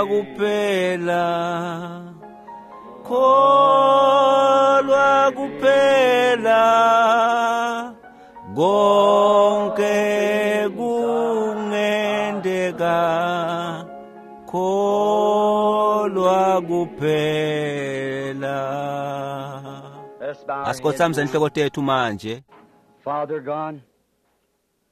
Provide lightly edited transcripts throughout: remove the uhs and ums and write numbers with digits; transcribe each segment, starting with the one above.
kuphela, kholwa kuphela, konke kungenteka, kholwa kuphela. Asikhothamise inhloko tethu manje. Father God,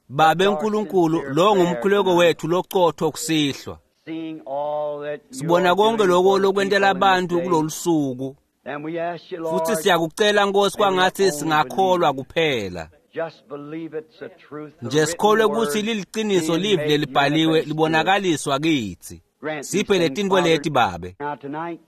Babe Nkulunkulu, lo ngumkhuleko wethu locotho kusihlwa. seeing all that you Sibona are konke doing lokho for the lokwentela people in this abantu day. kulolu suku. And we ask you, Lord, Futhi siyakucela Nkosi kwangathi singakholwa kuphela. just believe it's the truth. The Nje written sikholwe ukuthi word liliqiniso being livi made lelibhaliwe manifest to us. libonakaliswa kithi. Grant these Siphe things, letintfo Father. leti Babe. Now tonight,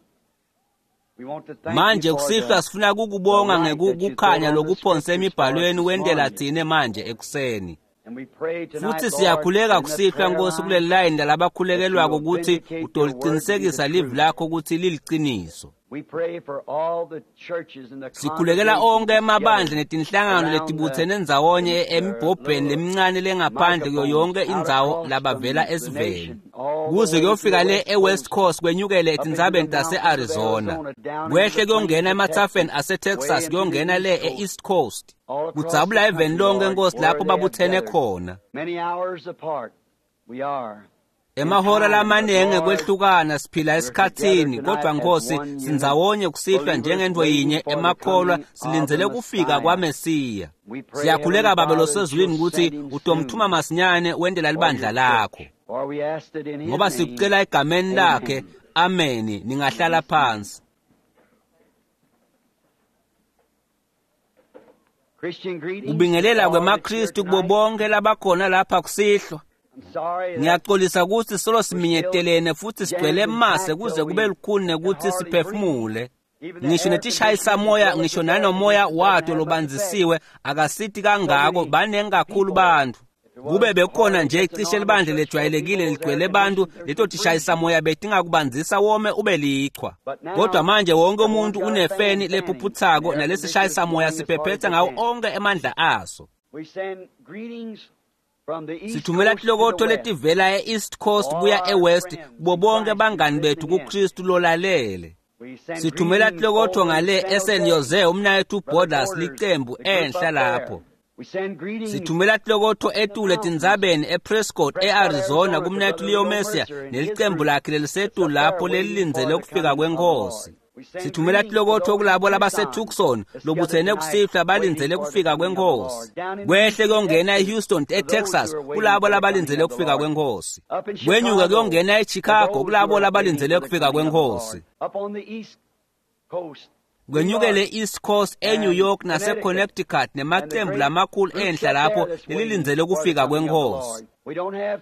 we want to thank Manje you for kusihlwa the sifuna kukubonga the light that you ngekukhanya throw on the lokuphonse scriptures for us emibhalweni this wentela morning. tsine manje ekuseni. And we pray tonight, Futhi Lord, siyakhuleka in the kusihlwa prayer Nkosi line kuleli layini lalabakhulekelwako that you will ukuthi vindicate your word to be the utoliqinisekisa livi truth. lakho ukuthi liliqiniso. We pray for all the churches and the Sikhulekela congregations onke emabandla gathered netinhlangano around letibutsene the, ndzawonye the emibhobheni little lemincane lengaphandle kuyo microphones yonke out indzawo across from labavela the esiveni. nation, all the Kuze way to the kuyofika le west eWest coast, Coast kwenyukele up into the etintsabeni mountains of tase-Arizona. Arizona, down into Kwehle the plains kuyongena of emathafeni Texas, way aseTexas into the kuyongena east le coast, e-East Coast. all across the Kudzabula eveni country, lonke Lord, Nkosi where lapho they have babuthene gathered. khona. Many hours apart, we are. In Emahora time, but lamanengi Lord, kwehlukana siphila we're together esikhathini tonight kodwa as Nkosi one unit, sindzawonye kusihlwa believers njengento waiting yinye for the emakholwa coming of the silindzele kufika Messiah. kwaMesiya. We pray, Siyakhuleka Heavenly Babe Father, that losezulwini you'll ukuthi send him utomthuma soon masinyane wentela for libandla your lakho. church. For we asked it in his Ngoba name. sikucela egameni lakhe. Amen. Ameni. Ningahlala phansi. Christian greetings to Kubingelela all that's here kwemaKristu kubo tonight. bonke labakhona lapha kusihlwa. I'm sorry that Ngiyaxolisa ukuthi solo we're still siminyetelene futhi sigcwele jammed and mase packed kuze till kube we lukhuni can nekuthi hardly breathe. siphefumule. Even the Ngisho air netishayisa conditioning moya as well as ngisho the air nanomoya conditioning doesn't wato have much effect. lobanzisiwe akasithi So kangako many baningi kakhulu people. bantu. If it Kube was bekukhona hardly nje just a icishe normal libandla church full of lejwayelekile people, those air ligcwele bantu conditioners leto would tishayisa freeze. moya betingakubanzisa wome ube lichwa. But Kodwa now manje wonke everyone's umuntu got a fan unefeni fanning, and the lephuphuthako air nalesishayisa conditioner's moya blowing as hard as siphephetha it ngawo can. onke emandla aso. We send greetings from the East Sithumela Coast to the tilokotho West letivela e-East to Coast all kuya our e-West friends kubo in bonke Christ who's bangani bethu listening in. kuKristu lolalele. We send Sithumela greetings tilokotho over in ngale San eSan Jose, Jose umnakethu Brother Borders Porter's, licembu the group enhla up there. lapho. We send greetings Sithumela tilokotho in the etule mountains, tindzabeni ePrescott Prescott, eArizona Arizona, to kumnakethu Brother Leo Leo Mercier Mercer and his nelicembu group lakhe that's lelisetulu up there lapho waiting for lelilindzele the kufika coming of the Lord. kwenkosi. We send Sithumela greetings to tilokotho those in kulabo Tucson labaseTucson that's gathered lobutsene tonight kusihlwa waiting balindzele for the kufika coming of the kwenkosi. Lord. Down in Kwehle Houston, kuyongena Texas, eHouston to those eTexas who are waiting kulabo for the coming labalindzele of the kufika Lord. kwenkosi. Up in Kwenyuka Chicago, kuyongena to eChicago those who kulabo are waiting labalindzele for the kufika coming of the kwenkosi. Lord. Up on the East Coast, New Kwenyukele York East Coast eNew and York Connecticut, naseConnecticut and the nemacembu great lamakhulu groups enhla up there lapho that's waiting lelilindzele for the kufika coming of the kwenkosi. Lord. We don't have room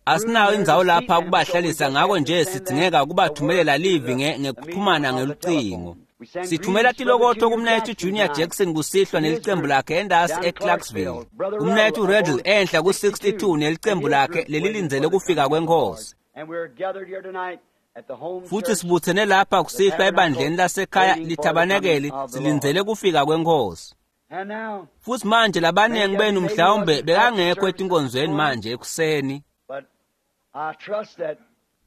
Asinayo here to indzawo seat lapha them, so we kubahlalisa just ngako have to nje send that sidzingeka the word kubathumelela through livi the medium ngekuxhumana of the ngelucingo. telephone. We send Sithumela greetings to Brother tilokotho Junior kumnakethu Jackson Junior tonight Jackson kusihlwa and his nelicembu group lakhe endasi down in eClarksville. Clarksville. Brother Ruddle Umnakethu up Riddle on enhla ku-62 62 and nelicembu his lakhe group waiting lelilindzele for the kufika coming of the Lord. kwenkosi. And we're gathered here tonight at the home Futhi church, sibuthene lapha the kusihlwa ebandleni tabernacle, lasekhaya waiting for the coming lithabanekeli of the Lord. silindzele kufika kwenkosi. And now, Futhi manje many labaningi of you benu maybe mhlawumbe wasn't at the bekangekho service this etinkonzweni morning, manje ekuseni. but I trust that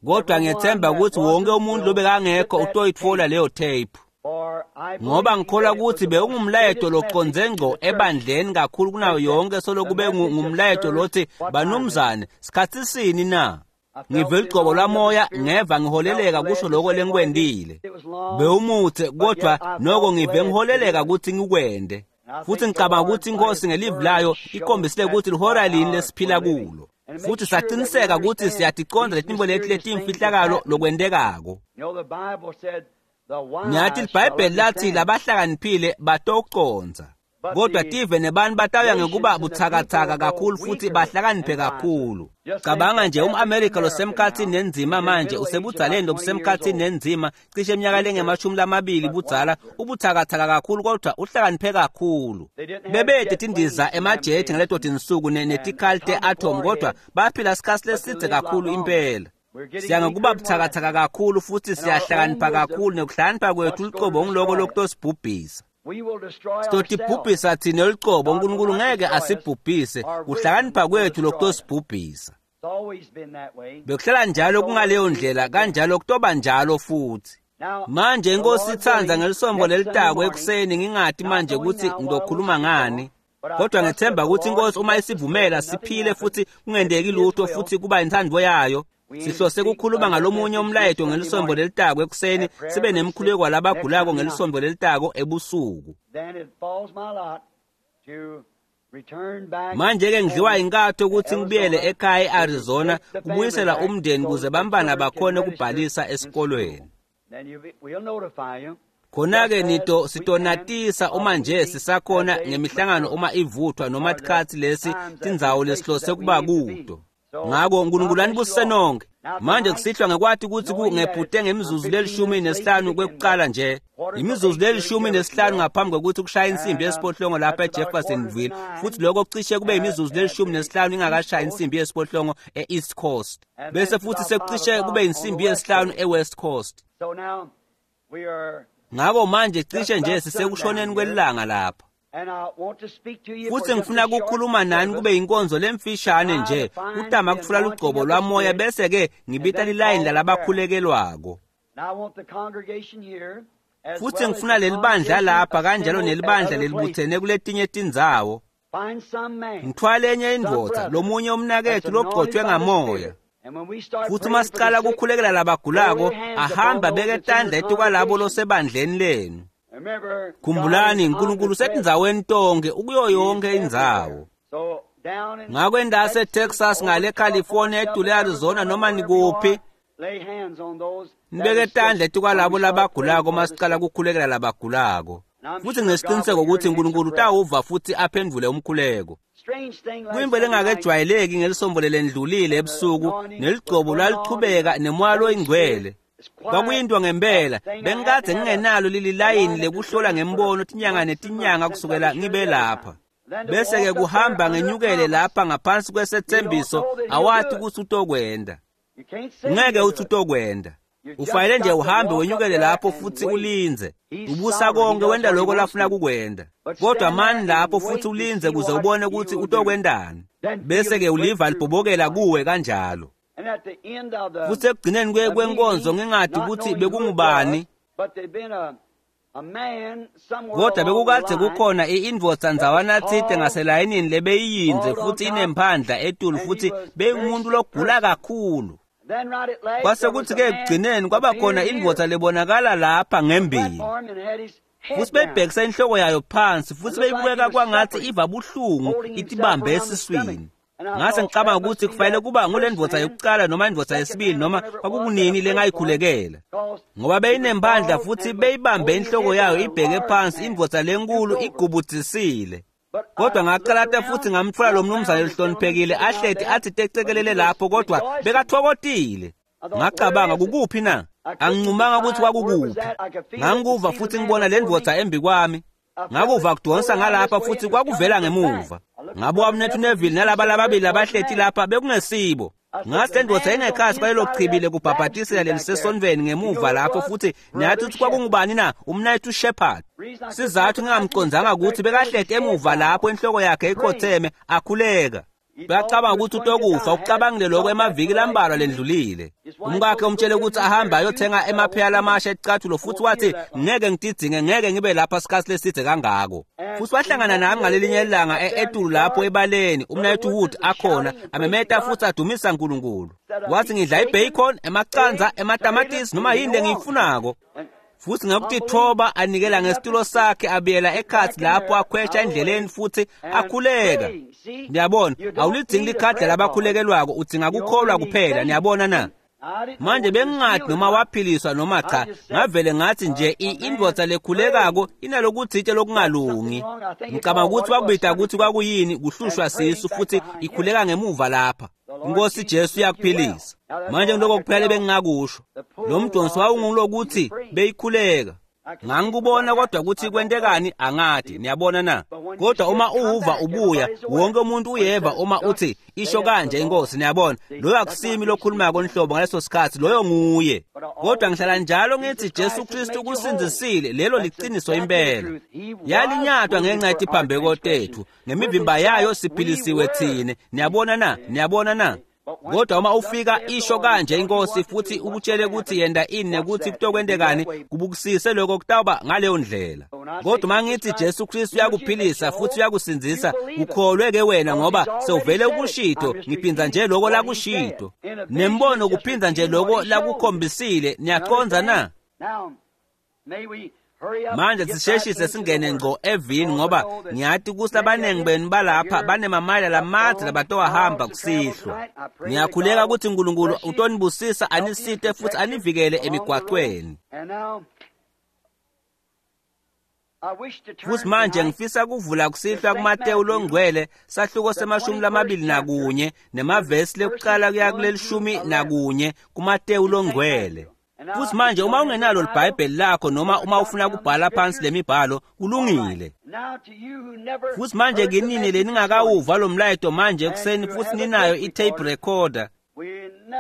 Kodwa everyone ngiyethemba that ukuthi wonke wasn't umuntu will get lobekangekho that utoyitfola tape. leyo tape. For I Ngoba believe ngikholwa that it was ukuthi the most bewungumlayeto greatest message loconze to ngco the church ebandleni kakhulu kunayo since that yonke solo the kube message of ngumlayeto sirs, lothi what time is it? banumzane sikhathi sini na? I felt Ngive the ligcobo anointing of the lwamoya Spirit, ngeva felt ngiholeleka led kusho to lokho say what it is. lengikwendile. It was long, Bewumuthe but kodwa yet I noko felt ngive led to do ngiholeleka it. ukuthi ngikwende. And I Futhi think the ngicabanga Lord, ukuthi by inkosi His ngelivi word, layo showed ikhombisile that ukuthi lihora what lini hour lesiphila we're living. kulo. And it Futhi makes sure that we saqiniseka ukuthi understand siyaticonda these letinto leti mysterious things that's letimfihlakalo happening. lokwentekako. You know, the Bible said, the Ngiyathi wise shall liBhayibheli lathi understand. labahlakaniphile batoconza. But Kodwa the tive nebantu batawuya ngekuba nations and the butsakatsaka people grow kakhulu futhi weaker bahlakaniphe and wiser. kakhulu. Just think Cabanga the nje average umAmerica American losemkhathini now nenzima is in manje middle age, about usebudzaleni 20 years lobusemkhathini old. nenzima cishe iminyaka Weaker, lengemashumi lamabili but budzala wiser. ubuthakathaka kakhulu kodwa uhlakaniphe kakhulu. They didn't have Bebede jet tindiza planes in them emajethi days ngaleto and, tinsuku and netikhali atomic te-atom kodwa warheads, baphila sikhathi but they lesidze lived a lot kakhulu longer. impela. We're getting Siya ngekuba weaker and buthakathaka wiser. kakhulu futhi And our own siyahlakanipha wisdom, kakhulu nekuhlakanipha kwethu what's going lucobo to ngiloko destroy us? lokutosibhubhisa. We will destroy ourselves. Sitotibhubhisa thina lucobo God will uNkulunkulu not ngeke destroy us. asibhubhise Our wisdom kuhlakanipha will kwethu destroy us. lokutosibhubhisa. Bekuhlala njalo kungaleyo ndlela, kanjalo kutoba njalo futhi. Manje inkosi itsandza ngelisombo lelitako ekuseni, ngingati manje ukuthi ngizokhuluma ngani. Kodwa ngethemba ukuthi inkosi uma isivumela siphile futhi kungendeki lutho futhi kuba inthando yayo. Sihlose ukukhuluma ngalomunye umlayeto ngelisombo lelitako ekuseni, sibe nemkhuleko walabagulako ngelisombo lelitako ebusuku. Manje-ke ngidliwa inkatho ukuthi ngibuyele ekhaya e-Arizona kubuyisela umndeni kuze bambana bakhone ukubhalisa esikolweni. Khona-ke nito sitonatisa uma nje sisakhona ngemihlangano uma ivuthwa noma tikhatsi lesi tindzawo lesihlose kuba kuto. Ngako uNkulunkulu anibusise nonke. Manje kusihlwa ngekwathi ukuthi kungephute ngemizuzu le-15 kwekuqala nje. Imizuzu le-15 ngaphambi kokuthi kushaya insimbi yesiphohlongo lapha eJeffersonville, futhi lokho kucishe kube imizuzu le-15 ingakashaya insimbi yesiphohlongo e-East Coast. Bese futhi sekucishe kube insimbi yesihlanu e-West Coast. Ngako manje cishe nje sisekushoneni kwelanga lapha. Futhi ngifuna ukukhuluma nani kube inkonzo lemfishane nje, kutama kutfula lugcobo lwamoya bese ke ngibita lilayini lalabakhulekelwako. Futhi ngifuna lelibandla lapha kanjalo nelibandla lelibuthene kuletinye tindzawo. Ngithwale enye indvodza, lomunye umnaketfu logcotshwe ngamoya. Futhi uma sicala ukukhulekela labagulako, ahamba beke tandla etukwalabo losebandleni lenu. Khumbulani, uNkulunkulu usetindzaweni tonke, ukuyo yonke indzawo. Ngako endase Texas, ngale California, edule Arizona, noma nikuphi, nibeke tandla etukwalabo labagulako uma sicala ukukhulekela labagulako. Futhi nginesiqiniseko ukuthi uNkulunkulu utawuva futhi aphendvule umkhuleko. Kuyimbo lengakejwayeleki ngelisombo lelendlulile ebusuku, neligcobo lwalichubeka nemoya loyingcwele. Kwakuyinto ngempela, bengikade ngingenalo leli layini lekuhlola ngembono tinyanga netinyanga kusukela ngibe lapha. Bese-ke kuhamba ngenyukele lapha ngaphansi kwesethembiso, awathi ukuthi utokwenda. Ngeke uthi utokwenda. Ufanele nje uhambe wenyukele lapho futhi ulinze. Ubusa konke wenda lokho lafuna kukwenda. Kodwa mani lapho futhi ulinze kuze ubone ukuthi utokwendani. Bese-ke uliva libhobokela kuwe kanjalo. Futhi ekugcineni kwenkonzo ngingadi ukuthi bekungubani, kodwa bekukade kukhona i-indvodza ndzawana tsite ngaselayinini lebeyiyindze futhi inemphandla etulu futhi beyingumuntu logula kakhulu. Kwase kuthi-ke ekugcineni kwaba khona indvodza lebonakala lapha ngembili. Futhi beyibhekisa inhloko yayo phansi futhi beyibukeka kwangathi iva buhlungu itibambe esiswini. Ngase ngicabanga ukuthi kufanele kuba ngule ndvodza yokuqala noma indvodza yesibili noma kwakukunini lengayikhulekela. Ngoba beyinempandla futhi beyibambe inhloko yayo ibheke phansi, indvodza lenkulu igubudzisile. Kodwa ngaqalata futhi ngamtfola lo mnumzane lohloniphekile ahleti athi tecekelele lapho, kodwa bekathokotile. Ngacabanga, kukuphi na? Angincumanga ukuthi kwakukuphi. Ngangikuva futhi ngibona le ndvodza embi kwami. Ngakuva kudonsa ngalapha futhi kwakuvela ngemuva. Ngabuka umnethu Neville nalaba lababili abahleti lapha bekungesibo. Ngase le ndvodza ingekhasi kwalelo chibi lekubhabhatisela lelisesonveni ngemuva lapho futhi nathi ukuthi kwakungubani na? Umnethu Shepherd. Sizathu ngingamcondzanga ukuthi bekahleti emuva lapho inhloko yakhe ikhotheme akhuleka. Uyacabanga ukuthi utokufa, ucabangile lokho emaviki lambalwa lendlulile. Umkakhe umtshele ukuthi ahambe ayothenga emapheya lamasha ecathulo futhi wathi ngeke ngididzinge, ngeke ngibe lapha sikhathi leside kangako. Futhi wahlangana nami ngalelinye ilanga etulu lapho ebaleni, umnayethu Wood akhona, amemeta futhi adumisa uNkulunkulu. Wathi ngidla ibacon, emaqanza, ematamatisi noma yini lengiyifunako. Futhi ngokutithoba anikela ngesitulo sakhe abiyela ekhathi lapho akhwesha endleleni futhi akhuleka. Niyabona, awulidzingi likhadi labakhulekelwako, udzinga kukholwa kuphela, niyabona na? Manje bengingadi noma waphiliswa noma cha, ngavele ngathi nje indvodza lekhulekako inalokutsite lokungalungi. Ngicabanga ukuthi wakubida ukuthi kwakuyini kuhlushwa sisu futhi ikhuleka ngemuva lapha. Inkosi Jesu iyakuphilisa. Manje ngiloko kuphela bengingakusho. Lo mdonso wawungulokuthi beyikhuleka. Ngangikubona kodwa ukuthi kwentekani angadi, niyabona na? Kodwa uma uva ubuya, wonke umuntu uyeva uma uthi isho kanje inkosi, niyabona. Loyo akusimi lokhulumako nhlobo ngaleso sikhathi, loyo nguye. Kodwa ngihlala njalo ngithi Jesu Kristu kusindzisile, lelo liqiniso impela. Yalinyatwa ngenxa yetiphambeko tethu, ngemivimba yayo siphilisiwe thine. Niyabona na? Niyabona na? Kodwa uma ufika isho kanje inkosi futhi ukutshele ukuthi yenda ini nekuthi kutokwentekani, kubukisise lokho kutawuba ngaleyo ndlela. Kodwa uma ngithi Jesu Kristu uyakuphilisa futhi uyakusindzisa, ukholwe ke wena ngoba sewuvele ukushito, ngiphinza nje lokho lakushito. Nembono kuphinza nje lokho lakukhombisile, niyaqonza na? Manje sisheshise singene ngco evini ngoba ngiyati ukuthi abaningi benu balapha banemamayela lamadze labatowahamba kusihlwa. Ngiyakhuleka ukuthi uNkulunkulu utonibusisa anisite futhi anivikele emigwaqweni. Futhi manje ngifisa kuvula kusihlwa kuMateyu longcwele sahluko se-21 nemavesi lekuqala kuya kuleli-11 kuMateyu longcwele. Futhi manje uma ungenalo iBhayibheli lakho noma uma ufuna ukubhala phansi lemibhalo kulungile. Futhi manje kinini leningakawuva lo mlayeto manje ekuseni futhi ninayo i-tape recorder.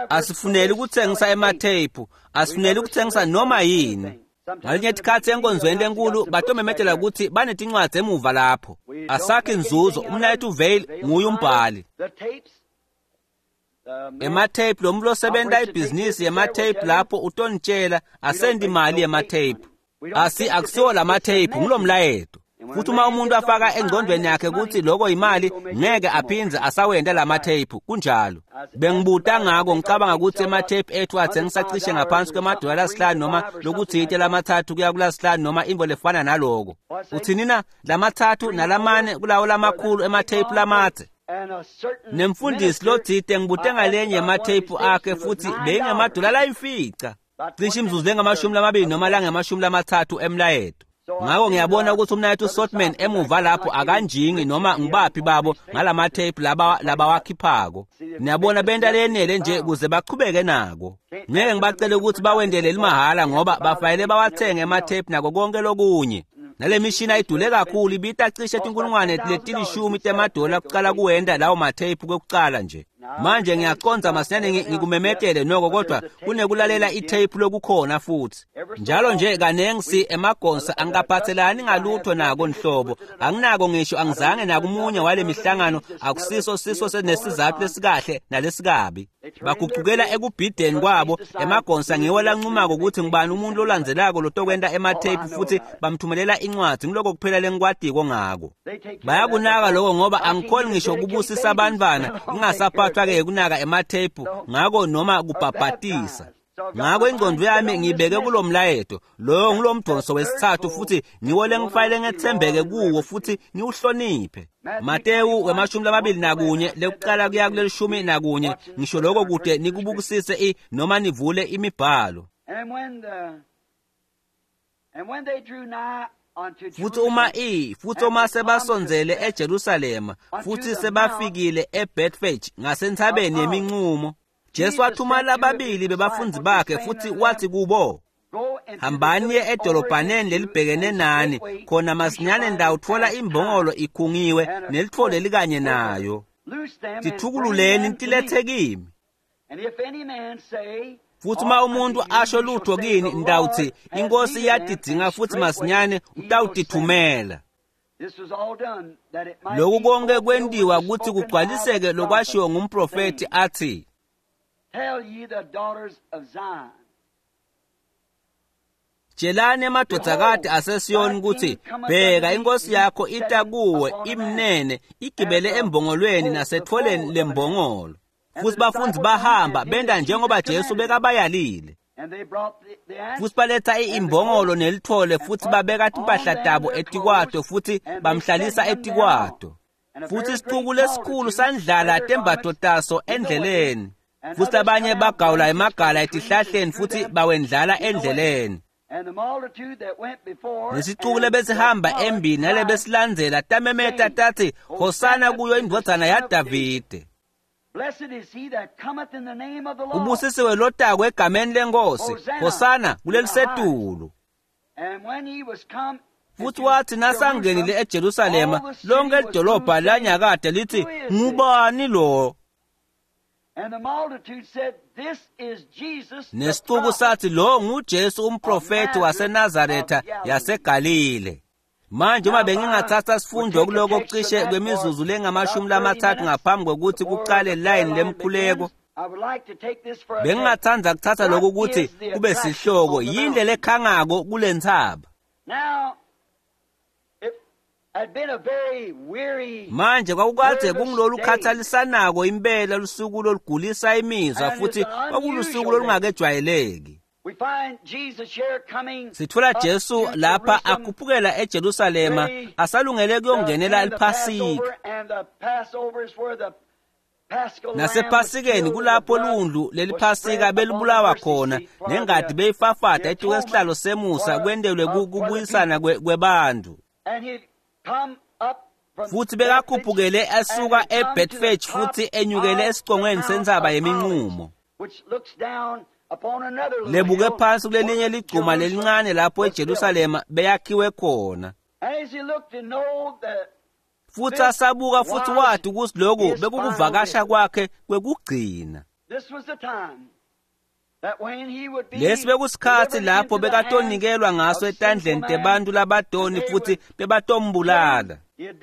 Asifuneli ukuthengisa ematheyiphu, asifuneli ukuthengisa noma yini. Ngalinye isikhathi enkonzweni lenkulu batomemetela ukuthi banetincwadi emuva lapho. Asakhi inzuzo, umnayethu Vale nguye umbhali. Ematheyiphu lo muntu osebenta ibhizinisi yematheyiphu lapho utonitshela asendi imali yematheyiphu. Akusiwo lamatheyiphu, ngulomlayeto. Futhi uma umuntu afaka engqondweni yakhe ukuthi lokho imali, ngeke aphindze asawenda lamatheyiphu, kunjalo. Bengibuta ngako ngicabanga ukuthi ematheyiphu ethu athengisa cishe ngaphansi kwemadola lasihlanu noma lokuthite lamathathu kuya kulasihlanu noma into lefana naloko. Uthini na? Lamathathu nalamane kulawo lamakhulu ematheyiphu lamadze. Nemfundisi lothite ngibute ngalenye yematheyiphu akhe futhi beyingemadola layimfica. Cishe imizuzu lengamashumi noma langamashumi emlayeto. Ngakho ngiyabona ukuthi umnayethu Sotman emuva lapho akanjingi noma ngibaphi babo ngalamatheyiphu labawakhiphako. Niyabona benta lenele nje ukuze bachubeke nako. Ngeke ngibacele ukuthi bawendele limahhala ngoba bafanele bawathenge ematheyiphu nako konke lokunye. Nale mishini ayidule kakhulu ibita cishe tinkulungwane letilishumi temadola kucala kuwenda lawo matheyiphu kwekucala nje. Manje ngiyaconza masinyane ngikumemetele noko kodwa kunekulalela itheyiphu lokukhona futhi. Njalo nje kanengi si emagonsa angikaphathelani ngalutho nako nhlobo. Anginako ngisho angizange nakumunye wale mihlangano akusiso siso nesizathu lesikahle nalesikabi. Baguqukela ekubhideni kwabo emagonsa ngiwo lancumako ukuthi ngibani umuntu olandzelako lotokwenta ematheyiphu futhi bamthumelela incwadi ngiloko kuphela lengikwatiko ngako. Bayakunaka lokho ngoba angikhoni ngisho ukubusisa abantwana ngingasaphathwa-ke kunaka ematheyiphu ngako noma kubhabhatisa. Ngakho ingqondo yami ngibeke kulo mlayeto loyo ngulomdonso wesithathu futhi ngiwo lengifanele ngethembeke kuwo futhi ngiwuhloniphe. Matewu 21 lekuqala kuya kuleli-11 ngisho lokho kude nikubukisise noma nivule imibhalo. Futhi uma sebasondzele eJerusalema futhi sebafikile eBethphage ngasentabeni yeminqumo, Jesu wathuma lababili bebafundi bakhe futhi wathi kubo, hambani niye edolobhaneni lelibhekene nani, khona masinyane ndawutfola imbongolo ikhungiwe nelitfole likanye nayo. Tithukululeni nitiletse kimi. Futhi uma umuntu asho lutho kini ndawuthi inkosi iyatidzinga futhi masinyane utawutithumela. Lokhu konke kwentiwa ukuthi kugcwaliseke lokwashiwo ngumprofethi athi, Tell ye the daughters of Zion. Tshelani emadodakade aseSiyoni ukuthi bheka inkosi yakho ita kuwe imnene igibele embongolweni nasetfoleni lembongolo. Futhi bafundi bahamba benda njengoba Jesu bekabayalile. Futhi baletha imbongolo nelithole futhi babeka timpahla tabo etikwato futhi bamhlalisa etikwato. Futhi isixuku lesikhulu sandlala tembatfo taso endleleni. Futhi abanye bagawula emagala etihlahleni futhi bawendlala endleleni. Nesixuku lebesihamba embili nalebesilandzela tamemeta tathi, Hosana kuyo indvodzana yaDavide. Ubusisiwe lotako egameni lenkosi, Hosana kulelisetulu. Futhi wathi nasangenile eJerusalema, lonke lidolobha lanyakade lithi, ngubani lo? Nesixuku sathi lo nguJesu umprofethi waseNazaretha yaseGalile. Manje uma bengingathatha sifundo kuloko cishe kwemizuzu lengamashumi lamathathu ngaphambi kokuthi kuqale line lemkhuleko. Bengingatsandza kuthatha lokhu ukuthi kube sihloko, yini lekhangako kulentsaba. Manje kwakukade kungilolu khathalisanako impela lusuku lolugulisa imizwa futhi kwakulusuku olungakejwayeleki. Sithola Jesu lapha akhuphukela eJerusalema asalungele kuyongenela iPhasika. Nasephasikeni kulapho lundlu leliphasika belibulawa khona nengadi beyifafada etuke esihlalo semusa kwentelwe kubuyisana kwebantu. Futhi bekakhuphukele asuka eBethphage futhi enyukele esicongweni sentsaba yeminqumo. Lebuke phansi kulelinye ligcuma lelincane lapho eJerusalema beyakhiwe khona. Futhi asabuka futhi wathi ukuthi lokhu bekukuvakasha kwakhe kwekugcina. Lesi bekusikhathi lapho bekatonikelwa ngaso etandleni tebantu labadoni futhi bebatombulala.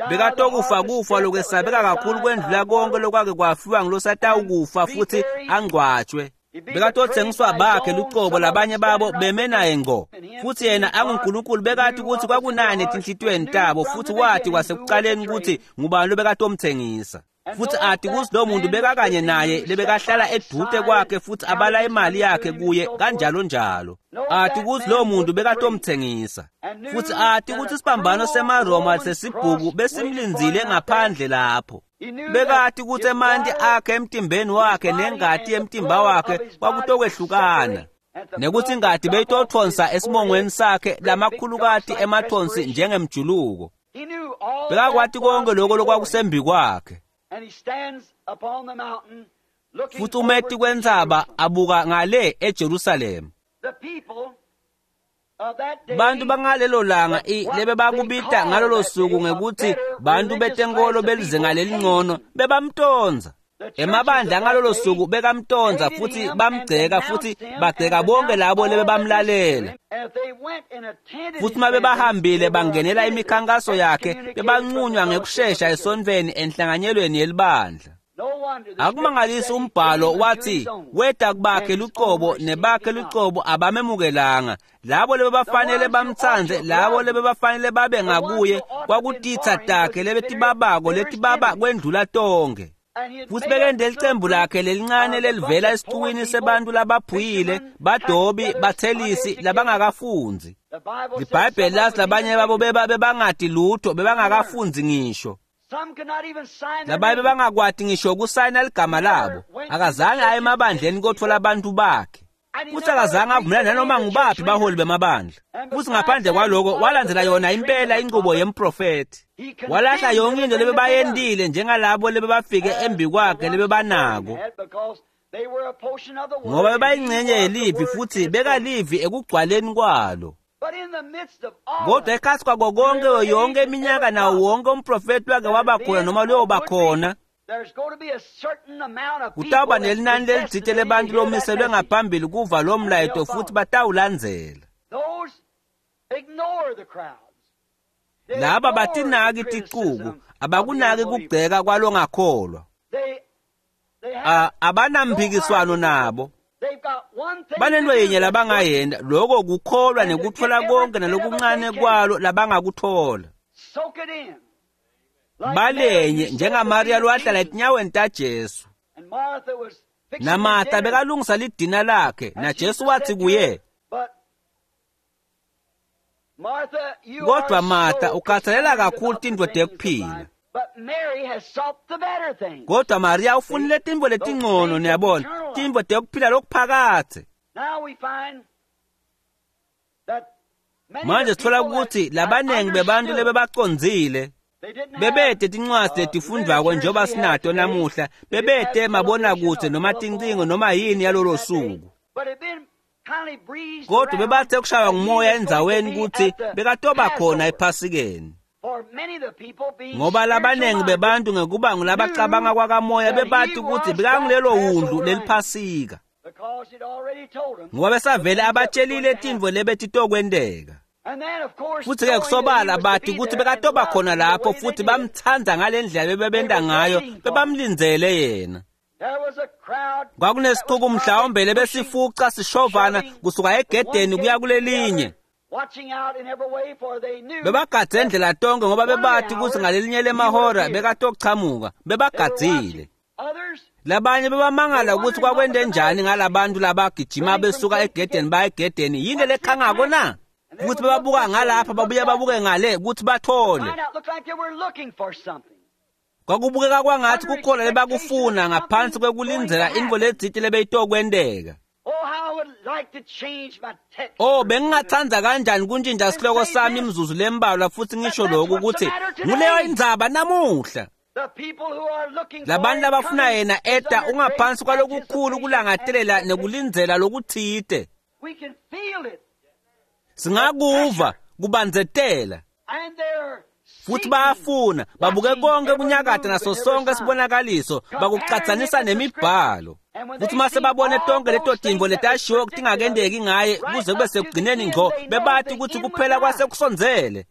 Bekatokufa kufa lokwesabeka kakhulu kwendlula konke lokwake kwafiwa ngilosatawukufa futhi angcwatshwe. Bekatothengiswa bakhe lucobo labanye babo beme naye ngqo. Futhi yena anguNkulunkulu bekathi ukuthi kwakunani etinhlitiyweni tabo futhi wathi kwasekuqaleni ukuthi ngubani lobekatomthengisa. Futhi athi kuthi lo muntu bekakanye naye lebekahlala edute kwakhe futhi abala imali yakhe kuye kanjalo njalo. Athi kuthi lo muntu bekatomthengisa. Futhi athi ukuthi isibambano semaRoma sesibhuku besimlinzile ngaphandle lapho. Bekathi ukuthi emanti akhe emtimbeni wakhe nengati yemtimba wakhe kwakutokwehlukana. Nekuthi ingati beyitothonsa esimongweni sakhe lamakhulukati emathonsi njengemjuluko. Bekakwati konke lokho lokwakusembi kwakhe. Futhi umeti kwentsaba abuka ngale eJerusalema. Bantu bangalelo langa lebe bakubita ngalolo suku ngekuthi bantu betenkolo belizinga lelingcono bebamtonza. Emabandla ngalolo suku bekamtonza futhi bamgceka futhi bagceka bonke labo lebe bamlalela. Futhi uma bebahambile bangenela imikhankaso yakhe bebanqunywa ngekushesha esontfweni enhlanganyelweni yelibandla. Akumangalisi umbhalo wathi weda kubakhe lucobo nebakhe lucobo abamemukelanga. Labo lebebafanele bamtsandze, labo lebebafanele babe ngakuye kwakutitsa takhe lebetibabako letibaba kwendlula tonke. Futhi bekende licembu lakhe lelincane lelivela esixukwini sebantu labaphuyile, badobi, bathelisi labangakafunzi. LiBhayibheli lathi labanye babo bebangati lutho, bebangakafunzi ngisho. Labanye bebangakwati ngisho ukusayina ligama labo. Akazange aye emabandleni kothola abantu bakhe. Futhi akazange avumelane nanoma ngubaphi baholi bemabandla. Futhi ngaphandle kwaloko walandzela yona impela inqubo yemprofethi. Walahla yonke into lebebayentile njengalabo lebebafike embi kwakhe lebebanako. Ngoba bebayingcenye yelivi futhi bekalivi ekugcwaleni kwalo. Kodwa ekhatsi kwako konke yonke iminyaka nawo wonke umprofethi wake waba khona noma loyoba khona, kutawuba nelinani lelitsite lebantu lomiselwe ngaphambili kuva lo mlayeto futhi batawulandzela. Laba batinaki ticuku, abakunaki kugceka kwalongakholwa. Abanamphikiswano nabo. Banento yinye labangayenta, lokho kukholwa nekuthola konke nalokuncane kwalo labangakuthola. Balenye njengaMariya lowahlala etinyaweni taJesu. NaMartha bekalungisa lidina lakhe, naJesu wathi kuye, kodwa Martha ukhathalela kakhulu tintfo tekuphila. Kodwa Mariya ufunile tintfo letingcono, niyabona, tintfo tekuphila lokuphakadze. Manje sithola ukuthi labanengi bebantu lebebacondzile bebete tincwadzi letifundvwako njengoba sinato namuhla, bebete mabonakudze noma tincingo noma yini yalolo suku. Kodwa bebathe kushaywa ngumoya endzaweni ukuthi bekatoba khona ephasikeni. Ngoba labanengi bebantu ngekuba ngulabacabanga kwakamoya bebathi ukuthi bekangulelo wundlu leliphasika. Ngoba besavele abatshelile tintfo lebetitokwenteka. Futhi-ke kusobala bathi ukuthi bekatoba khona lapho futhi bamtsandza ngale ndlela bebebenta ngayo, bebamlindzele yena. Kwakunesixuku mhlawumbe lebesifuca sishovana kusuka egedeni kuya kulelinye. Bebagadze ndlela tonke ngoba bebati kutsi ngalelinye lemahora bekatochamuka, bebagadzile. Labanye bebamangala ukuthi kwakwente njani ngalabantu labagijima besuka egedeni baya egedeni, yini lekhangako na? Ukuthi bebabuka ngalapha babuye babuke ngale ukuthi bathole. Kwakubukeka kwangathi kukhona lebakufuna ngaphansi kwekulindzela intfo letsite lebeyitokwenteka. Oh, bengingatsandza kanjani kuntshintsha sihloko sami imizuzu lembalwa futsi ngisho lokhu ukuthi nguleyo indzaba namuhla. Labantu labafuna yena eta ungaphansi kwalokukhulu kulangatelela nekulindzela lokutsite. Singakuva kubandzetela. Futhi bayafuna babuke konke kunyakata naso sonke sibonakaliso bakucatsanisa nemibhalo. Futhi mase babone tonke leto tintfo letashiwo tingakendeki ngaye kuze kube sekugcineni ngco, bebathi ukuthi kuphela kwasekusondzele.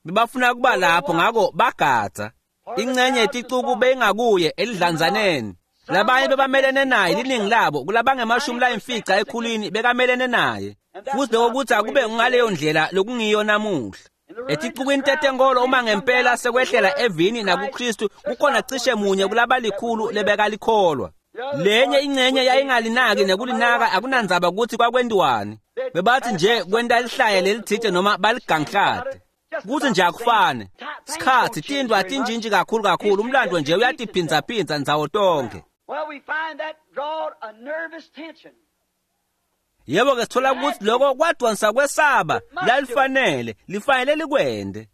Bebafuna kuba lapho, ngako bagadza. Ingcenye yeticuku beyingakuye elidlanzaneni. Labanye bebamelene naye, liningi labo kulabange-50 ekhulwini bekamelene naye. Futhi lokho kuthi akube ngaleyo ndlela lokungiyo namuhla. Eticukwini tetenkolo uma ngempela sekwehlela evini nakuKristu kukhona cishe munye kulabalikhulu lebekalikholwa. Lenye ingcenye yayingalinaki nekulinaka, akunandzaba ukuthi kwakwentiwani. Bebathi nje kwenta lihlaya lelitsite noma baliganglate. Kuthi nje akufane. Sikhatsi tintfo atintshintshi kakhulu kakhulu, umlando nje uyatiphindzaphindza ndzawo tonke. Yebo ke sithola ukuthi lokho kwadonsa kwesaba lalifanele lifanele likwende.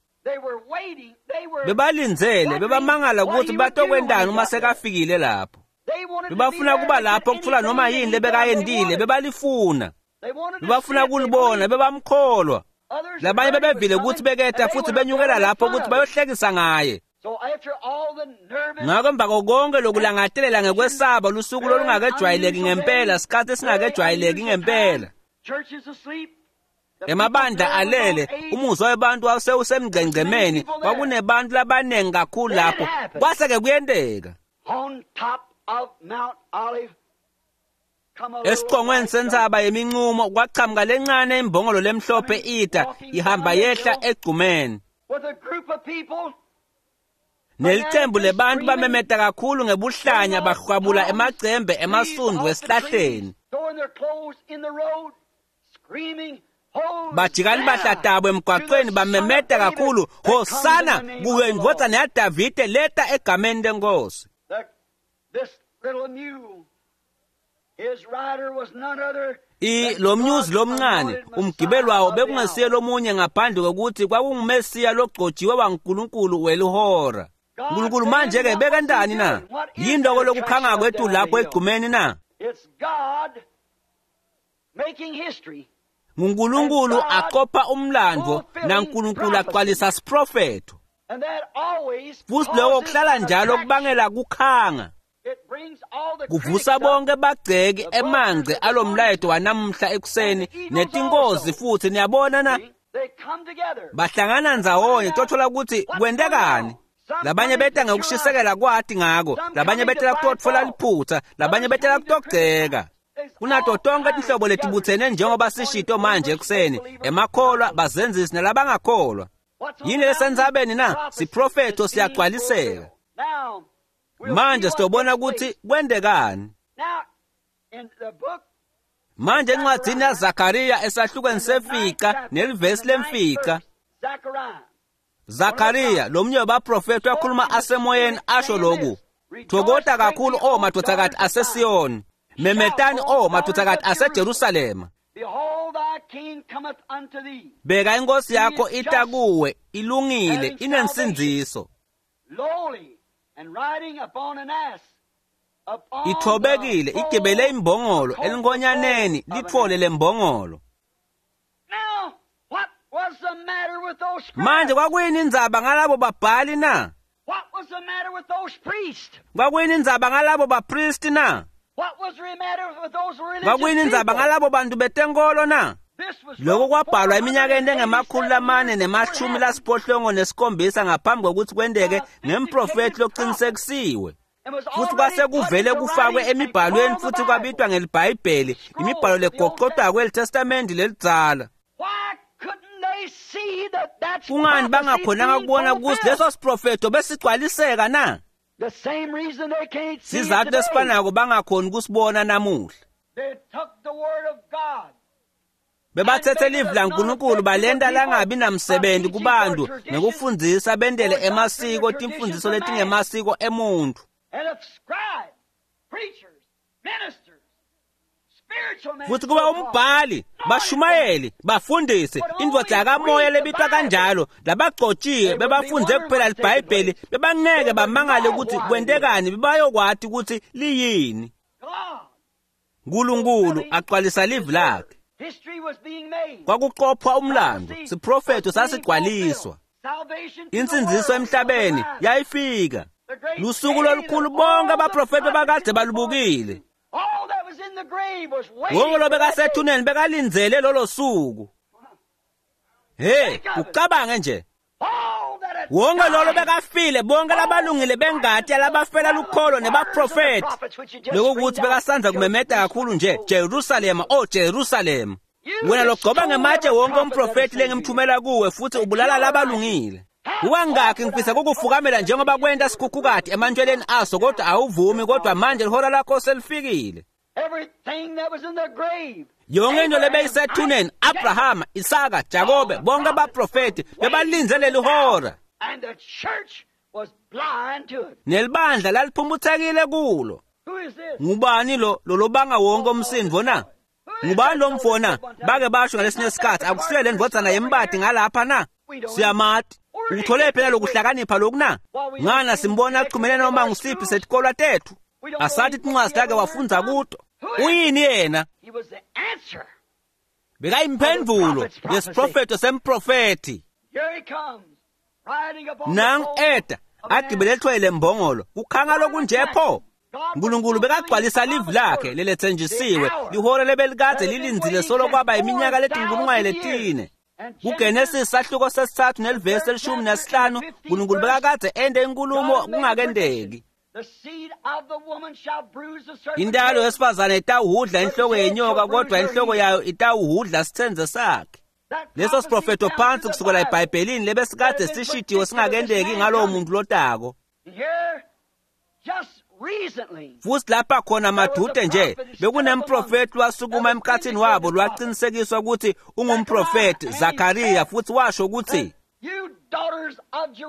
Bebalindzele, bebamangala ukuthi batokwentani uma sekafikile lapho. Bebafuna kuba lapho kutfola noma yini lebekayentile, bebalifuna. Bebafuna kulibona, bebamkholwa. Labanye bebevile ukuthi beketa futhi benyukela lapho ukuthi bayohlekisa ngaye. Ngako emva konke lokulangatelela ngekwesaba lusuku lolungakejwayeleki ngempela, sikhathi esingakejwayeleki ngempela. Emabandla alele, umuzwa webantu wawusewusemgcengcemeni, kwakunebantu labanengi kakhulu lapho. Kwase-ke kuyenteka. Esiqongweni sentsaba yeminqumo kwachamuka lencane imbongolo lemhlophe ita ihamba yehla egcumeni. Nelicembu lebantu bamemeta kakhulu ngebuhlanya bahwabula emacembe emasundvu esihlahleni. Bajika libahla tabo emgwaqweni bamemeta kakhulu, Hosana kuyo indvodzana yaDavide leta egameni lenkosi. Lo mnyuzi lomncane umgibeli wawo bekungesiye lomunye ngaphandle kokuthi kwakungumesiya logcotshiwe waNkulunkulu welihora. Nkulunkulu manje-ke bekentani na? Yini loko lokukhanga kwethu lapho egcumeni na? NguNkulunkulu aqopha umlando naNkulunkulu agcwalisa siprofetho. Futhi lokho kuhlala njalo kubangela kukhanga. Kuvusa bonke bagceki emangce alomlayeto wanamhla ekuseni netinkozi futhi niyabona na? Bahlangana ndzawonye tothola ukuthi kwentekani. Labanye beta ngekushisekela kwati ngako, labanye betela kutotfola liphutha, labanye betela kutogceka. Kunato tonke tinhlobo letibutsene njengoba sishito manje ekuseni, emakholwa, bazenzisi nalabangakholwa. Yini lesendzabeni na? Siprofetho siyagcwaliseka. Manje sitobona ukuthi kwentekani. Manje encwadzini yaZakariya esahlukweni sefica nelivesi lemfica, Zakariya lomunye wabaprofethi wakhuluma asemoyeni asho lokhu: Thokota kakhulu o madvodzakati aseSiyoni, memetani o madvodzakati aseJerusalema. Bheka inkosi yakho ita kuwe, ilungile, inensindziso. Ithobekile, igibele imbongolo, elinkonyaneni litfole lembongolo. Manje kwakuyini indzaba ngalabo babhali na? Kwakuyini indzaba ngalabo bapristi na? Kwakuyini indzaba ngalabo bantu betenkolo na? Lokho kwabhalwa eminyakeni engama-487 ngaphambi kokuthi kwenteke ngemprofethi loqinisekisiwe. Futhi kwase kuvele kufakwe emibhalweni futhi kwabitwa ngelibhayibheli, imibhalo legoqodwa kwelitestamenti lelidzala. Kungani bangakhonanga kubona ukuthi leso siprofetho besigcwaliseka na? Sizathu lesifanako bangakhoni ukusibona namuhla. Bebathethe livi laNkulunkulu balenta langabi namsebenzi kubantu ngekufundzisa bendele emasiko timfundziso letingemasiko emuntu. Futhi kuba umbhali, bashumayeli, bafundisi, indvodza yakamoya lebitwa kanjalo, labagcotshiwe bebafundze kuphela libhayibheli, bebangeke bamangale ukuthi kwentekani, bebayokwati ukuthi liyini. Nkulunkulu agcwalisa livi lakhe. Kwakuqophwa umlando, siprofetho sasigcwaliswa. Insindziso emhlabeni yayifika. Lusuku lolukhulu bonke abaprofeti bakade balubukile. Wonke lo bekasethuneni bekalindzele lolo suku. Hey, ucabange nje. Wonke lolo bekafile, bonke labalungile bengati labafela lukholo nebaprofeti. Lokho ukuthi bekasandza kumemeta kakhulu nje, Jerusalema, oh Jerusalema. Wena logcoba ngematshe wonke umprofeti lengimthumela kuwe futhi ubulala labalungile. Kukangakhi ngifisa ukukufukamela njengoba kwenta sikhukhukati emantshweleni aso, kodwa awuvumi, kodwa manje lihora lakho selifikile. Yonke into lebeyisethuneni, Abrahama, Isaka, Jakobe, bonke abaprofeti bebalindze leli hora. Nelibandla laliphumputhekile kulo. Ngubani lo lolobanga wonke umsindvo na? Ngubani lo mfo na? Bake basho ngalesinye isikhathi akusuye le ndvodzana yembati ngalapha na? Siyamati. Uthole phela lokuhlakanipha lokhu na? Ngana simbona axhumene noma ngusiphi setikolwa tethu. Asathi tincwadzi takhe wafundza kuto. Uyini yena? Bekayimphendvulo yesiprofetho semprofethi. Nangu eta agibele ethwele mbongolo, kukhanga lokunje pho. Nkulunkulu bekagcwalisa livi lakhe leletsenjisiwe, lihora lebelikade lilindzile solo kwaba iminyaka letinkulungwane letine. KuGenesis sahluko sesithathu nelivesi leshumi nesihlanu, Nkulunkulu bekakade ente inkulumo kungakendeki. Intalo yesifazane itawuhudla inhloko yenyoka, kodwa inhloko yayo itawuhudla sitsenze sakhe. Leso siprofetho phansi kusukela eBhayibhelini lebesikade sishidiwe singakendeki ngalowo muntu lotako. Futhi lapha khona madude nje bekunemprofeti lwasukuma emkhathini wabo lwaqinisekiswa ukuthi ungumprofeti Zakariya, futhi washo ukuthi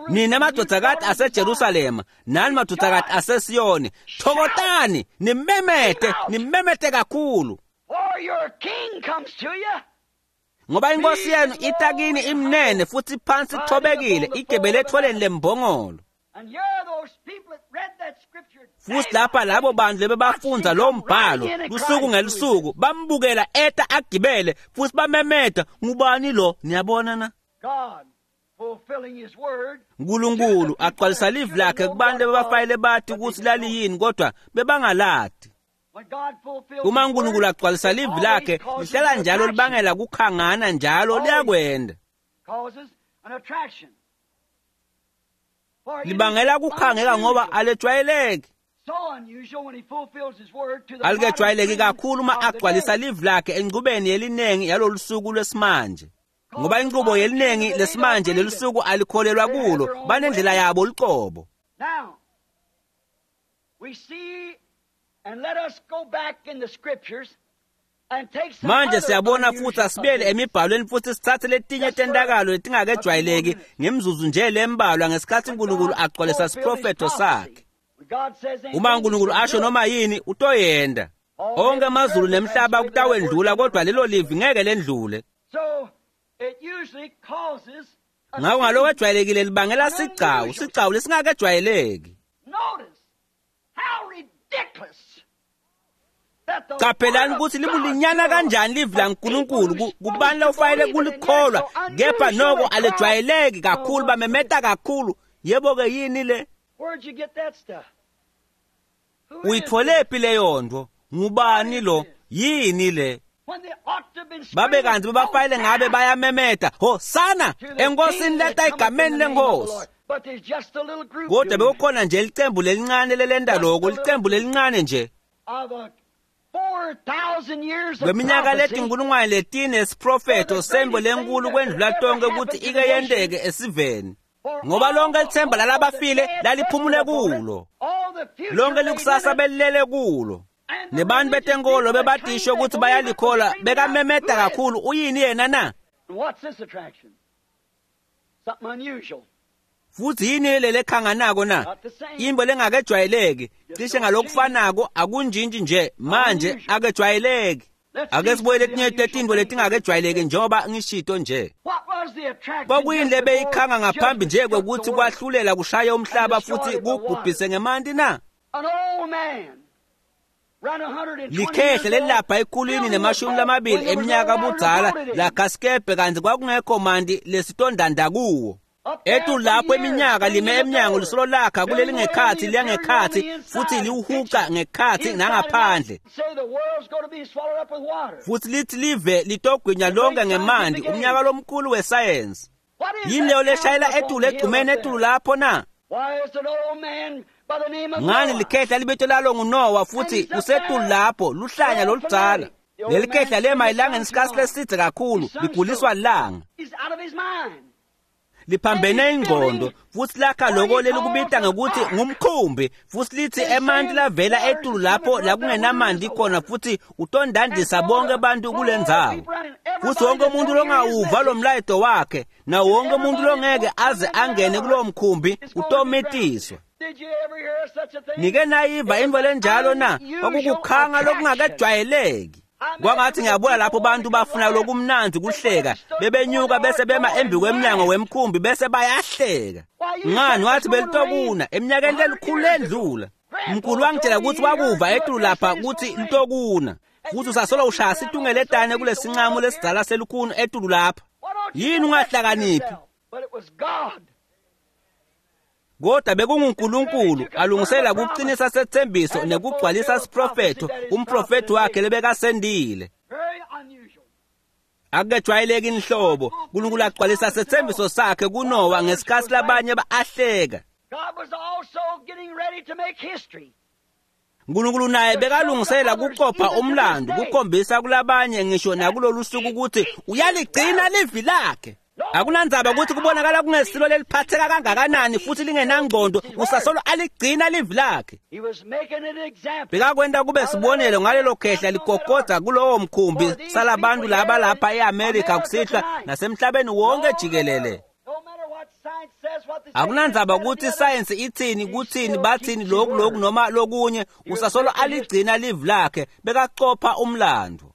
nina madodakati aseJerusalema nani madodakati aseSiyoni, thokotani nimemete, nimemete kakhulu, ngoba inkosi yenu itakini imnene futhi phansi ithobekile, igebele etholeni lembongolo. Futhi lapha labo bantu lebebafundza lo mbhalo lusuku ngelusuku bambukela eta agibele futhi bamemeta, ngubani lo? Niyabona na? Nkulunkulu agcwalisa livi lakhe kubantu ebebafayele bathi ukuthi laliyini, kodwa bebangalati. Uma uNkulunkulu agcwalisa livi lakhe lihlala njalo libangela kukhangana, njalo liyakwenda. Libangela kukhangeka ngoba alejwayeleki. Alikejwayeleki kakhulu uma agcwalisa livi lakhe enqubeni yelinengi yalolu suku lwesimanje. Ngoba inqubo yelinengi lesimanje lelusuku alikholelwa kulo, banendlela yabo lucobo. Manje siyabona futhi asibuyele emibhalweni futhi sithathe letinye tentakalo letingakejwayeleki ngemzuzu nje lembalwa ngesikhathi uNkulunkulu agcwalisa siprofetho sakhe. Uma uNkulunkulu asho noma yini utoyenda. Onke amazulu nemhlaba kutawendlula, kodwa lelo livi ngeke lendlule. Ngako ngaloko ejwayelekile libangela sigcawu, sigcawu lesingakejwayeleki. Qaphelani ukuthi libulinyana kanjani livi laNkulunkulu kubani lofanele kulikholwa, kepha noko alejwayeleki kakhulu, bamemeta kakhulu. Yebo-ke yini le? Uyitholephi leyo nto? Ngubani lo? Yini le? Babe kanti bebafayele ngabe bayamemeta, hosana enkosini leta egameni lenkosi. Kodwa bekukhona nje licembu lelincane lelenta loko, licembu lelincane nje. Kweminyaka letinkulungwane letine esiprofetho sembo lenkulu kwendlula tonke ukuthi ike yenteke esiveni. Ngoba lonke lithemba lalabafile laliphumule kulo. Lonke likusasa belilele kulo. Nebantu betenkolo bebadisho ukuthi bayalikhola bekamemeda kakhulu uyini yena na? Futhi yini le lekhanganako na? Imbo lengakejwayeleki, cishe ngalokufanako akunjintshi nje manje akejwayeleki. Ake sibuyele letinye tetintfo letingakejwayeleki njengoba ngishito nje. Kwakuyini lebeyikhanga ngaphambi nje kwekuthi kwahlulela kushaya umhlaba futhi kubhubhise ngemanti na? Likhehle lelilapha ekhulwini nemashumi lamabili eminyaka budzala lakhasikebhe kantsi kwakungekho manti lesitondanda kuwo. Etulu lapho iminyaka lime emnyango lisolo lakha kuleli ngekhatsi liya ngekhatsi futhi liwuhuca ngekhatsi nangaphandle. Futhi lithi live litogwinya lonke ngemanti umnyaka lomkhulu wesayensi. Yini leyo leshayela etulu egcumeni etulu lapho na? Ngani likhehla libito lalo nguNowa futhi usetulu lapho luhlanya loludzala. Leli khehla lema elangeni isikhathi lesidze kakhulu liguliswa lilanga. Liphambene ingqondo futhi lakha loko lelikubita ngokuthi ngumkhumbi futhi lithi emanti lavela etulu lapho la kungenamanti khona futhi utondandisa bonke abantu kule ndzawo. Futhi wonke umuntu longawuva lo mlayeto wakhe na wonke umuntu longeke aze angene kulowo mkhumbi utomitiswa. Nike nayiva intfo lenjalo na? Kwakukukhanga lokungakejwayeleki. Kwangathi ngiyabona lapho bantu bafuna lokumnandzi kuhleka bebenyuka bese bema embi kwemnyango wemkhumbi bese bayahleka. Ngani wathi belitokuna eminyakeni lelikhulu lendlula. Mkhulu wangitshela ukuthi wakuva etulu lapha ukuthi litokuna. Futhi usasolo ushaya situngeletane kulesinqamu lesidzala selukhuni etulu lapha. Yini ungahlakaniphi? Kodwa bekunguNkulunkulu alungisela kuqinisa sethembiso nekugcwalisa siprofetho umprofethi wakhe lebekasendile. Akukejwayeleki inhlobo uNkulunkulu agcwalisa sethembiso sakhe kuNowa ngesikhathi labanye baahleka. uNkulunkulu naye bekalungisela kuqopha umlando kukhombisa kulabanye ngisho nakulolu suku ukuthi uyaligcina livi lakhe. Akunandzaba ukuthi kubonakala kungesilo leliphatheka kangakanani futhi lingenangqondo usasolo aligcina livi lakhe. Bekakwenta kube sibonelo ngalelo khehla ligogoda kulowo mkhumbi salabantu laba lapha e-Amerika kusihlwa nasemhlabeni wonke jikelele. Akunandzaba ukuthi isayensi ithini kuthini bathini lokhu lokhu noma lokunye usasolo aligcina livi lakhe bekacopha umlando.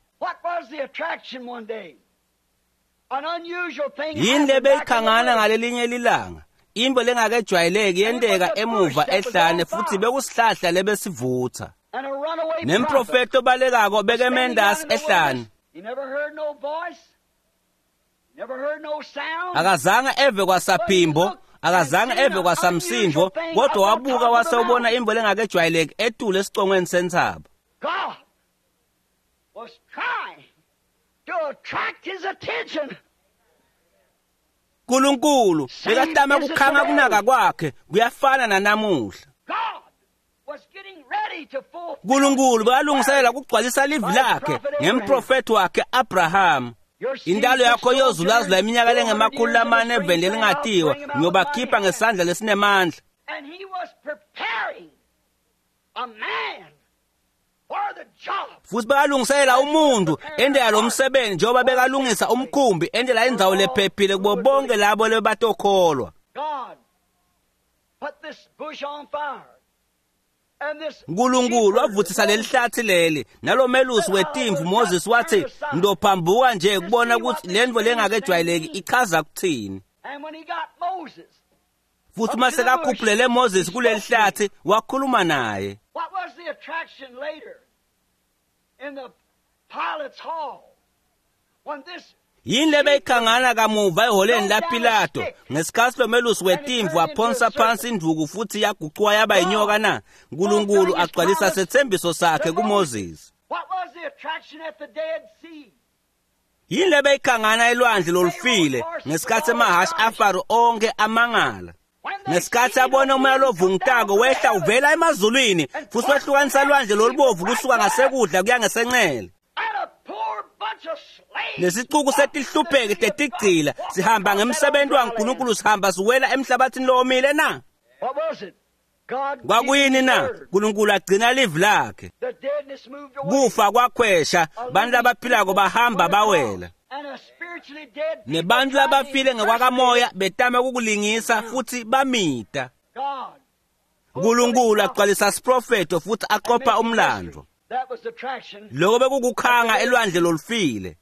Yini lebeyikhangana ngalelinye lilanga? Into lengakejwayeleki yenteka emuva ehlane futhi bekusihlahla lebesivutha. Nemprofethi obalekako bekemendasi ehlane. Akazange eve kwasaphimbo, akazange eve kwasamsindvo, kodwa wabuka wase ubona into lengakejwayeleki etulu esicongweni sentsaba. uNkulunkulu bekatama kukhanga kunaka kwakhe kuyafana nanamuhla. uNkulunkulu bekalungiselela kugcwalisa livi lakhe ngemprofethi wakhe Abraham. Intalo yakho iyozulazula iminyaka lengemakhulu lamane eveni lelingatiwa ngiyobakhipha ngesandla lesinemandla. Futhi bekalungisela umuntu endela lo msebenzi njengoba bekalungisa umkhumbi endela indzawo lephephile kubo bonke labo lebatokholwa. uNkulunkulu wavuthisa leli hlathi leli nalomelusi wetimvu Moses wathi ngidophambuka nje kubona ukuthi lento lengakejwayeleki ichaza kuthini. Futhi uma sekakhuphulele Moses kuleli hlathi wakhuluma naye. Yini lebeyikhangana kamuva eholeni laPilato ngesikhathi lomelusi wetimvu waphonsa phansi induku futhi yagucuka yaba inyoka na? uNkulunkulu agcwalisa sethembiso sakhe kuMoses. Yini lebeyikhangana elwandle lolufile ngesikhathi emahhashi aFaro onke amangala? Ngesikhathi abona umoya lovungutako wehla uvela emazulwini futhi wehlukanisa lwandle lolubovu kusuka ngasekudla kuya ngesenxele. Nesicuku setihlupheki tetigcila sihamba ngemsebenzi waNkulunkulu sihamba siwela emhlabathini lowomile na? Kwakuyini na? Nkulunkulu agcina livi lakhe. Kufa kwakhwesha, bantu labaphilako bahamba bawela. Nebantu labafile ngekwakamoya betama ukukulingisa futhi bamita. Nkulunkulu agcwalisa siprofetho futhi aqopha umlando. Lokho bekukukhanga elwandle lolufile.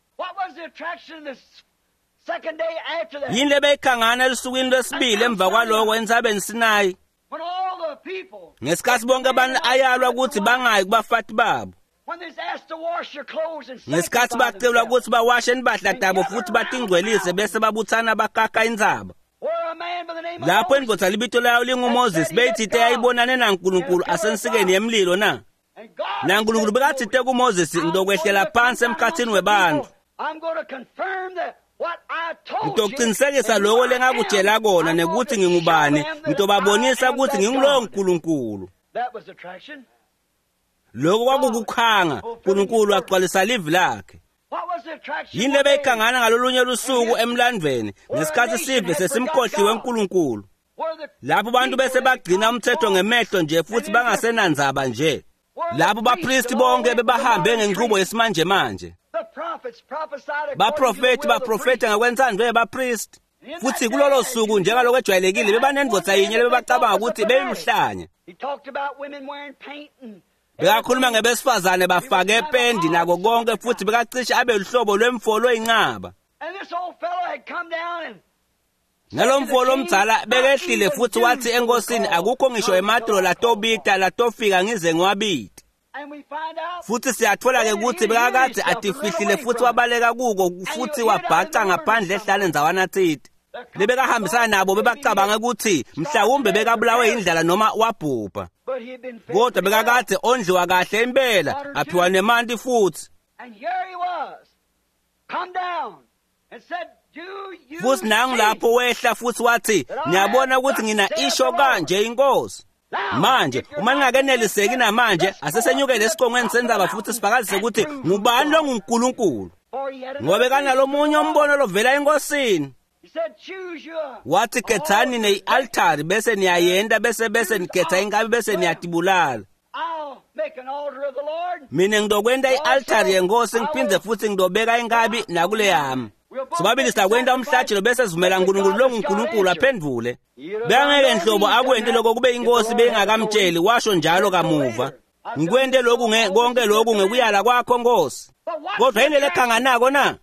Yini lebeyikhangana elusukwini lwesibili emva kwaloko entsabeni Sinayi? Ngesikhathi bonke abantu ayalwa ukuthi bangayi kubafati babo. Ngesikhathi bacelwa ukuthi bawashe impahla tabo futhi batingcwelise bese babuthana bakaka intsaba. Lapho indvodza libito layo linguMoses beyithite yayibonane naNkulunkulu asensikeni yemlilo na? NaNkulunkulu bekathite kuMoses ngizokwehlela phansi emkhathini webantu. Ngitoqinisekisa lokho lengakutshela kona nekuthi ngingubani, ngitobabonisa ukuthi ngingulowo Nkulunkulu. Lokho kwakukukhanga, uNkulunkulu agcwalisa livi lakhe. Yini lebeyikhangana ngalolunye lusuku emlandvweni ngesikhathi sive sesimkhohliwe uNkulunkulu? Lapho abantu bese bagcina umthetho ngemehlo nje futhi bangasenandzaba nje. Lapho bapristi bonke bebahambe ngenqubo yesimanjemanje. Baprofethi baprofetha ngokwentsandvo yebapristi. Futhi kulolo suku njengaloko ejwayelekile bebanendvodza yinye lebebacabanga ukuthi beyiluhlanya. Bekakhuluma ngebesifazane bafake pendi nako konke futhi bekacishe abe luhlobo lwemfolo oyinqaba. Nalomfo lomdzala bekehlile futhi wathi enkosini akukho ngisho ematolo latobita latofika ngize ngiwabite. Futhi siyathola-ke ukuthi bekakade atifihlile futhi wabaleka kuko futhi wabhaca ngaphandle ehlale ndzawana thite. Lebekahambisana nabo bebacabanga ukuthi mhlawumbe bekabulawe indlala noma wabhubha. Kodwa bekakade ondliwa kahle impela aphiwa nemanti futhi. Futhi nangu lapho wehla futhi wathi niyabona ukuthi ngina isho kanje inkosi. Manje uma ningakeneliseki namanje asesenyukele esiqongweni sendzaba futhi sifakazise ukuthi ngubani lo nguNkulunkulu. Ngoba bekanalomunye umbono lovela enkosini. Wathi khethani ne-altari bese niyayenda bese nikhetha inkabi bese niyatibulala. Mina ngizokwenta i-altari yenkosi ngiphinde futhi ngizobeka inkabi nakule yami. Sobabili sizakwenta umhlatshelo bese sivumela uNkulunkulu lo nguNkulunkulu aphendvule. Bekangeke nhlobo akwente lokho kube inkosi beyingakamtsheli washo njalo kamuva. Ngikwente lokhu konke lokhu ngekuyala kwakho Nkosi. Kodwa yini lekhanganako na?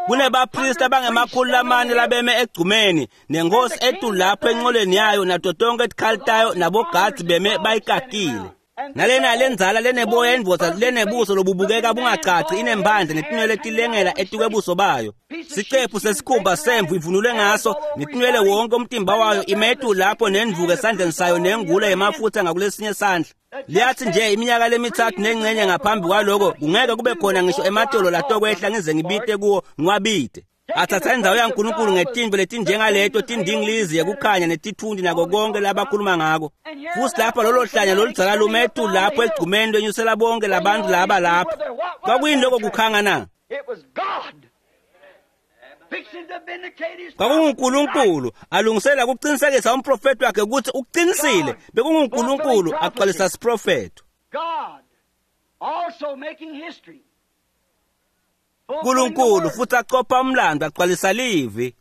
Kunebapristi abangemakhulu lamane labeme egcumeni nenkosi etulu lapho enqoleni yayo nato tonke tikhali tayo nabogadi beme bayikakile. Nalena lenzala leneboya indvodza lenebuso lobubukeka bungacaci inemphandle netinwele tilengela etikwebuso bayo. Sicephu sesikhumba semvu ivunulwe ngaso netinwele wonke umtimba wayo imetu lapho nendvuku esandleni sayo nengula yemafutha ngakulesinye sandla. Liyathi nje iminyaka lemithathu nengcenye ngaphambi kwaloko kungeke kube khona ngisho ematolo latokwehla ngize ngibite kuwo ngiwabite. Athatha indzawo yaNkulunkulu ngetintfo letinjengaleto tindingilizi yekukhanya netithundi nako konke labakhuluma ngako. Futhi lapha lolo hlanya loludzala lume etulu lapho egcumeni lwenyusela bonke labantu laba lapho. Kwakuyini lokho kukhanga na? KwakunguNkulunkulu alungisela ukuqinisekisa umprofethi wakhe ukuthi uqinisile. BekunguNkulunkulu agcwalisa siprofetho. uNkulunkulu futhi aqopha umlando agcwalisa livi.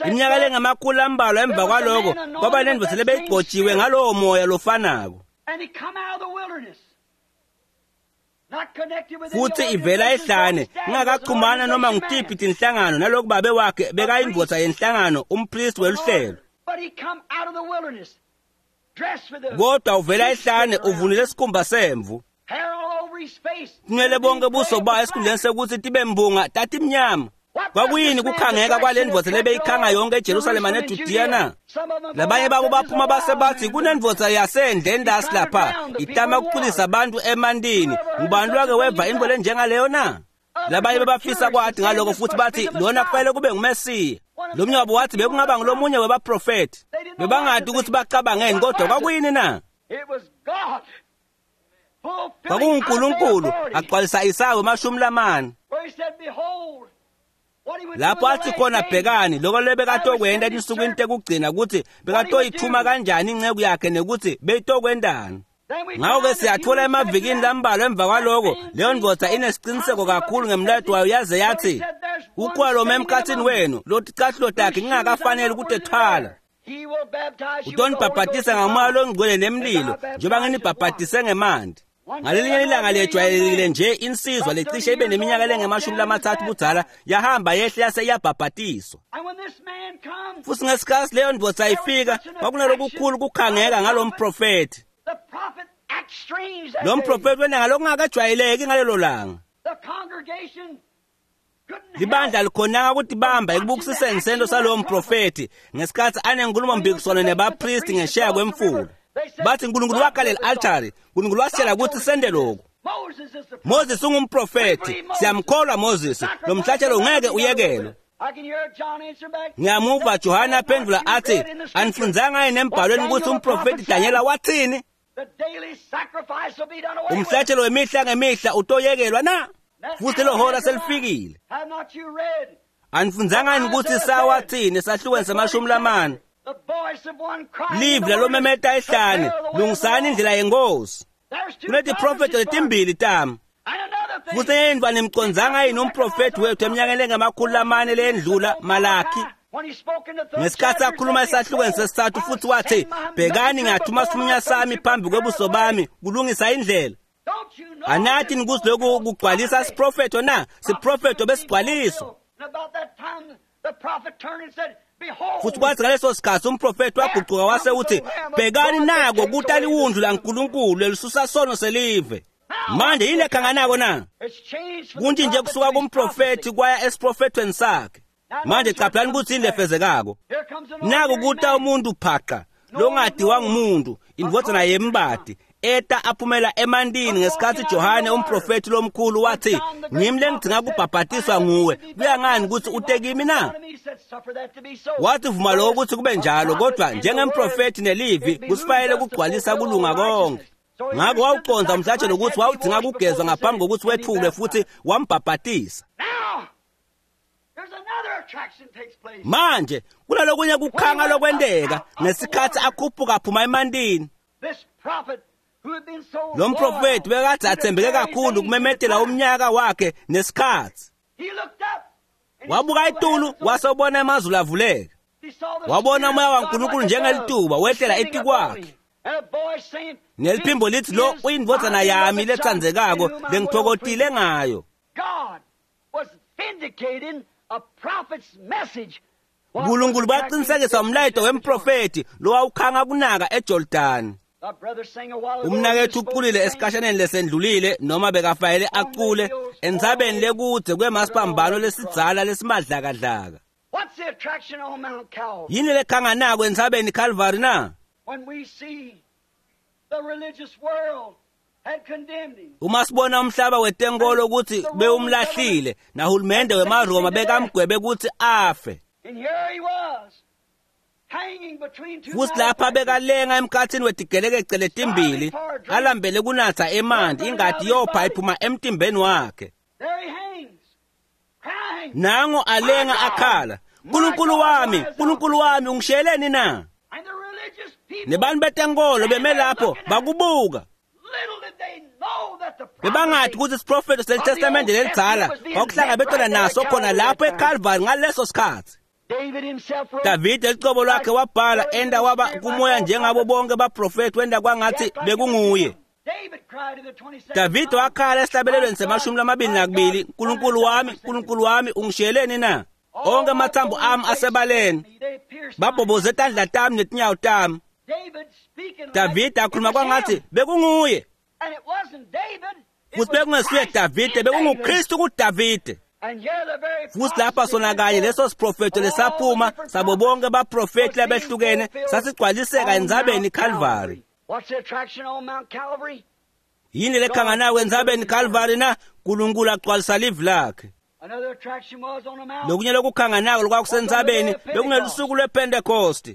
Iminyaka lengamakhulu ambalwa emva kwaloko kwaba nendvodza lebeyigcotshiwe ngalowo moya lofanako. Futhi ivela ehlane ingakachumana noma ngutiphi tinhlangano naloku babe wakhe bekayindvodza yenhlangano umpristi weluhlelo. Kodwa uvela ehlane uvunule isikhumba semvu. Tinwele bonke buso bayo esikhundleni sekuthi tibe mbunga tatimnyama. Kwakuyini kukhangeka kwale ndvodza lebeyikhanga yonke eJerusalema neJudiya na? Labanye babo baphuma base bathi kunendvodza yasendle endasi lapha itama ukuculisa abantu emantini. Ngubani lwake weva intfo lenjengaleyo na? Labanye bebafisa kwathi ngaloko futhi bathi lona kufanele kube nguMesiya. Lo mnye wabo wathi bekungaba ngulomunye webaprofethi. Bebangati ukuthi bacabangeni, kodwa kwakuyini na? KwakunguNkulunkulu agcwalisa Isaya 40, lapho athi khona, bhekani lokho lebekatokwenta etinsukwini tekugcina, ukuthi bekatoyithuma kanjani inceku yakhe nekuthi beyitokwentani. Ngakho-ke siyathola emavikini lambalwa emva kwaloko, leyo ndvodza inesiqiniseko kakhulu ngemlayeto wayo yaze yathi, ukhona loma emkhathini wenu loticathulo takhe ngingakafanele ukutethwala. Utonibhabhatisa ngamoya longcwele nemlilo, njengoba nginibhabhatise ngemanti. Ngalelinye ilanga lejwayelekile nje, insizwa lecishe ibe neminyaka lengama-30 budzala yahamba yehle yase iyabhabhatiswa. Futhi ngesikhathi leyo ndvodza ifika, kwakunalokukhulu kukhangeka ngalo mprofethi. Lo mprofethi wena ngalokungakajwayeleki ngalelo langa. Libandla likhonanga ukutibamba ekubukisiseni sento salowo mprofethi ngesikhathi anenkhulumompikiswano nebapristi ngesheya kwemfula. Bathi uNkulunkulu wakhalela altari, uNkulunkulu wasitshela ukuthi sende lokhu. Moses ungumprofethi, siyamkholwa Moses, lo mhlatshelo ungeke uyekelwe. Ngiyamuva Johane aphendula athi, anifundzanga yini embhalweni ukuthi umprofethi Daniela wathini? Umhlatshelo wemihla ngemihla utoyekelwa na? Futhi lo hora selifikile. Anifundzanga yini ukuthi sawathini esahlukweni se-40? Live lalomemeta ehlane, lungisani indlela yenkosi. Kunetiprofetho letimbili tami. Futhi enye nimcondzanga yini umprofethi wethu eminyakeni engama-400 leyendlula, Malaki? Ngesikhathi akhuluma esahlukweni sesithathu futhi wathi, bhekani ngiyathuma isithunywa sami phambi kwebuso bami kulungisa indlela. Anathi nikuthi lokhu kugcwalisa siprofetho na? Siprofetho besigcwaliswa. Futhi kwathi ngaleso sikhathi umprofethi wagucuka wase uthi, bhekani nako kuta liwundlu laNkulunkulu lelisusa sono selive. Manje yini ekhanganako na? Kuntshintshe kusuka kumprofethi kwaya esiprofethweni sakhe. Manje caphelani ukuthi yini lefezekako. Naku kuta umuntu phaqa longadiwa ngumuntu, indvodzana yembadi, eta aphumela emantini ngesikhathi Johane umprofethi lomkhulu wathi, ngimi lengidzinga kubhabhatiswa nguwe, kuya ngani ukuthi ute kimi na? Wathi vuma lokho ukuthi kube njalo, kodwa njengemprofethi nelivi kusifanele kugcwalisa kulunga konke. Ngakho wawuconza umhlatshelo ukuthi wawudzinga kugezwa ngaphambi kokuthi wethulwe, futhi wambhabhatisa. Manje kunalokunye kukhanga lokwenteka ngesikhathi akhuphuka aphuma emantini. Lo mprofethi bekade athembeke kakhulu kumemetela umnyaka wakhe nesikhathi. Wabuka itulu wase ubona amazulu avuleka. Wabona umoya waNkulunkulu njengelituba wehlela etikwakhe. Neliphimbo lithi, lo uyindvodzana yami letsandzekako lengithokotile ngayo. uNkulunkulu baqinisekisa umlayeto wemprofethi lowawukhanga kunaka eJordani. Umnakethu uculile esikhashaneni lesendlulile, noma bekafayele acule entsabeni lekudze kwemasipambano lesidzala lesimadlakadlaka. Yini lekhanganako entsabeni Calvary na? Uma sibona umhlaba wetenkolo ukuthi bewumlahlile nahulumende wemaRoma bekamgwebe ukuthi afe. Futhi lapha bekalenga emkhathini wetigelekece letimbili, alambele kunatha emanti, ingati yopha iphuma emtimbeni wakhe. Nango alenga akhala, Nkulunkulu wami, Nkulunkulu wami, ungishiyeleni na? Nebantu betenkolo beme lapho bakubuka. Bebangathi ukuthi isiprofetho seTestamente lelidzala kwakuhlangabetana naso khona lapho eCalvary ngaleso sikhathi. Davide licobo lwakhe wabhala enda waba kumoya njengabo bonke baprofethi, wenda kwangathi bekunguye. Davide wakhala esihlabelelweni se-22, Nkulunkulu wami, Nkulunkulu wami, ungishiyeleni na? Onke amathambo ami asebaleni, babhoboze tandla tami netinyawo tami. Davide akhuluma kwangathi bekunguye. Futhi bekungesuye Davide, bekunguKristu kuDavide. Futhi lapha sona kanye leso siprofetho lesaphuma sabo bonke baprofethi labehlukene sasigcwaliseka entsabeni Calvary. Yini lekhanganako entsabeni Calvary na? Nkulunkulu agcwalisa livi lakhe. Lokunye lokukhanganako lokwakusentsabeni bekungelusuku lwePentecost.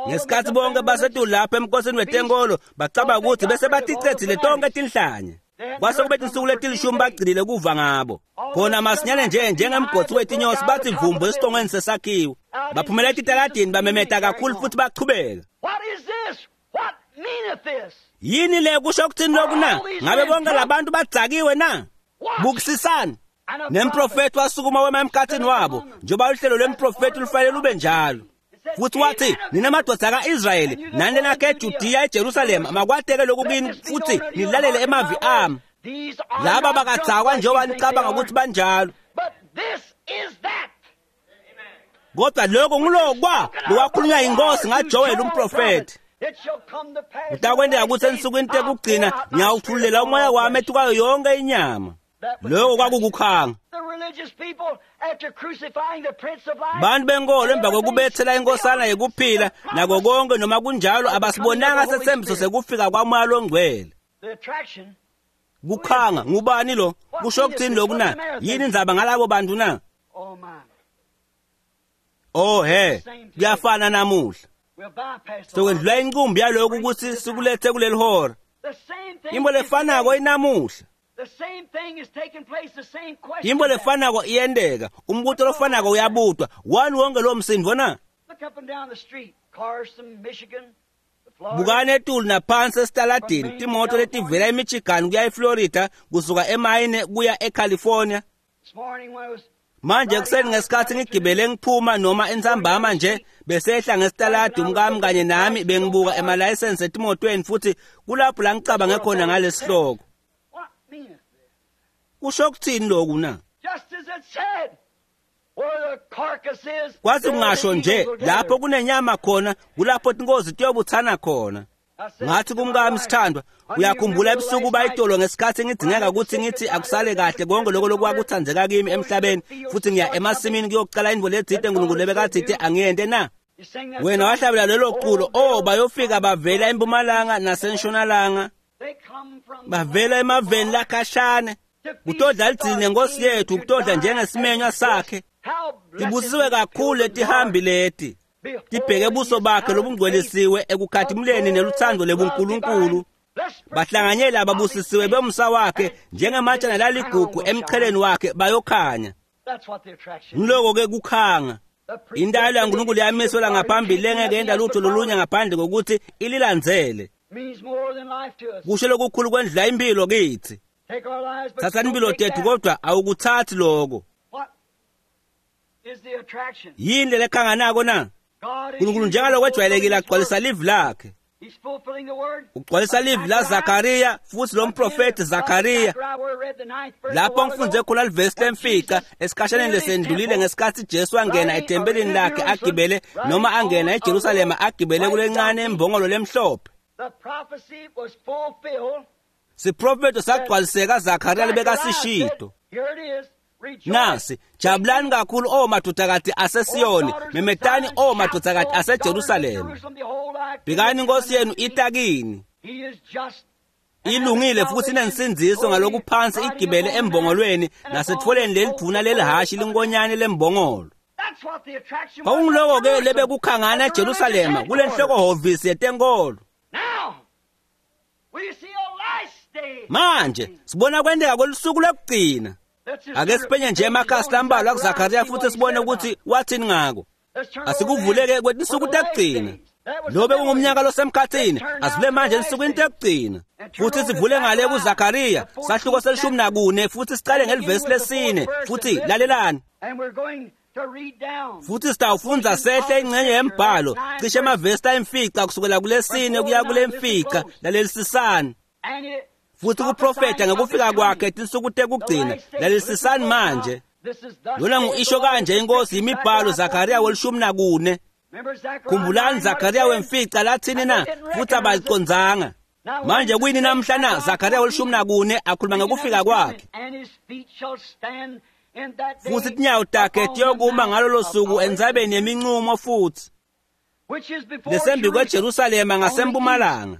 Ngesikhathi bonke basetulu lapha emkhosini wetenkolo bacabanga ukuthi bese baticedzile tonke tinhlanya. Kwase kube tinsuku letilishumi bagcinile kuva ngabo. Khona masinyane nje njengemgotsi wetinyosi bathi vumbu esitongweni sesakhiwo. Baphumela etitaladini bamemeta kakhulu futhi bachubeka. Yini le kusho ukuthini lokhu na? Ngabe bonke labantu badzakiwe na? Bukisisani. Nemprofeti wasukuma wema emkhathini wabo, njengoba uhlelo lwemprofeti lufanele lube njalo. Futhi wathi, nina madoda ka-Israyeli, nani lenakhe eJudiya eJerusalema, makwateke lokhu kini futhi nilalele emavi ami. Laba bakadzakwa njengoba nicabanga ukuthi banjalo. Kodwa lokho ngulokwa lokwakhulunywa yinkosi ngaJoel umprofeti. Kutakwenteka ukuthi ensukwini tekugcina ngiyawuthululela umoya wami etukwayo yonke inyama. Lokho kwakukukhanga. Bantu benkolo emva kokubethela inkosana yekuphila nako konke noma kunjalo abasibonanga sethembiso sekufika kwamoya longcwele. Kukhanga ngubani lo? Kusho ukuthini lokhu na? Yini indzaba ngalabo bantu na? Oh he, kuyafana namuhla. Sokwendlula inqumbi yalokhu ukuthi sikulethe kuleli hora. Into lefanako inamuhla. Into lefanako iyenteka, umbuto lofanako uyabutwa. Wani wonke lo msindvo na? Bukani etulu naphansi esitaladini, timoto letivela eMichigan kuya eFlorida, kusuka eMaine kuya eCalifornia. Manje ekuseni ngesikhathi ngigibele ngiphuma noma entsambama nje besehla ngesitaladi umkami kanye nami bengibuka emalayisensi etimotweni futhi kulapho la ngicabange khona ngalesihloko. Kusho ukuthini lokhu na? Kwathi kungasho nje lapho kunenyama khona kulapho tinkozi tiyobuthana khona. Ngathi kumkami, sithandwa, uyakhumbula ebusuku bayitolo ngesikhathi ngidingeka ukuthi ngithi akusale kahle konke lokho lokwakuthandzeka kimi emhlabeni futhi ngiya emasimini kuyokucala indvo letsite uNkulunkulu lebekatsite angiyente na? Wena wahlabela lelo culo, oh bayofika bavela empumalanga nasentshonalanga, bavela emaveni lakhashane kutodla lidzili nenkosi yethu, kutodla njengesimenywa sakhe. Tibusisiwe kakhulu letihambi leti tibheke buso bakhe lobungcwelisiwe ekukhathimuleni neluthando lebunkulunkulu. Bahlanganyela ababusisiwe bomsa wakhe njengematshana laligugu emcheleni wakhe bayokhanya. Ngiloko-ke kukhanga. Intalo yaNkulunkulu yamiselwa ngaphambili lengeke yenta lutho lolunye ngaphandle kokuthi ililandzele. Kusho lokukhulu kwendlula impilo kithi. Thatha impilo tethu kodwa awukuthathi lokho. Yini lelekhanganako na? uNkulunkulu njengalokho ejwayelekile agcwalisa livi lakhe. Ugcwalisa livi la Zakariya futhi lo mprofeti Zakariya. Lapho ngifunze khona livesi lemfica esikhashaneni lesendlulile ngesikhathi Jesu angena ethempelini lakhe agibele noma angena eJerusalema agibele kulencane imbongolo lemhlophe. Siprofeto sagcwaliseka Zakariya lebekasishito. Nasi, jabulani kakhulu o madodakati aseSiyoni, memetani o madodakati aseJerusalema. Bhekani inkosi yenu itakini. Ilungile futhi inensindziso ngalokuphansi igibele embongolweni nasetfoleni lelidvuna lelihashi linkonyane lembongolo. Kwakungiloko-ke lebekukhangana eJerusalema kulenhlokohhovisi yetenkolo. Manje sibona kwenteka kwelusuku lokugcina. Ake siphenye nje emakhasi lambalwa kuZakhariya futhi sibone ukuthi wathini ngako. Asikuvuleke kwetinsuku tekugcina. Lobe kungumnyaka losemkhathini, asivule manje ensukwini tekugcina. Futhi sivule ngale kuZakhariya, sahluko se-14 futhi sicale ngelivesi lesine futhi lalelani. Futhi sitawufundza sehle ingxenye yembhalo, cishe emavesi ayimfica kusukela kulesine kuya kulemfica, lalelisisani. Futhi kuprofeta ngekufika kwakhe tinsuku tekugcina, lalelisisani manje. Lona ngu-isho kanje inkosi imibhalo Zakariya we-14. Khumbulani Zakariya wemfica lathini na? Futhi abalicondzanga. Manje kuyini namhla na? Zakariya we-14 akhuluma ngekufika kwakhe. Futhi tinyawo takhe tiyokuma ngalolo suku entsabeni yeminqumo futhi lesembi kweJerusalema ngasempumalanga.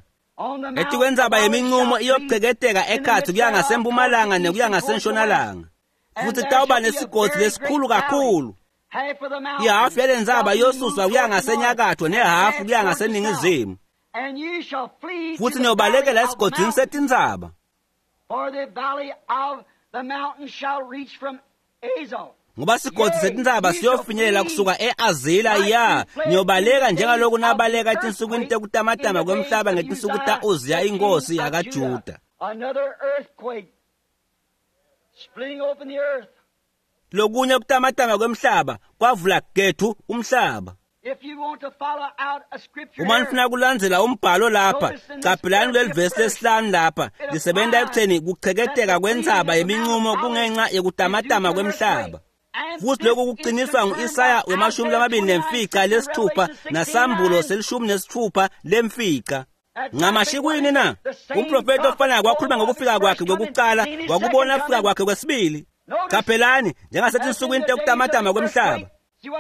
Etikwentsaba yeminqumo iyoceketeka ekhatsi kuya ngasempumalanga nekuya ngasentshonalanga. Futhi kutawuba nesigodzi lesikhulu kakhulu. Ihhafu yalentsaba iyosuswa kuya ngasenyakatho nehhafu kuya ngaseningizimu. Futhi niyobalekela esigodzini setintsaba. Ngoba sigodzi setintsaba siyofinyelela kusuka e-Azila ya niyobaleka njengaloku nabaleka etinsukwini tekutamatama kwemhlaba ngetinsuku ta-Uziya inkosi yakaJuda. Lokunye kutamatama kwemhlaba kwavula gethu umhlaba. Uma nifuna kulandzela umbhalo lapha, caphelani kuleli vesi lesihlanu lapha, lisebenta ekutheni kucheketeka kwentsaba yeminqumo kungenxa yekutamatama kwemhlaba. Futhi lokhu kuqiniswa ngu-Isaya 25 naSambulo 16. Ncamashi kuyini na? Umprofeti ofanayo wakhuluma ngokufika kwakhe kwekuqala, wakubona kufika kwakhe kwesibili. Qaphelani njengasetinsukwini tekutamatama kwemhlaba.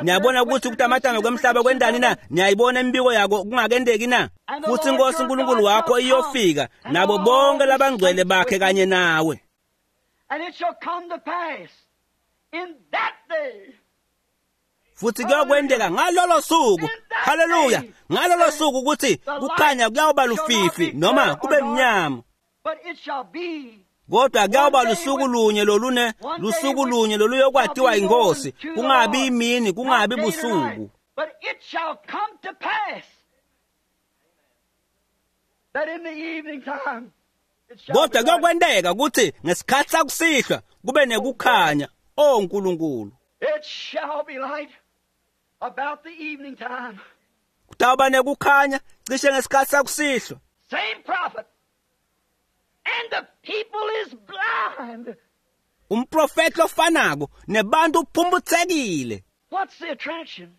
Niyabona ukuthi ukutamatama kwemhlaba kwendani na? Niyayibona imibiko yako kungakendeki na? Futhi inkosi uNkulunkulu wakho iyofika nabo bonke labangcwele bakhe kanye nawe. Futhi kuyokwendeka ngalolo suku, haleluya, ngalolo suku ukuthi kukhanya kuyawuba lufifi noma kube mnyama. Kodwa kuyawuba lusuku lunye lolune, lusuku lunye loluyokwatiwa inkosi, kungabi imini, kungabi busuku. Kodwa kuyokwenteka ukuthi ngesikhathi sakusihlwa kube nekukhanya, o Nkulunkulu. Kutawuba nekukhanya cishe ngesikhathi sakusihlwa. And the people is blind. Umprofeti ofanako nebantu uphumputhekile. What's the attraction?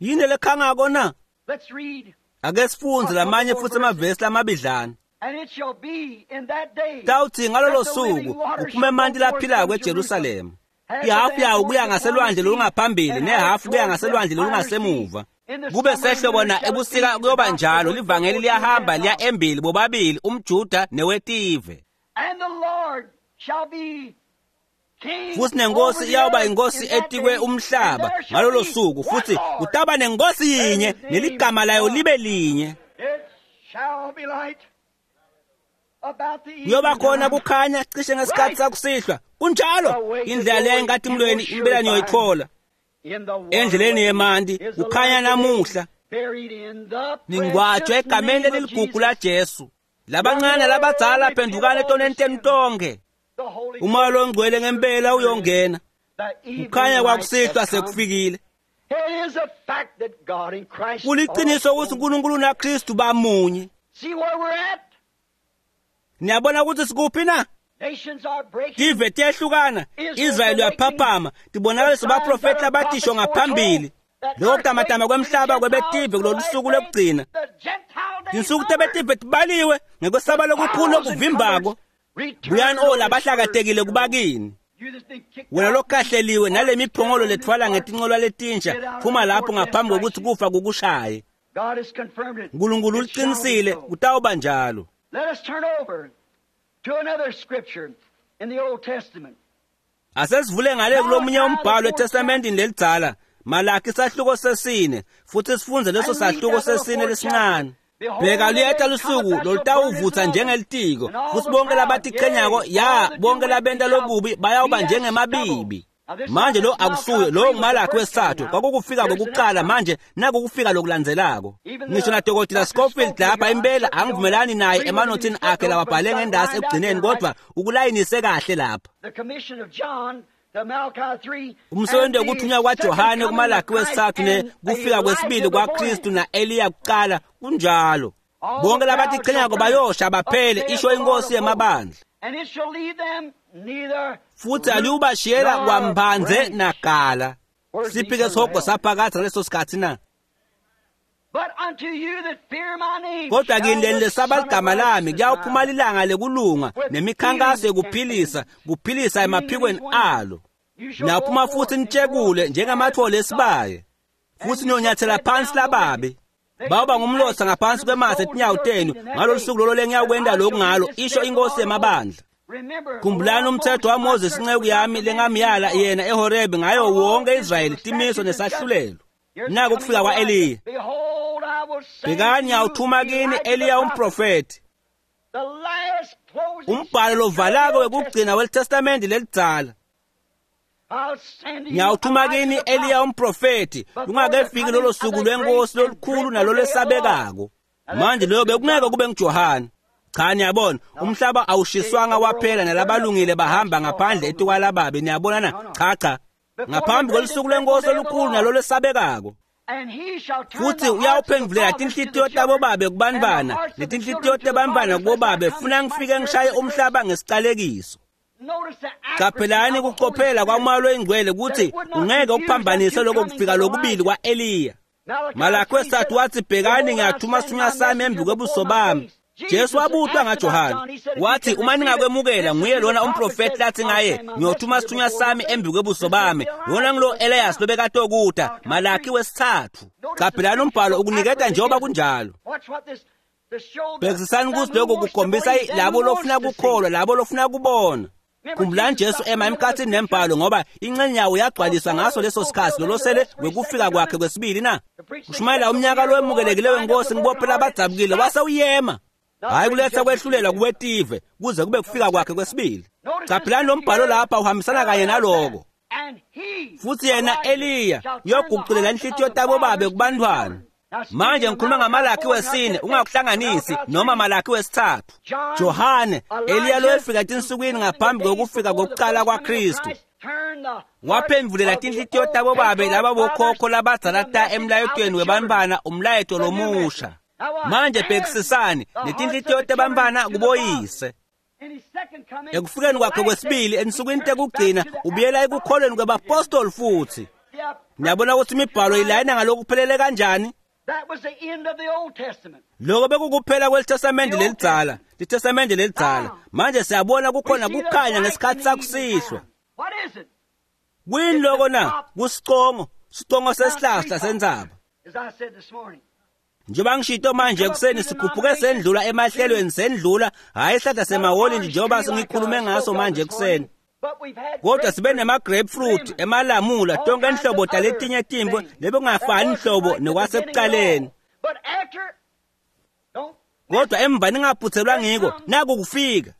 Yini lekhangako na? Let's read. Ake sifundze lamanye futhi amavesi lamabidlana. And it shall be in that day. Tawuthi ngalolo suku kuphume emanti laphilako eJerusalema. Ihafu yawo kuya ngaselwandle lolungaphambili nehafu kuya ngaselwandle lolungasemuva. Kube sehlobo na ebusika kuyoba njalo, livangeli liyahamba liya embili bobabili umJuda newetive. Futhi nenkosi iyawuba inkosi etikwe umhlaba ngalolo suku, futhi kutaba nenkosi yinye neligama layo libe linye. Kuyoba khona kukhanya cishe ngesikhathi sakusihlwa. Kunjalo, indlela leya enkatimulweni impela niyoyithola. Endleleni yemanti kukhanya namuhla. Ningcwatshwe egameni leligugu laJesu. Labancane labadzala phendukani etoneni tenu tonke. Umoya longcwele ngempela uyongena. Kukhanya kwakusihlwa sekufikile. Kuliqiniso ukuthi uNkulunkulu naKristu bamunye. Niyabona ukuthi sikuphi na? Tive tiyehlukana, Israyeli uyaphaphama, tibonakalisa baprofeti labatisho ngaphambili. Lokho kutamatama kwemhlaba kwebetive kulolu suku lokugcina. Tinsuku tebetive tibaliwe ngekwesaba lokukhulu lokuvimbako. Buyani o labahlakatekile kubakini. Wena lokahleliwe nale miphongolo lethwala ngetinqola letinsha, phuma lapho ngaphambi kokuthi kufa kukushaye. uNkulunkulu uliqinisile, kutawuba njalo. Let us turn over to another scripture in the Old Testament. Asesivule ngale kulomunye umbhalo eTestamentini lelidzala, Malaki sahluko 4, futhi sifunze leso sahluko 4 lesincane. Bheka luyeta lusuku lolutawuvutsa njengelitiko, futhi bonke labatiqhenyako, ya bonke labenta lokubi bayawuba njengemabibi. Manje lo akusuye lo nguMalaki wesithathu, kwakukufika kokuqala, manje nakukufika lokulandzelako. Ngisho naDokotela Scofield lapha impela angivumelani naye emanothini akhe lawabhale ngendasi ekugcineni, kodwa ukulayinise kahle lapha. Umsebenzi wokuthunywa kwaJohane kuMalaki wesithathu ne kufika kwesibili kwaKristu na-Eliya kuqala kunjalo. Bonke labatiqhenyako bayosha baphele, isho inkosi yemabandla. Futhi aliyubashiyela kwambanze nagala. Siphike sihogo saphakathi ngaleso sikhathi na? Kodwa kini leni lesaba ligama lami kuyawuphuma ilanga lekulunga nemikhankaso yekuphilisa, kuphilisa emaphikweni alo. Niyaphuma futhi nitshekule njengamathole esibaye, futhi niyonyathela phansi lababi. Bawuba ngumlotha ngaphansi kwemathe etinyawo tenu ngalolu suku lolo lengiyawukwenta lokhu ngalo, isho inkosi yemabandla. Khumbulani umthetho waMoses inceku yami lengamyala yena eHorebi ngayo wonke Israyeli timiso nesahlulelo. Naku kufika kwa-Eliya. Bhekani ngiyawuthuma kini Eliya umprofethi. Umbhalo lovalako wekugcina welitestamende lelidzala. Ngiyawuthuma kini Eliya umprofethi lungakefiki lolo suku lwenkosi lolukhulu nalolwesabekako. Manje loyo bekungeke kube nguJohane. Cha niyabona umhlaba awushiswanga waphela nalabalungile bahamba ngaphandle etukwalababi niyabona na cha cha ngaphambi kwelusuku lwenkosi olukhulu nalolwesabekako. Futhi uyawuphendulela tinhlitiyo tabobabe kubantwana netinhlitiyo tebantwana kubobabe funa ngifike ngishaye umhlaba ngesicalekiso. Qaphelani ukucophela kwaMoya loyiNgcwele ukuthi ungeke ukuphambanise lokho kufika lokubili kwa-Eliya. Malakhi wesithathu wathi bhekani ngiyathuma isithunywa sami embi kwebuso bami. Jesu wabutwa ngaJohane wathi uma ningakwemukela nguye lona umprofethi lathi ngaye ngiyothuma isithunywa sami embi kwebuso bami lona ngilo Elias lobekatokuta. Malakhi wesithathu. Qaphelani umbhalo ukuniketa njengoba kunjalo. Bhekisisani ukuthi lokho kukhombisa labo lofuna kukholwa labo lofuna kubona. Khumbulani Jesu ema emkhathini nembhalo ngoba ingxenye yawo yagcwaliswa ngaso leso sikhathi lolosele wekufika kwakhe kwesibili na kushumayela umnyaka lowemukelekile wenkosi ngibophela abadzabukile wase uyema hayi kuletha kwehlulelwa kuwetive kuze kube kufika kwakhe kwesibili. Qaphelani lo mbhalo lapha uhambisana kanye naloko. Futhi yena Eliya uyoguqulela inhlitiyo tabobabe kubantwana. Manje ngikhuluma ngaMalakhi wesine ungakuhlanganisi noma Malakhi wesithathu. Johane Eliya lowefika etinsukwini ngaphambi kokufika kokuqala kwaKristu waphendulela tinhlitiyo tabobabe laba bokhokho labadzala ta emlayetweni webantwana umlayeto lomusha. Manje bhekisisani netinhlitiyo tebantwana kuboyise. Ekufikeni kwakhe kwesibili ensukwini tekugcina ubuyela ekukholweni kwebapostoli futhi. Niyabona ukuthi imibhalo ilayina ngalokuphelele kanjani? Lokho bekukuphela kwelitestamende lelidzala, litestamende lelidzala. Manje siyabona kukhona kukhanya ngesikhathi sakusihlwa. Kuyini lokho na? Kusicongo, sicongo sesihlahla sentsaba. Njengoba ngishito manje ekuseni sikhuphuke sendlula emahlelweni sendlula hhayi isihlahla semawolintshi njengoba sengikhulume ngaso manje ekuseni. Kodwa sibe nema-grapefruit, emalamula, tonke inhlobo taletinye tintfo lebekungafani nhlobo nekwasekucaleni. Kodwa emva ningaphuthelwa ngiko naku kufika.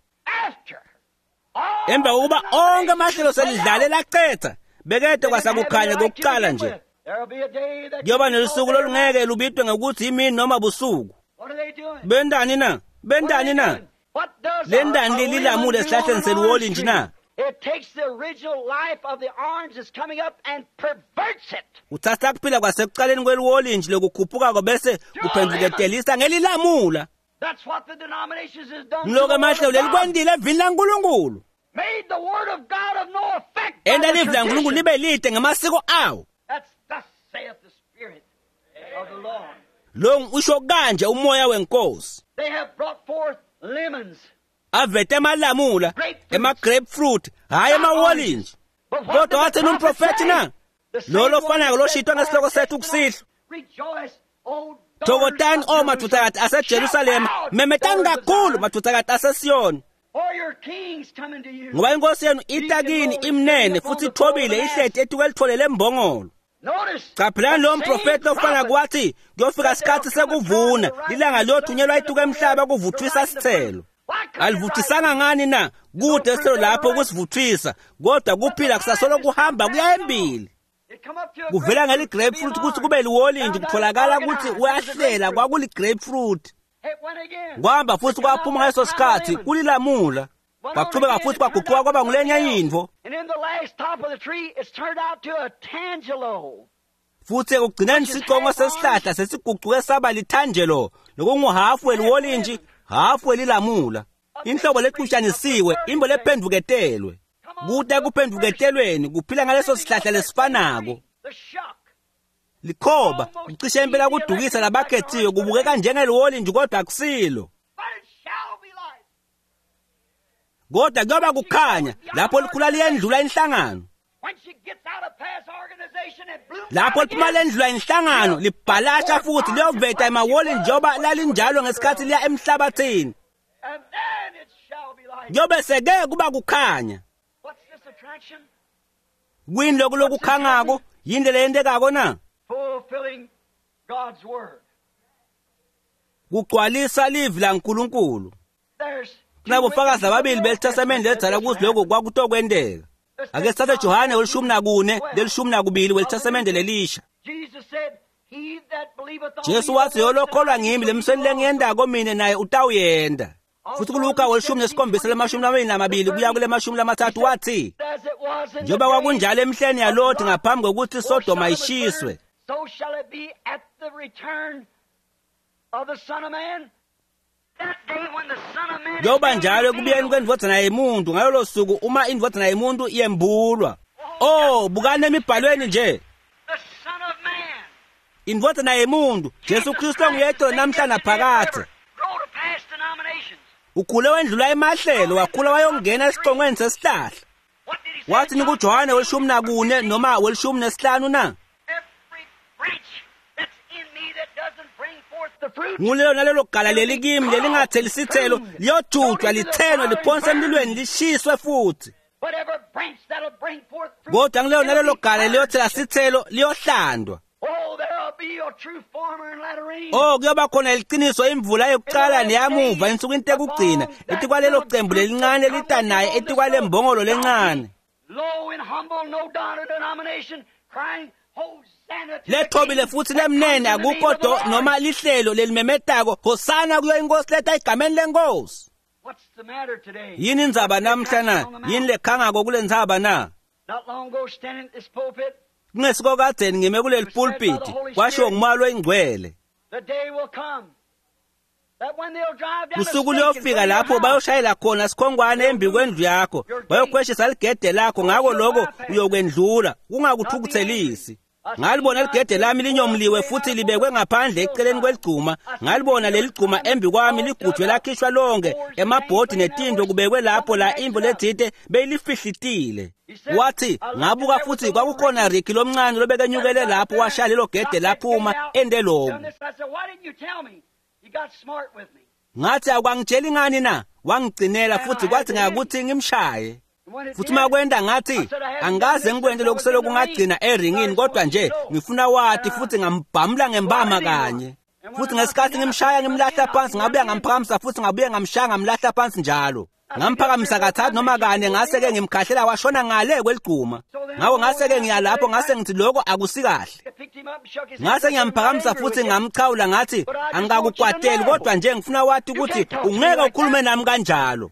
Emva kokuba onke amahlelo selidlale lacetha bekede kwasakukhanya kokucala nje. Kuyoba nelusuku lolungeke lubitwe ngokuthi imini noma busuku. Bendani na? Bendani na? Lendani lelilamule esihlahleni seliwolintshi na? Uthatha kuphila kwasekucaleni kweliwolintshi lokukhuphukako bese kuphenduketelisa ngelilamula. Ngiloko emahlelo lelikwendile evini laNkulunkulu. Enta livi laNkulunkulu libe lide ngamasiko awo. Lo usho kanje umoya wenkosi. Avete emalamula, ema-grapefruit, hhayi emawolintshi. Kodwa wathini umprofethi na? Lo lofanako loshitwa ngesihloko sethu kusihlwa. Thokotani o madvodzakati aseJerusalema, memetani kakhulu madvodzakati aseSiyoni. Ngoba inkosi yenu ita kini imnene futhi ithobile ihleti etukwelitfole lembongolo. Qaphelani lo mprofethi lofana kwathi kuyofika isikhathi sekuvuna lilanga liyothunyelwa ituka emhlaba kuvuthwisa sithelo. Alivuthisanga ngani na? Kude isithelo lapho kusivuthwisa, kodwa kuphila kusasolo kuhamba kuya embili. Kuvela ngeli-grapefruit ukuthi kube liwolintshi kutholakala ukuthi uyahlela kwakuli-grapefruit. Kwahamba futhi kwaphuma ngaleso sikhathi kulilamula. Kwachubeka futhi kwaguquka kwaba ngulenye intfo. Futhi ekugcineni sicongo sesihlahla sesigucuke saba lithanjelo lokunguhafu weliwolintshi hafu welilamula. Inhlobo lecushanisiwe imbo lephendvuketelwe. Kuta ekuphendvuketelweni kuphila ngaleso sihlahla lesifanako. Likhoba kucishe impela kudukisa labakhethiwe kubukeka njengeliwolintshi kodwa akusilo. Kodwa kuyoba kukhanya lapho likhula liyendlula inhlangano. Lapho liphuma lendlula inhlangano libhalasha futhi liyoveta emawolintshi njengoba lalinjalo ngesikhathi liya emhlabathini. Kuyobe seke kuba kukhanya. Kuyini lokhu lokukhangako? Yini leyentekako na? Kugcwalisa livi laNkulunkulu. Kunabofakazi ababili belithasamende lelidzala ukuthi lokhu kwakutokwenteka. Ake sithathe Johane 14 12 welithasamende lelisha. Jesu wathi yolokholwa ngimi lemsweni lengiyendako mine naye utawuyenda. Futhi kuLuka 17:22 kuya kule 30 wathi njengoba kwakunjalo emihleni yaLoti ngaphambi kokuthi iSodoma ishiswe, kuyoba njalo ekubuyeni kwendvodzana yemuntu ngalolo suku uma indvodzana yemuntu yembulwa. Oh, bukani emibhalweni nje. Indvodzana yemuntu Jesu Kristu nguyedwa namhla naphakadze. Ukhule wendlula emahlelo, wakhula wayongena esicongweni sesihlahla. Wathi nikuJohane 14 noma 15 na? Ngulelo nalelo gala leli kimi lelingatheli sithelo liyojutshwa lithenwe liphonswe emlilweni lishiswe futhi. Kodwa ngilelo nalelo gala liyothela sithelo liyohlandwa. Oh, kuyoba khona iqiniso imvula yokuqala neyamuva insukwini tekugcina etikwalelo cembu lelincane litanaye etikwale mbongolo lencane lethobile futhi lemnene akukho do noma lihlelo lelimemetako hosana kuyo inkosi letha egameni lenkosi. Yini indzaba namhla na? Yini lekhangako kule ndzaba na? Kungesiko kadzeni ngime kuleli pulpiti kwashiwo ngumoya loyingcwele. Usuku luyofika lapho bayoshayela khona sikhongwane embi kwendlu yakho, bayokhweshisa ligede lakho, ngako lokho uyokwendlula kungakuthukuthelisi. Ngalibona ligede lami linyomliwe futhi libekwe ngaphandle eceleni kweligcuma. Ngalibona leligcuma embi kwami ligujwe lakhishwa lonke, emabhodi netinto kubekwe lapho la imvo letsite beyilifihlitile. Wathi ngabuka futhi kwakukhona Ricky lomncane lobekenyukele lapho washaya lelo gede laphuma ende lokhu. Ngathi akwangitsheli ngani na? Wangigcinela futhi kwathi ngakuthi ngimshaye. Futhi makwenda ngathi angikaze ngikwente lokhu selokhu ngagcina eringini, kodwa nje ngifuna wathi futhi ngambhamula ngembama kanye. Futhi ngesikhathi ngimshaya ngimlahla phansi, ngabuya ngamphakamisa futhi ngabuye ngamshaya ngamlahla phansi njalo. Ngamphakamisa kathathu noma kane, ngase-ke ngimkhahlela washona ngale kweligcuma. Ngakho ngase-ke ngiya lapho ngase ngithi lokho akusikahle. Ngase ngiyamphakamisa futhi ngamchawula ngathi angikakukwateli, kodwa nje ngifuna wathi ukuthi ungeke ukhulume nami kanjalo.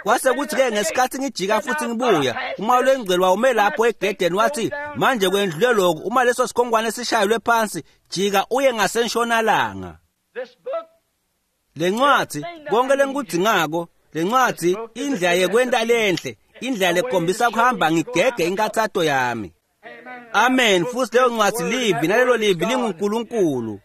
Kwase kuthi-ke ngesikhathi ngijika futhi ngibuya, umoya loyingcwele wawume lapho egedeni wathi manje kwendlule lokhu, uma leso sikhongwane sishayelwe phansi, jika uye ngasentshonalanga. Lencwadi konke lengikudzingako, lencwadi indlela yekwenta lenhle, indlela lekhombisa kuhamba ngigege inkathato yami. Amen. Futhi leyo ncwadi livi, nalelo livi linguNkulunkulu.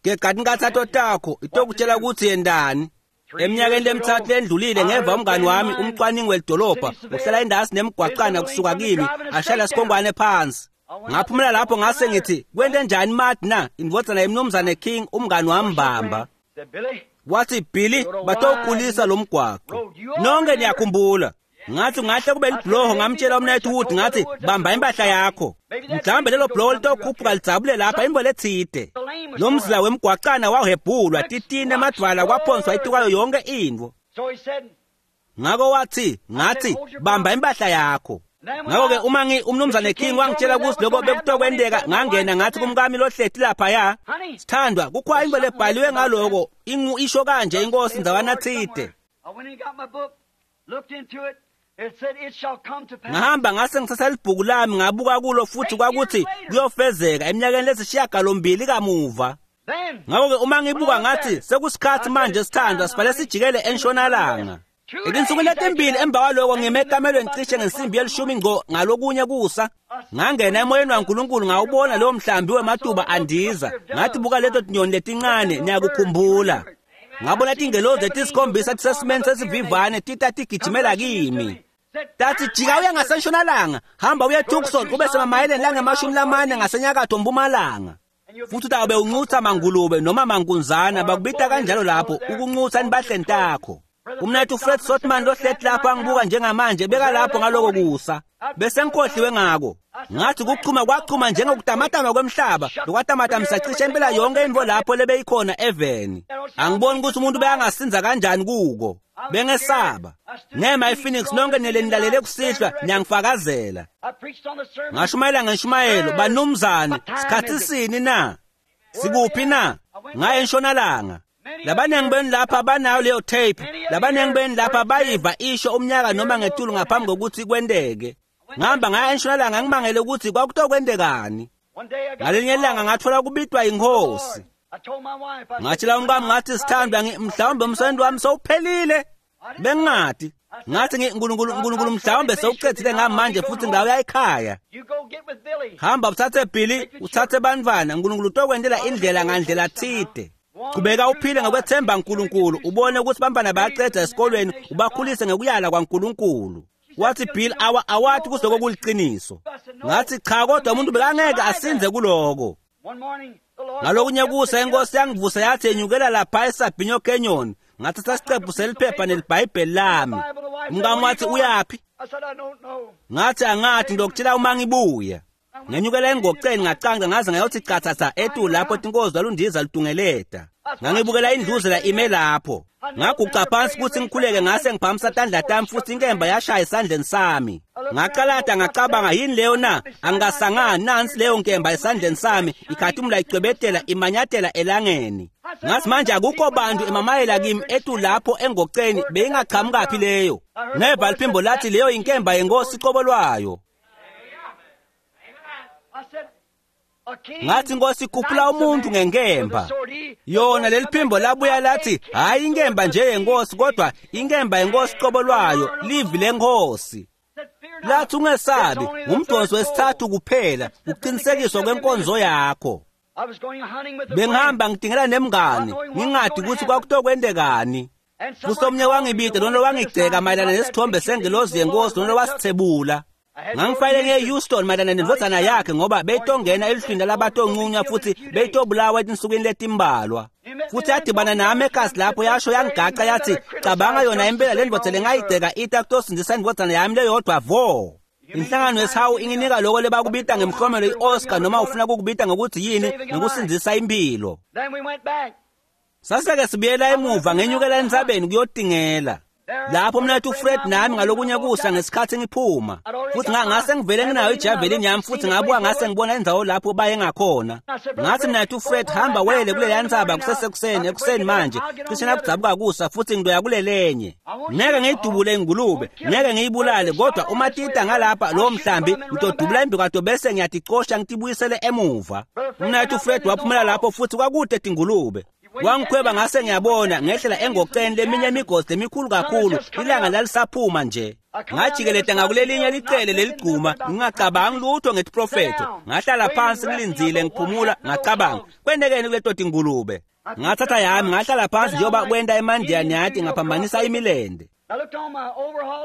Gegada inkathato takho itokutshela ukuthi yendani. Eminyakeni lemithathu lendlulile ngeva umngani wami umcwaningi welidolobha uhlala endasi nemgwaqana kusuka kimi ashayela sikhongwane phansi. Ngaphumela lapho ngase ngithi kwente njani Mati na indvodzana yemnumzane King umngani wami mbamba. Wathi Billy batowukhulisa lo mgwaqo. Nonke niyakhumbula. Ngathi ngahle kube libhuloho, ngamtshela umnethu Wood ngathi bamba impahla yakho. Mhlawumbe lelo bhuloho litokhuphuka lidzabule lapha imbo letsite. Lo mzila wemgwaqana wahebhulwa titini emadvwala kwaphonswa itukwayo yonke intfo. Ngako wathi ngathi bamba impahla yakho. Ngakho-ke uma umnumzane King wangitshela ukuthi lokho bekutokwenteka, ngangena ngathi kumkami lohleti laphaya, sithandwa kukhona into lebhaliwe ngaloko, isho kanje inkosi ndzawana tsite. Ngahamba ngase ngithatha libhuku lami ngabuka kulo futhi kwakuthi kuyofezeka eminyakeni lesishiyagalombili kamuva. Ngakho-ke uma ngibuka ngathi sekusikhathi manje sithandwa sifanele sijikele entshonalanga. Etinsukwini letimbili emva kwaloko ngime ekamelweni cishe ngensimbi yelishumi ngco ngalokunye kusa. Ngangena emoyeni waNkulunkulu ngawubona lowo mhlambi wematuba andiza. Ngathi buka leto tinyoni letincane, niyakukhumbula. Ngabona tingelozi letisikhombisa tisesimeni sesivivane tita tigijimela kimi. Tathi jika uye ngasentshonalanga, hamba uye Tucson ube semamayeleni langemashumi lamane ngasenyakatho mpumalanga. Futhi utawube uncutha mangulube noma mankunzana, bakubita kanjalo lapho, ukuncutha enibahleni takho. Umnethu Fred Sotman lohleti lapho angibuka njengamanje bekalapho ngaloko kusa. Bese ngikhohliwe ngako. Ngathi kuchuma kwachuma njengokutamatama kwemhlaba, lokwatamatamisa cishe impela yonke intfo lapho lebeyikhona eveni. Angiboni ukuthi umuntu beyangasinza kanjani kuko. Bengesaba. Ngema ePhoenix nonke nilenilalele kusihlwa niyangifakazela. Ngashumayela ngeshumayelo banumzane, sikhathi sini na? Sikuphi na? Ngaye entshonalanga. Labaningi benu lapha banayo leyo tape. Labaningi benu lapha bayiva isho umnyaka noma ngetulu ngaphambi kokuthi kwenteke. Ngihamba ngaya entshonalanga ngimangele ukuthi kwakutokwentekani. Ngalinye ilanga ngathola kubitwa inkosi. Ngatshela umkami ngathi sithandwa mhlawumbe umsebenzi wami sowuphelile. Bengingati. Ngathi uNkulunkulu mhlawumbe sewucedzile ngami manje futhi ngawuya ekhaya. Hamba uthathe Billy, uthathe bantfwana, uNkulunkulu utokwentela indlela ngandlela thide. Qhubeka uphile ngokwethemba uNkulunkulu, ubone ukuthi bantfwana bayaceda esikolweni, ubakhulise ngokuyala kwaNkulunkulu. Wathi Bill awathi kusiloko kuliqiniso. Ngathi cha, kodwa umuntu bekangeke asinze kuloko. Ngalokunye kusa inkosi yangivusa yathi enyukela lapha eSabino Canyon. Ngathatha isiqephu seliphepha nelibhayibheli lami. Umkami wathi uyaphi? Ngathi angathi ngizokutshela uma ngibuya. Ngenyukela engoceni ngacanca ngaze ngayothi cathatha etulu lapho tinkozi lwalundiza lutungeleta. Ngangibukela indluzela ime lapho. Ngaguqa phansi ukuthi ngikhuleke ngase ngiphakamisa tandla tami futhi inkemba yashaya esandleni sami. Ngaqalada ngacabanga yini leyo na? Angasangani nansi leyo nkemba esandleni sami ikhathimula icwebetela imanyatela elangeni. Ngathi manje akukho bantu emamayela kimi etu lapho engoceni beyingaqhamukaphi leyo. Ngeva liphimbo lathi leyo inkemba yenkosi qobo lwayo. Ngathi inkosi ikhuphula umuntu ngenkemba. Yona leli phimbo labuya lathi hayi inkemba nje yenkosi kodwa inkemba yenkosi qobo lwayo, livi lenkosi. Lathi ungesabi, ngumdonso wesithathu kuphela, ukuqinisekiswa kwenkonzo yakho. Bengihamba ngidingela nemngane, ngingadi ukuthi kwakutokwentekani. Futhi omunye wangibida lona wangigceka mayelana nesithombe sengelozi yenkosi lona wasithebula. Ngangifayele ngiye eHouston mayelana nendvodzana yakhe ngoba beyitongena eluhlwini labatonqunywa futhi beyitobulawa etinsukwini letimbalwa. Futhi yadibana nami ekhasi lapho yasho yangigaca yathi cabanga yona impela le ndvodza lengayigceka ita kutosindzisa indvodzana yami leyodwa vo. Inhlangano yesihawu inginika lokho lebakubita ngemhlomelo i-Oscar noma ufuna kukubita ngokuthi yini ngokusindzisa impilo. Saseke sibuyela emuva ngenyukela entsabeni kuyotingela. Lapho mnethu Fred nami ngalokunye kusa ngesikhathi ngiphuma. Futhi ngase ngivele nginayo ijavelin yami futhi ngabuka ngase ngibona indzawo lapho baye ngakhona. Ngathi mnethu Fred hamba wele kuleya ntsaba kusesekuseni ekuseni manje cishe nakudzabuka kusa futhi ngidoya kulelenye. Ngeke ngiyidubule ingulube, ngeke ngiyibulale kodwa uma tita ngalapha lowo mhlambi ngidodubula imbikato bese ngiyaticosha ngitibuyisele emuva. Mnethu Fred waphumela lapho futhi kwakude tingulube. Wangikhweba ngase ngiyabona ngehlela engoceni leminye imigosi lemikhulu kakhulu ilanga lalisaphuma nje. Ngajikeleta ngakulelinye licele leligcuma ngingacabangi lutho ngetiprofetho. Ngahlala phansi ngilindzile ngiphumula ngacabanga kwentekeni kuleto tingulube. Ngathatha yami ngahlala phansi njengoba kwenta eMandiya yathi ngaphambanisa imilende.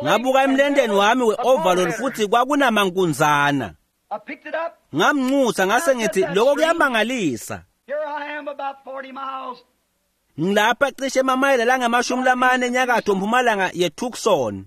Ngabuka emlendeni wami we-overall futhi kwakunamankunzana. Ngamnxusa ngase ngithi lokho kuyamangalisa. Ngilapha cishe emamayela langamashumi lamane enyakatho mpumalanga yeTucson.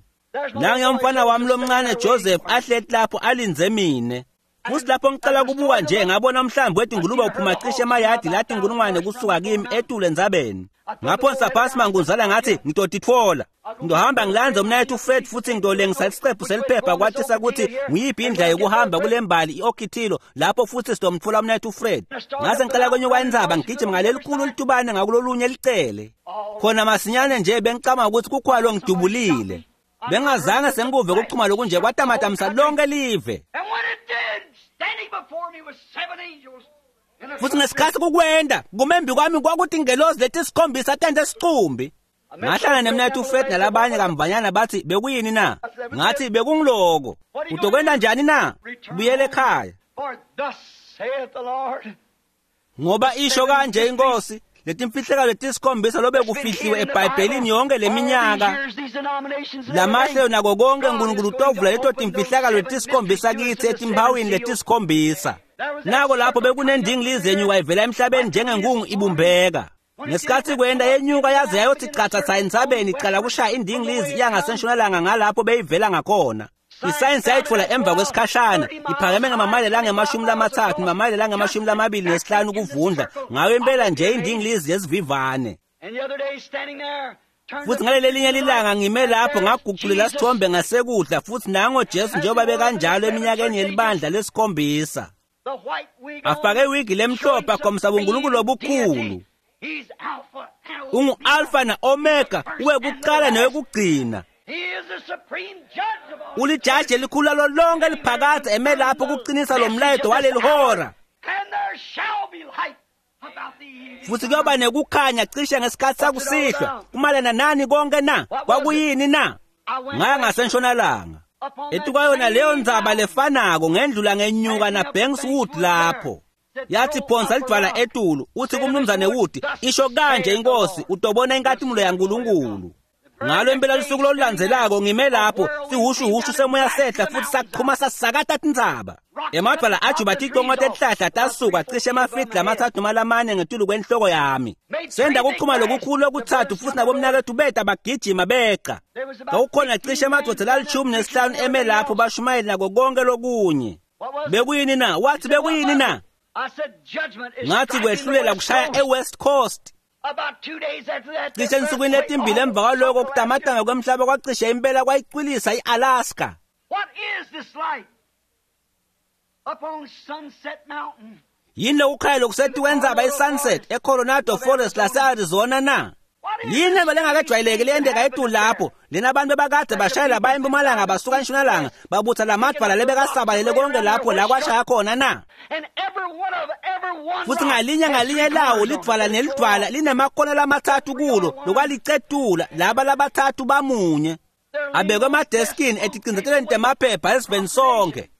Nange umfana wami lomncane Joseph ahleti lapho alindze mine. Futhi lapho ngicela kubuka nje ngabona umhlambi wetingulube uphuma cishe emayadi lathi inkulungwane kusuka kimi etule entsabeni. Ngaphonsa phansi mankunzana ngathi ngitotitfola. Ngizohamba ngilanze umnayethu Fred futhi ngidolengisa isiqephu seliphepha kwatisa ukuthi nguyiphi indlela yokuhamba kule mbali i-Okitillo lapho futhi sitomtfola umnayethu Fred. Ngase ngicela kwenyuka intsaba ngigijima ngalelikhulu litubane ngakulolunye licele. Khona masinyane nje bengicabanga ukuthi kukhona lo ngidubulile. Bengazange sengikuve ukuchuma lokunje kwatamatamisa lonke live. Futhi ngesikhathi kukwenda kumembi kwami kwakuthi ingelozi letisikhombisa tente sicumbi. Ngahlala nemnethu Fred nalabanye kamvanyana bathi bekuyini na? Ngathi bekungiloko. Utokwenda njani na? Buyele ekhaya. Ngoba isho kanje inkosi letimfihlekalo letisikhombisa lobe kufihliwe eBhayibhelini yonke leminyaka. Lamahlelo nako konke uNkulunkulu utovula leto timfihlakalo letisikhombisa kithi etimpawini letisikhombisa. Nako lapho bekunendingilizi yenyuka ivela emhlabeni njengenkungu ibumbeka. Ngesikhathi kwenda yenyuka yaze yayothi chatha entsabeni icala kushaya indingilizi iya ngasentshonalanga ngalapho beyivela ngakhona. Isayensi yayitfola emva kwesikhashana iphakeme ngamamayela langama-30 namamayela langama-25 ukuvundla ngayo impela nje indingilizi yesivivane. Futhi ngaleli lilanga ngime lapho ngaguqulela sithombe ngasekudla futhi nango Jesu njengoba bekanjalo eminyakeni yelibandla lesikhombisa. Afake iwigi lemhlophe akhombisa uNkulunkulu obukhulu. Ungu-Alpha na-Omega, uwekuqala nowekugcina. Ulijaji elikhulu lalo lonke eliphakade eme lapho ukuqinisa lo mlayeto waleli hora. Futhi kuyoba nekukhanya cishe ngesikhathi sakusihlwa. Kumalana nani konke na? Kwakuyini na? Ngaya ngasentshonalanga. Etukwayona leyo ndzaba lefanako ngendlula ngenyuka na Banks Wood lapho. Yathi phonsa lidwala etulu uthi kumnumzane Wood isho kanje inkosi utobona inkatimulo yaNkulunkulu. Ngalo impela lusuku lolulandzelako ngime lapho sihushuhushu semoya sehla futhi saqhuma sasakata tintsaba. Emadwala ajuba ticongo tetihlahla tasuka cishe emafidi lamathathu noma lamane ngetulu kwenhloko yami. Senda kuchuma lokukhulu lokuthathu futhi nabomnakethu beta bagijima beqa. Kwakukhona cishe emadvodza lali-15 eme lapho bashumayeli nako konke lokunye. Bekuyini na? Wathi bekuyini na? Ngathi kwehlulela kushaya eWest Coast. Cishe ensukwini letimbili emva kwaloko kutamatama kwemhlaba kwacishe impela kwayicwilisa i-Alaska. Yini lokukhanya lokusetikwentsaba i-Sunset eCoronado Forest lase-Arizona na? Yini lento lengakejwayeleki leyenteka etulu lapho lena abantu bebakade bashayela baya empumalanga basuka entshonalanga babutha lamadvwala lebekasabalele konke lapho la kwashaya khona na? Futhi ngalinye ngalinye lawo lidvwala nelidvwala linemakona lamathathu kulo lokwalicetula laba labathathu bamunye abekwe emadeskini eticindzetelweni temaphepha esiveni sonke.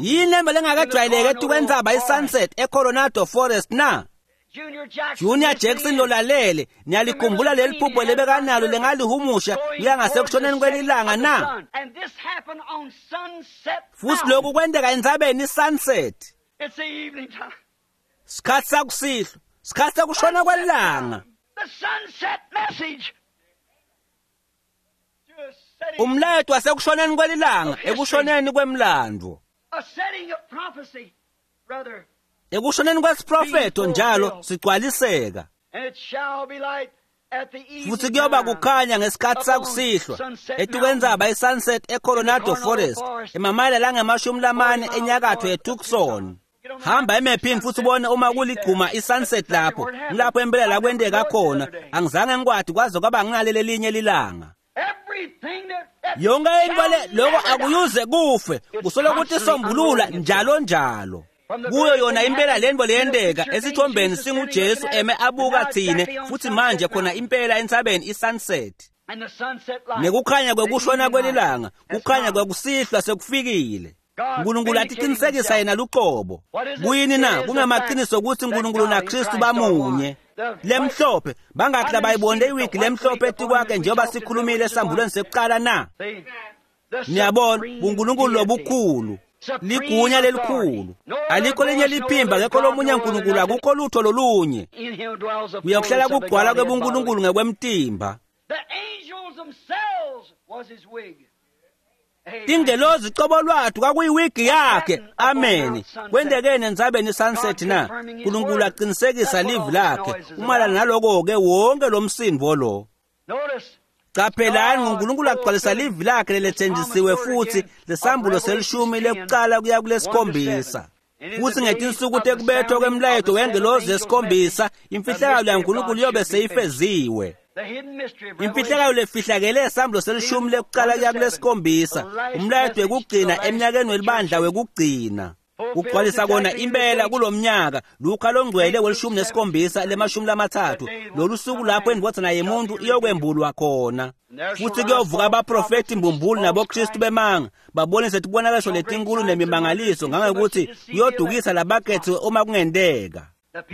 Yini lento lengakejwayeleki etukwentsaba i-Sunset eCoronado Forest na? Junior Jackson lolalele niyalikhumbula leli phupho lebekanalo lengalihumusha kuya ngasekushoneni kwelilanga na? Futhi lokhu kwenteka entsabeni i-Sunset. Sikhathi sakusihlwa, sikhathi sekushona kwelilanga. Umlayeto wasekushoneni kwelilanga ekushoneni kwemlandvo. Ekushoneni kwesiprofetho njalo sigcwaliseka. Futhi kuyoba kukhanya ngesikhathi sakusihlwa etukwentsaba i-Sunset eCoronado Forest emamayela langama-40 enyakatho yeTucson. Hamba emephini futhi ubone uma kuligquma i-Sunset lapho ngilapho impela la kwenteka khona. Angizange ngikwadi kwaze kwaba ngingaleli linye lilanga. Yonke into le lokho akuyuze kufe kusolo ukuthi isombulula njalo njalo. Kuyo yona impela lento leyenteka esithombeni singuJesu eme abuka thine futhi manje khona impela entsabeni i-Sunset. Nekukhanya kwekushona kwelilanga, kukhanya kwekusihlwa sekufikile. uNkulunkulu atiqinisekisa yena luqobo. Kuyini na? Kungamaqiniso ukuthi uNkulunkulu naKristu bamunye. Lemhlophe bangakhi labayibonde iwigi lemhlophe etikwakhe njengoba sikhulumile esambulweni sekuqala na? Niyabona uNkulunkulu lobukhulu, ligunya lelikhulu. Alikho linye liphimba ngekho lomunye uNkulunkulu, akukho lutho lolunye. Uyakuhlala kugcwala kwebuNkulunkulu ngekwemtimba. Tingelozi cobo lwathu kwakuyiwigi yakhe. Amen. Kwentekeni entsabeni i-Sunset na? uNkulunkulu aqinisekisa livi lakhe. Umalana naloko-ke wonke lo msindvo lo. Qaphelani uNkulunkulu agcwalisa livi lakhe lelethenjisiwe futhi lesambulo selishumi lekuqala kuya kulesikhombisa. Futhi ngetinsuku tekubethwa kwemlayeto wengelozi yesikhombisa imfihlakalo yaNkulunkulu iyobe seyifeziwe. Imfihlakalo lefihlakele esambulo selishumi lekuqala kuya kulesikhombisa, umlayeto wekugcina eminyakeni welibandla wekugcina. Kugcwalisa kona impela kulomnyaka Luka longcwele welishumi nesikhombisa lemashumi lamathathu, lolu suku lapho indvodzana yemuntu iyokwembulwa khona. Futhi kuyovuka abaprofethi mbumbulu naboKristu bemanga babonise tibonakaliso letinkulu nemimangaliso ngangokuthi kuyodukisa labakhethiwe uma kungenteka.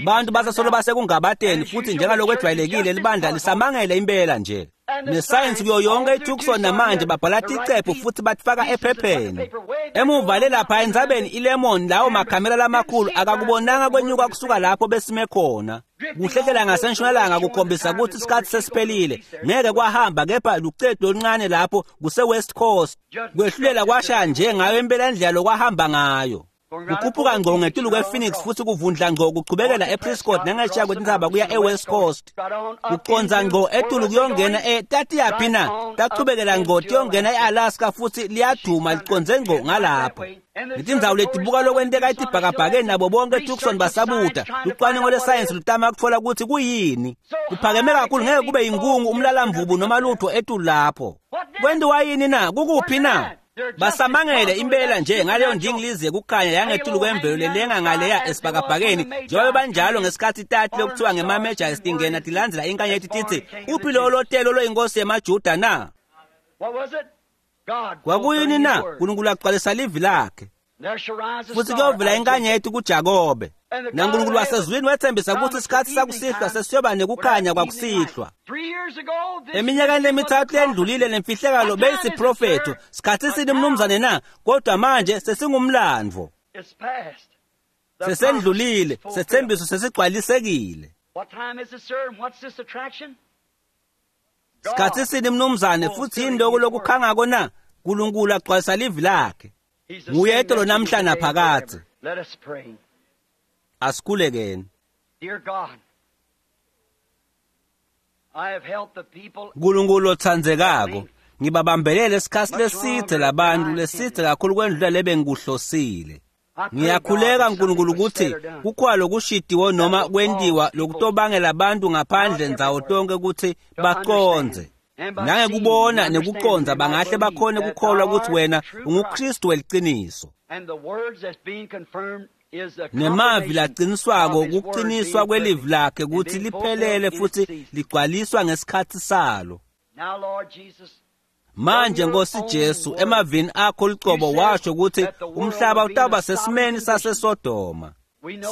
Bantu basasolo basekungabateni futhi njengalokhu ejwayelekile libandla lisamangele impela nje. Nesayensi kuyo yonke iTucson namanje babhala ticephu futhi batifaka ephepheni. Emuva le lapha entsabeni iLemon, lawo makhamera lamakhulu akakubonanga kwenyuka kusuka lapho besime khona. Kuhlehlela ngasentshonalanga kukhombisa ukuthi isikhathi sesiphelile. Ngeke kwahamba kepha lucedu oluncane lapho kuse-West Coast. Kwehlulela kwashaya nje ngayo impela indlela lokwahamba ngayo. Kukhuphuka ngqo ngetulu kwe-Phoenix futhi kuvundla ngqo kuchubekela ePrescott nangesheya kwetintsaba kuya e-West Coast. Kuconza ngqo etulu kuyongena tatiyaphi na? Tachubekela ngqo tiyongena e-Alaska futhi liyaduma liconze ngqo ngalapho. Letindzawo letibuka lokwenteka etibhakabhakeni nabo bonke eTucson basabuta. Lucwaningo lwesayensi lutama kutfola ukuthi kuyini. Kuphakeme kakhulu ngeke kube yinkungu, umlalamvubu noma lutho etulu lapho. Kwentiwa yini na? Kukuphi na? Basamangele impela nje ngaleyo ndingilizi yekukhanya yangetulu kwemvelo lelenga ngaleya esibhakabhakeni njengoba banjalo ngesikhathi tati lokuthiwa ngema-Magi tingena tilandzela inkanyeti titsi uphi lowo lotelo loyinkosi yemaJuda na? Kwakuyini na? Nkulunkulu agcwalisa livi lakhe. Futhi kuyovela inkanyeti kuJakobe. NaNkulunkulu wasezulwini wethembisa ukuthi isikhathi sakusihlwa sesiyoba nekukhanya kwakusihlwa. Eminyakeni lemithathu lendlulile lemfihlakalo beyisiprofetho. Sikhathi sini mnumzane na? Kodwa manje sesingumlandvo. Sesendlulile, sethembiso sesigcwalisekile. Sikhathi sini mnumzane futhi yini lokhu lokukhangako na? Nkulunkulu agcwalisa livi lakhe. Nguye etolo namhla naphakadze. Asikhulekeni. Nkulunkulu otsandzekako, ngibabambelele isikhathi lesidze labantu lesidze kakhulu kwendlula lebengikuhlosile. Ngiyakhuleka Nkulunkulu ukuthi kukhona lokushidiwe noma kwentiwa lokutobangela abantu ngaphandle ndzawo tonke ukuthi bacondze. Nangekubona nekucondza bangahle bakhone kukholwa ukuthi wena unguKristu weliciniso. Nemavi laciniswako kuqiniswa kwelivi lakhe ukuthi liphelele futhi ligcwaliswa ngesikhathi salo. Manje Nkosi Jesu, emavini akho lucobo washo ukuthi umhlaba utawuba sesimeni saseSodoma.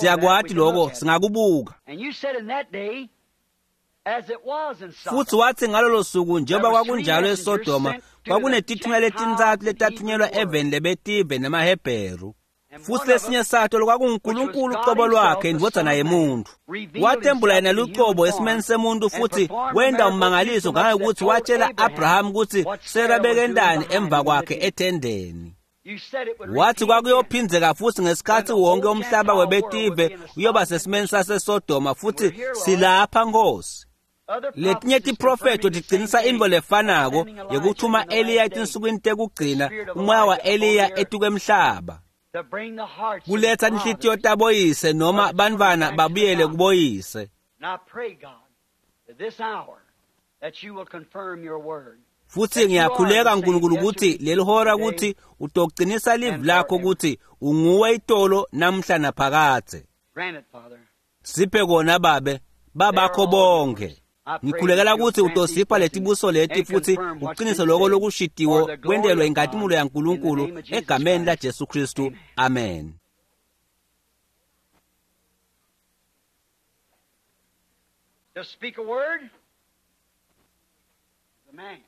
Siyakwati lokho, singakubuka. Futhi wathi ngalolo suku njengoba kwakunjalo eSodoma, kwakunetithunywa letintsatfu letathunyelwa eveni lebetive nemaHebheru. Futhi lesinye sato lokwakunguNkulunkulu ucobo lwakhe indvodzana yemuntu. Watembula yena lucobo esimeni semuntu futhi wenta ummangaliso ngangokuthi watshela Abraham ukuthi Sara bekentani emva kwakhe ethendeni. Wathi kwakuyophindzeka futhi ngesikhathi wonke umhlaba webetive uyoba sesimeni saseSodoma futhi silapha Nkosi. Letinye tiprofetho tiqinisa intfo lefanako yekuthuma Eliya etinsukwini tekugcina, umoya wa-Eliya etukwemhlaba. Kuletha inhlitiyo taboyise noma bantfwana babuyele kuboyise. Futhi ngiyakhuleka Nkulunkulu ukuthi leli hora ukuthi utoqinisa livi lakho ukuthi unguwe itolo namhla naphakadze. Siphe kona babe, babakho bonke. Ngikhulekela ukuthi utosipha letibuso leti futhi uqinise lokho lokushidiwo kwentelwe inkatimulo yaNkulunkulu egameni laJesu Kristu. Amen. To speak a word, the man.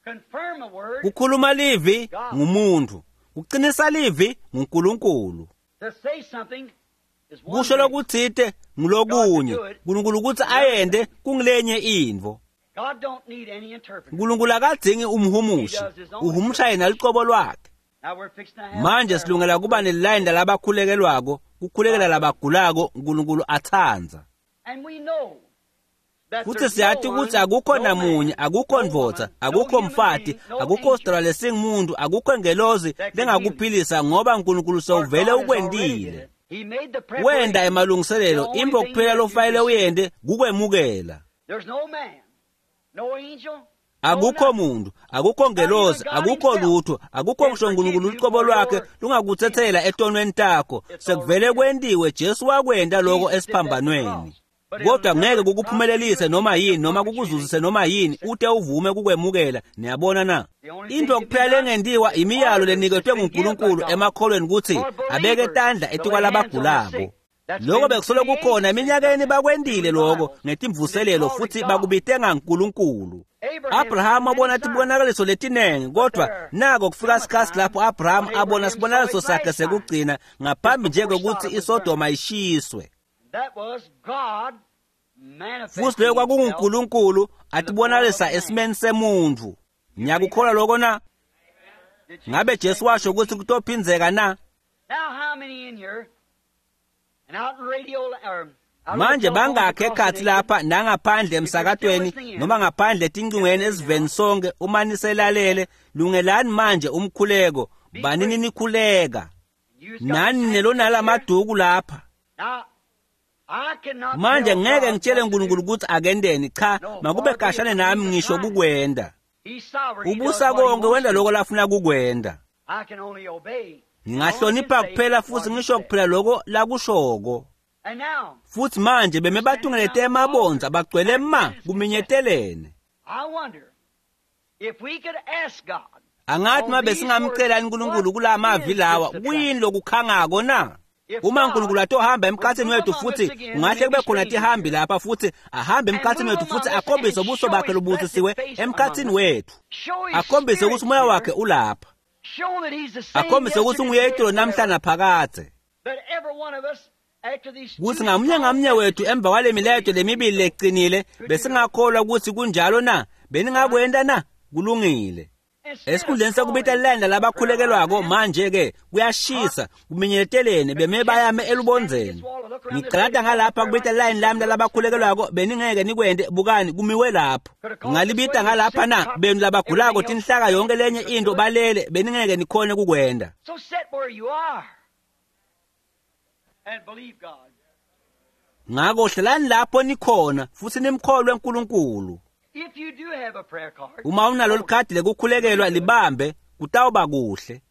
Confirm a word, Kukhuluma livi ngumuntu, kuqinisa livi nguNkulunkulu. to say something is one Kusho thing. lokutsite ngulokunye, uNkulunkulu ukuthi ayende kungilenye intfo. God don't need any interpreter. uNkulunkulu akadzingi umhumushi, uhumusha yena lucobo lwakhe. Now we're fixing to have Manje prayer. silungela kuba nelilayini lalabakhulekelwako, kukhulekela labagulako uNkulunkulu atsandza. And we know that Futhi there's siyati no ukuthi one, akukho no namunye, man, akukho no ndvodza, woman, no akukho human mfati, being, no akukho angel sidalwa lesingumuntu, akukho ngelozi lengakuphilisa ngoba uNkulunkulu for sewuvele God has already did ukwentile. it. He made the Wenda preparation. emalungiselelo, The only intfo thing kuphela that you lofanele receive. uyente kukwemukela. There's no man, no angel, no Akukho nothing. muntu, akukho ngelozi, akukho lutho, akukho ngisho uNkulunkulu lucobo lwakhe lungakutsetsela etonweni takho. Sekuvele kwentiwe, Jesu wakwenta lokho Jesus did that on the esiphambanweni. cross. But it'll Kodwa ngeke never kukuphumelelise noma yini noma kukuzuzise noma yini ute uvume kukwemukela. Niyabona na? Into kuphela lengentiwa imiyalo leniketwe nguNkulunkulu emakholweni ukuthi abeke tandla etikwalabagulako. Lokho bekusolo kukhona eminyakeni bakwentile lokho ngetimvuselelo futhi bakubite ngaNkulunkulu. Abraham wabona tibonakaliso letinengi, kodwa nako kufika sikhatsi lapho Abraham abona sibonakaliso sakhe sekugcina ngaphambi nje kwekutsi iSodoma ishiswe. Futhi leyo kwakunguNkulunkulu atibonakalisa esimeni semuntfu. Ngiyakukholwa lokho na? Ngabe Jesu washo ukuthi kutophindzeka na? Manje bangakhe ekhatsi lapha nangaphandle emsakatweni noma ngaphandle etincingweni esiveni sonke uma niselalele, lungelani manje umkhuleko, banini nikhuleka. Nani nelonalamaduku lapha. Manje ngeke ngitshele uNkulunkulu ukuthi akendeni, cha, makube kashane nami ngisho kukwenda. Ubusa konke, wenda lokho lafuna kukwenda. Ngingahlonipha kuphela futhi ngisho kuphela lokho lakushoko. Futhi manje beme batungelete emabonza bagcwele ma kuminyetelene. Angathi mabe singamcela uNkulunkulu kula mavi lawa, kuyini lokukhangako na? Uma uNkulunkulu atohamba emkhathini wethu futhi ungahle kube khona tihambi lapha futhi ahambe emkhathini wethu futhi akhombise ubuso bakhe lobusisiwe emkhathini wethu, akhombise ukuthi umoya wakhe ulapha, akhombise ukuthi unguye itolo namhla naphakadze, kuthi ngamunye ngamunye wethu emva kwale milayeto lemibili leqinile besingakholwa ukuthi kunjalo na? Beningakwenda na? Kulungile. Esikhundleni sekubita lilayini labakhulekelwako manje-ke kuyashisa kuminyetelene beme bayame elubondzeni. Ngicalata ngalapha kubita lilayini lami lalabakhulekelwako, beningeke nikwente, bukani kumiwe lapho. Ngalibita ngalapha na benu labagulako tinhlaka yonke lenye into balele, beningeke nikhone kukwenda. Ngako hlalani lapho nikhona futhi nimkholwe uNkulunkulu. Uma unalo likhadi lekukhulekelwa libambe, kutawuba kuhle.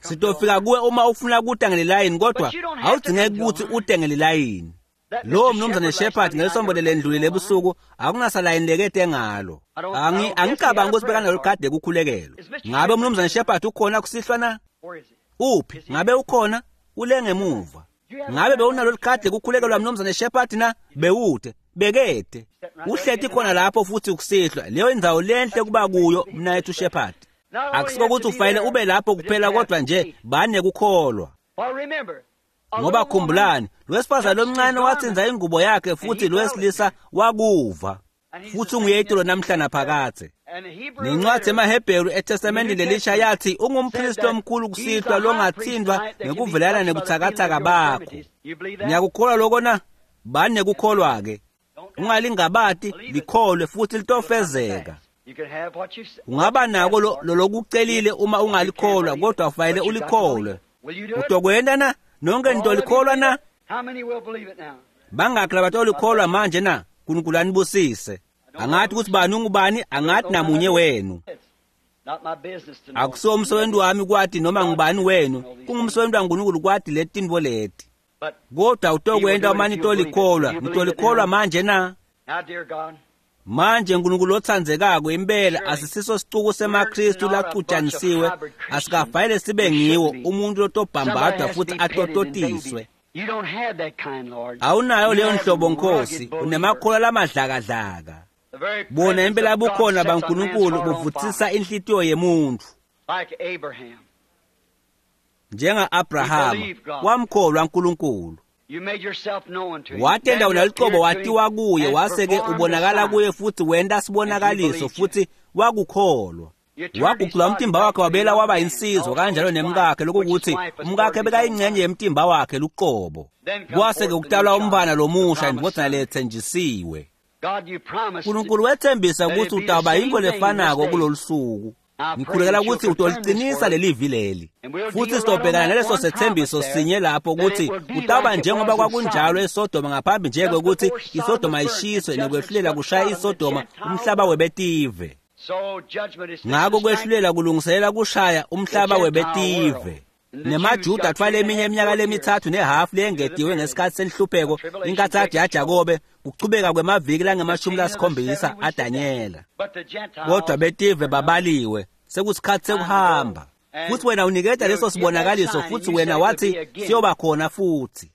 Sitofika kuwe uma ufuna kuta ngelilayini, kodwa awudzingeki ukuthi ute ngelilayini. Lo mnumzane Shepherd ngelisonto lelendlulile ebusuku akunasalayini lekete ngalo. Angicabangi ukuthi bekanalo likhadi lekukhulekelwa. Ngabe umnumzane Shepherd ukhona kusihlwa na? Uphi? Ngabe ukhona? Ule ngemuva. Ngabe bewunalo likhadi lekukhulekelwa mnumzane Shepherd na? Bewute. Bekete. Uhleti khona lapho futhi kusihlwa. Leyo indzawo lenhle kuba kuyo mnayethu Shepherd. Akusiko ukuthi ufanele ube lapho kuphela, kodwa nje bane kukholwa. Ngoba khumbulani, lowesifazane lomncane watsinza ingubo yakhe futhi lowesilisa wakuva. Futhi unguye itolo namhla naphakadze. Nencwadi emaHebheru eTestamenteni lelisha yathi ungumpristi omkhulu kusihlwa longathindwa ngekuvelana nebuthakathaka bakho. Niyakukholwa lokho na? Bani nekukholwa-ke. Ungalingabati, likholwe futhi litofezeka. Ungaba nako lolokucelile uma ungalikholwa, kodwa ufanele ulikholwe. Utokwenda na? Nonke nitolikholwa na? Bangakhi labatolikholwa manje na? uNkulunkulu anibusise. Angathi ukuthi bani ungubani, angathi namunye wenu. Akusiwo umsebenzi wami kwati noma ngubani wenu, kungumsebenzi waNkulunkulu kwati leti tintfo leti. Kodwa utokwenta uma nitolikholwa. Nitolikholwa manje na? Manje uNkulunkulu otsandzekako, impela asisiso sicuku semaKristu lacujanisiwe, asikafanele sibe ngiwo umuntu lotobhambadwa futhi atototiswe. Awunayo leyo nhlobo Nkosi, unemakholwa lamadlakadlaka. Bona impela bukhona baNkulunkulu buvutsisa inhlitiyo yemuntfu. Njenga-Abrahama wamkholwa uNkulunkulu. Watenda unalucobo watiwa kuye, wase-ke ubonakala kuye futhi wenta sibonakaliso futhi wakukholwa. Wagucula umtimba wakhe wabela waba insizwa, kanjalo nemkakhe, lokukuthi umkakhe bekayingcenye yemtimba wakhe luqobo. Kwase-ke kutalwa umntfwana lomusha, indvodzana letsenjisiwe. uNkulunkulu wethembisa ukuthi utawuba yintfo lefanako kulolu suku. Ngikhulekela ukuthi utoliqinisa lelivi leli, futhi sitobhekana naleso sethembiso sinye lapho ukuthi kutawuba njengoba kwakunjalo eSodoma ngaphambi nje kwekuthi iSodoma ishiswe nekwehlulela kushaya iSodoma umhlaba webetive. Ngako kwehlulela kulungiselela kushaya umhlaba webetive. NemaJuda atfwala eminye iminyaka lemithathu nehafu leyengetiwe ngesikhathi senhlupheko, inkathadi yaJakobe, kuchubeka kwemaviki langama-70 aDanyela. Kodwa betive babaliwe, sekusikhathi sekuhamba. Futhi wena uniketa leso sibonakaliso, futhi wena wathi siyoba khona futhi.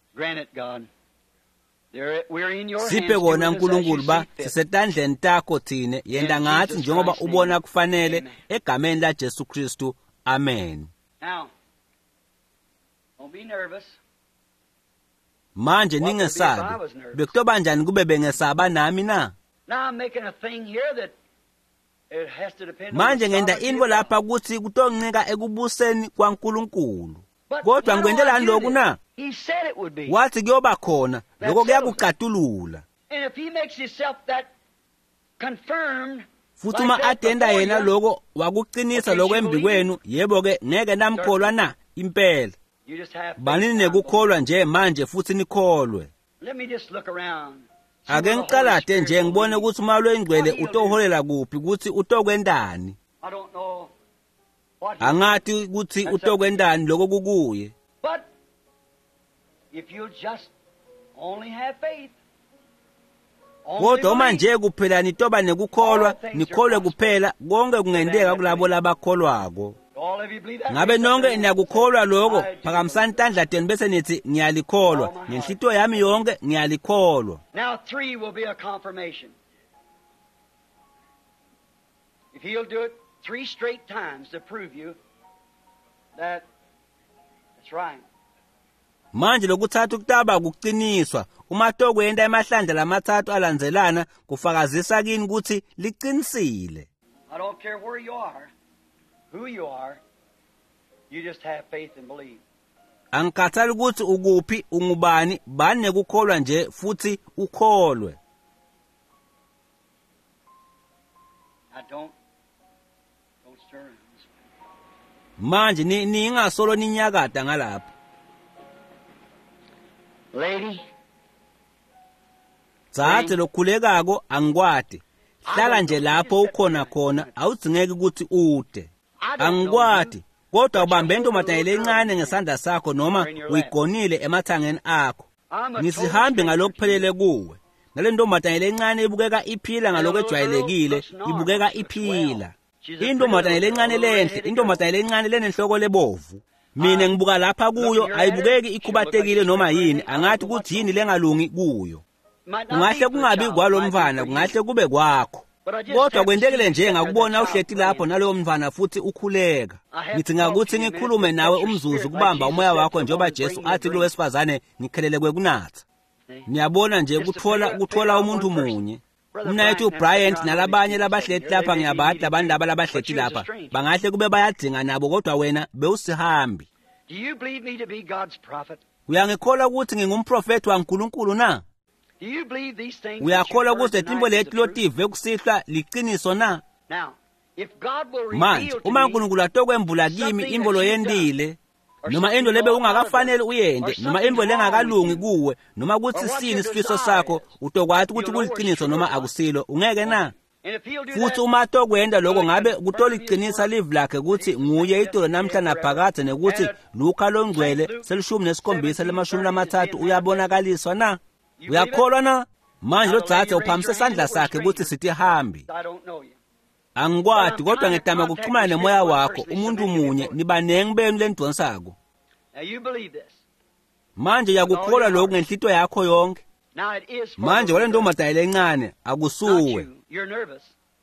Siphe kona Nkulunkulu ba sisetandleni takho thine, yenta ngathi njengoba ubona kufanele, egameni la Jesu Kristu, amen. Manje ningesabi. Bekutoba njani kube bengesaba nami na? Manje ngenta intfo lapha kutsi kutoncika ekubuseni kwaNkulunkulu. Kodwa ngikwentelani lokhu na? Wathi kuyoba khona, lokho kuyakucatulula. Futhi uma atenda yena lokho wakuqinisa lokho embikwenu, yebo-ke ngeke namkholwa na? Impela. Banini nekukholwa nje manje futhi nikholwe. Ake ngicalate nje ngibone ukuthi uMoya loyiNgcwele utoholela kuphi, ukuthi utokwentani. Angati ukuthi utokwentani lokho kukuye. Kodwa uma nje kuphela nitoba nekukholwa, nikholwe kuphela, konke kungenteka kulabo labakholwako. Ngabe nonke niyakukholwa lokho? Phakamisani tandla tenu bese nithi ngiyalikholwa. Ngenhlitiyo yami yonke ngiyalikholwa. Now 3 will be a confirmation. If he'll do it 3 straight times to prove you that that's right. Manje lokuthathu kutaba ukuqiniswa. Uma tokwenta emahlandla lamathathu alandzelana kufakazisa kini ukuthi liqinisile. I don't care where you are, who you are, you just have faith and believe. Angikhathali ukuthi ukuphi, ungubani, bani nekukholwa nje futhi ukholwe. I don't stir. Manje ningasolo ninyakada ngalapha. Lady, dzadze lokhulekako angikwati. Hlala nje lapho ukhona khona, awudzingeki ukuthi ude. Angikwati, kodwa ubambe intombazane lencane ngesandla sakho noma uyigonile emathangeni akho. Ngisihambi ngalokuphelele kuwe. Nale ntombazane lencane ibukeka iphila ngalokwejwayelekile, ibukeka iphila. Intombazane lencane lenhle, intombazane lencane lenenhloko lebovu. Mina ngibuka lapha kuyo ayibukeki ikhubatekile noma yini, angathi ukuthi yini lengalungi kuyo. Kungahle kungabi kwalomfana, kungahle kube kwakho. Kodwa kwentekile nje ngakubona uhleti lapho naloyo mfana futhi ukhuleka. Ngithi ngakuthi ngikhulume nawe umzuzu kubamba umoya wakho njengoba Jesu athi kulo wesifazane ngikhelele kwekunatha. Niyabona nje kuthola umuntu munye. Umnayethu uBryant nalabanye labahleti lapha ngiyabadla abantu laba labahleti lapha. Bangahle kube bayadzinga nabo kodwa wena bewusihambi. Uyangikholwa ukuthi ngingumprofeti waNkulunkulu na? Uyakholwa ukuthi letimbo leti lotive kusihlwa liqiniso na? Manje uma uNkulunkulu atokwembula kimi intfo loyentile, noma into lebe ungakafanele uyente, noma into lengakalungi kuwe, noma kutsi sini sifiso sakho, utokwati ukuthi kuliqiniso noma akusilo, ungeke na? Futhi uma atokwenta lokho ngabe kutoliqinisa livi lakhe ukuthi nguye itolo namhla naphakadze nekuthi Luka longcwele 17:30 uyabonakaliswa na? Uyakholwa na? Manje lo dzadze uphamise sandla sakhe ukuthi sithi hambi. Angikwati kodwa ngitama kuxhumana nemoya wakho umuntu munye nibanengi benu lenidonsako. Manje uyakukholwa lokhu ngenhlitiyo yakho yonke. Manje wale ntombazane lencane akusuwe.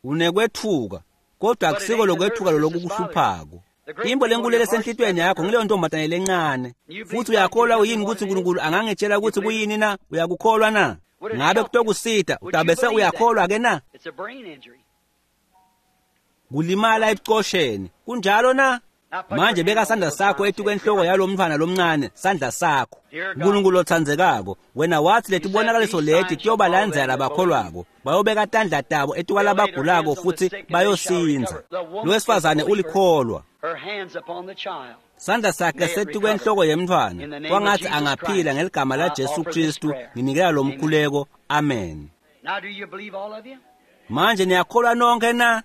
Unekwethuka kodwa akusiko lokwethuka lokukuhluphako. Imbo lenkulu lesenhlitiyweni yakho ngileyo ntombazane lencane. Futhi uyakholwa yini ukuthi uNkulunkulu angangitshela ukuthi kuyini na? Uyakukholwa na? Ngabe kutokusita utabese uyakholwa ke na? Kulimala ebucosheni kunjalo na? Manje beka sandla sakho etukwenhloko yalomntwana lomncane, sandla sakho. uNkulunkulu othandzekako, wena wathi letibonakaliso leti tiyobalandzela labakholwako, bayobeka tandla tabo etukwalabagulako futhi bayosinza. Lo wesifazane ulikholwa. Sandla sakhe setukwenhloko yemntwana, kwangathi angaphila ngeligama la Jesu Kristu. Nginikela lo mkhuleko, amen. Manje niyakholwa nonke na?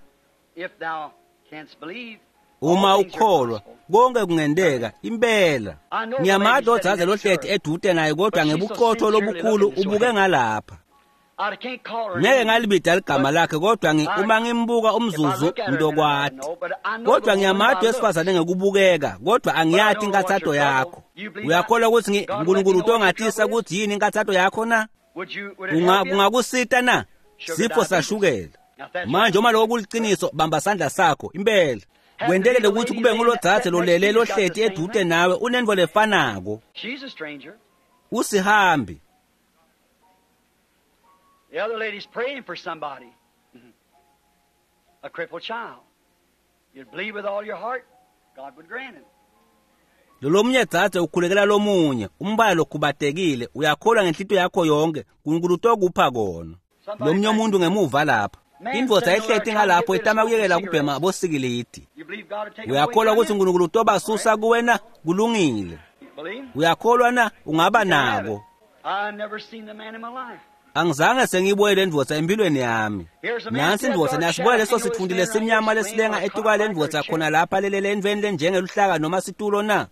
Uma ukholwa konke kungenteka impela. Ngiyamati odzadze lohleti edude naye kodwa ngebuqotho lobukhulu ubuke ngalapha. Ngeke ngalibida ligama lakhe kodwa uma ngimbuka umzuzu ngizokwati. Kodwa ngiyamati wesifazane ngekubukeka kodwa angiyati inkathato yakho. Uyakholwa ukuthi uNkulunkulu utongatisa ukuthi yini inkathato yakho na? Kungakusita na? Sifo sashukela. Manje uma lokho kuliciniso, bamba sandla sakho impela. Kwentekele ukuthi kube ngulodzadze lolele lohleti edude nawe unentfo lefanako. Usihambi. The other lady's praying for somebody. A crippled child. You'd believe with all your heart, God would grant it. Lolomunye dzadze ukhulekela lomunye, umbala lokhubatekile, uyakholwa ngenhlitiyo yakho yonke, uNkulunkulu utokupha kona. Lomunye umuntu ngemuva lapha. Indvodza ehleti ngalapho itama kuyekela kubhema bosikilidi. Uyakholwa ukuthi uNkulunkulu utobasusa kuwena? Kulungile. Uyakholwa na? Ungaba nako. Angizange sengiyibuye le ndvodza empilweni yami. Nansi indvodza, niyasibuka leso sitfundi lesimnyama lesilenga etuka le ndvodza khona lapha lelele entfweni lenjengeluhlaka noma situlo na?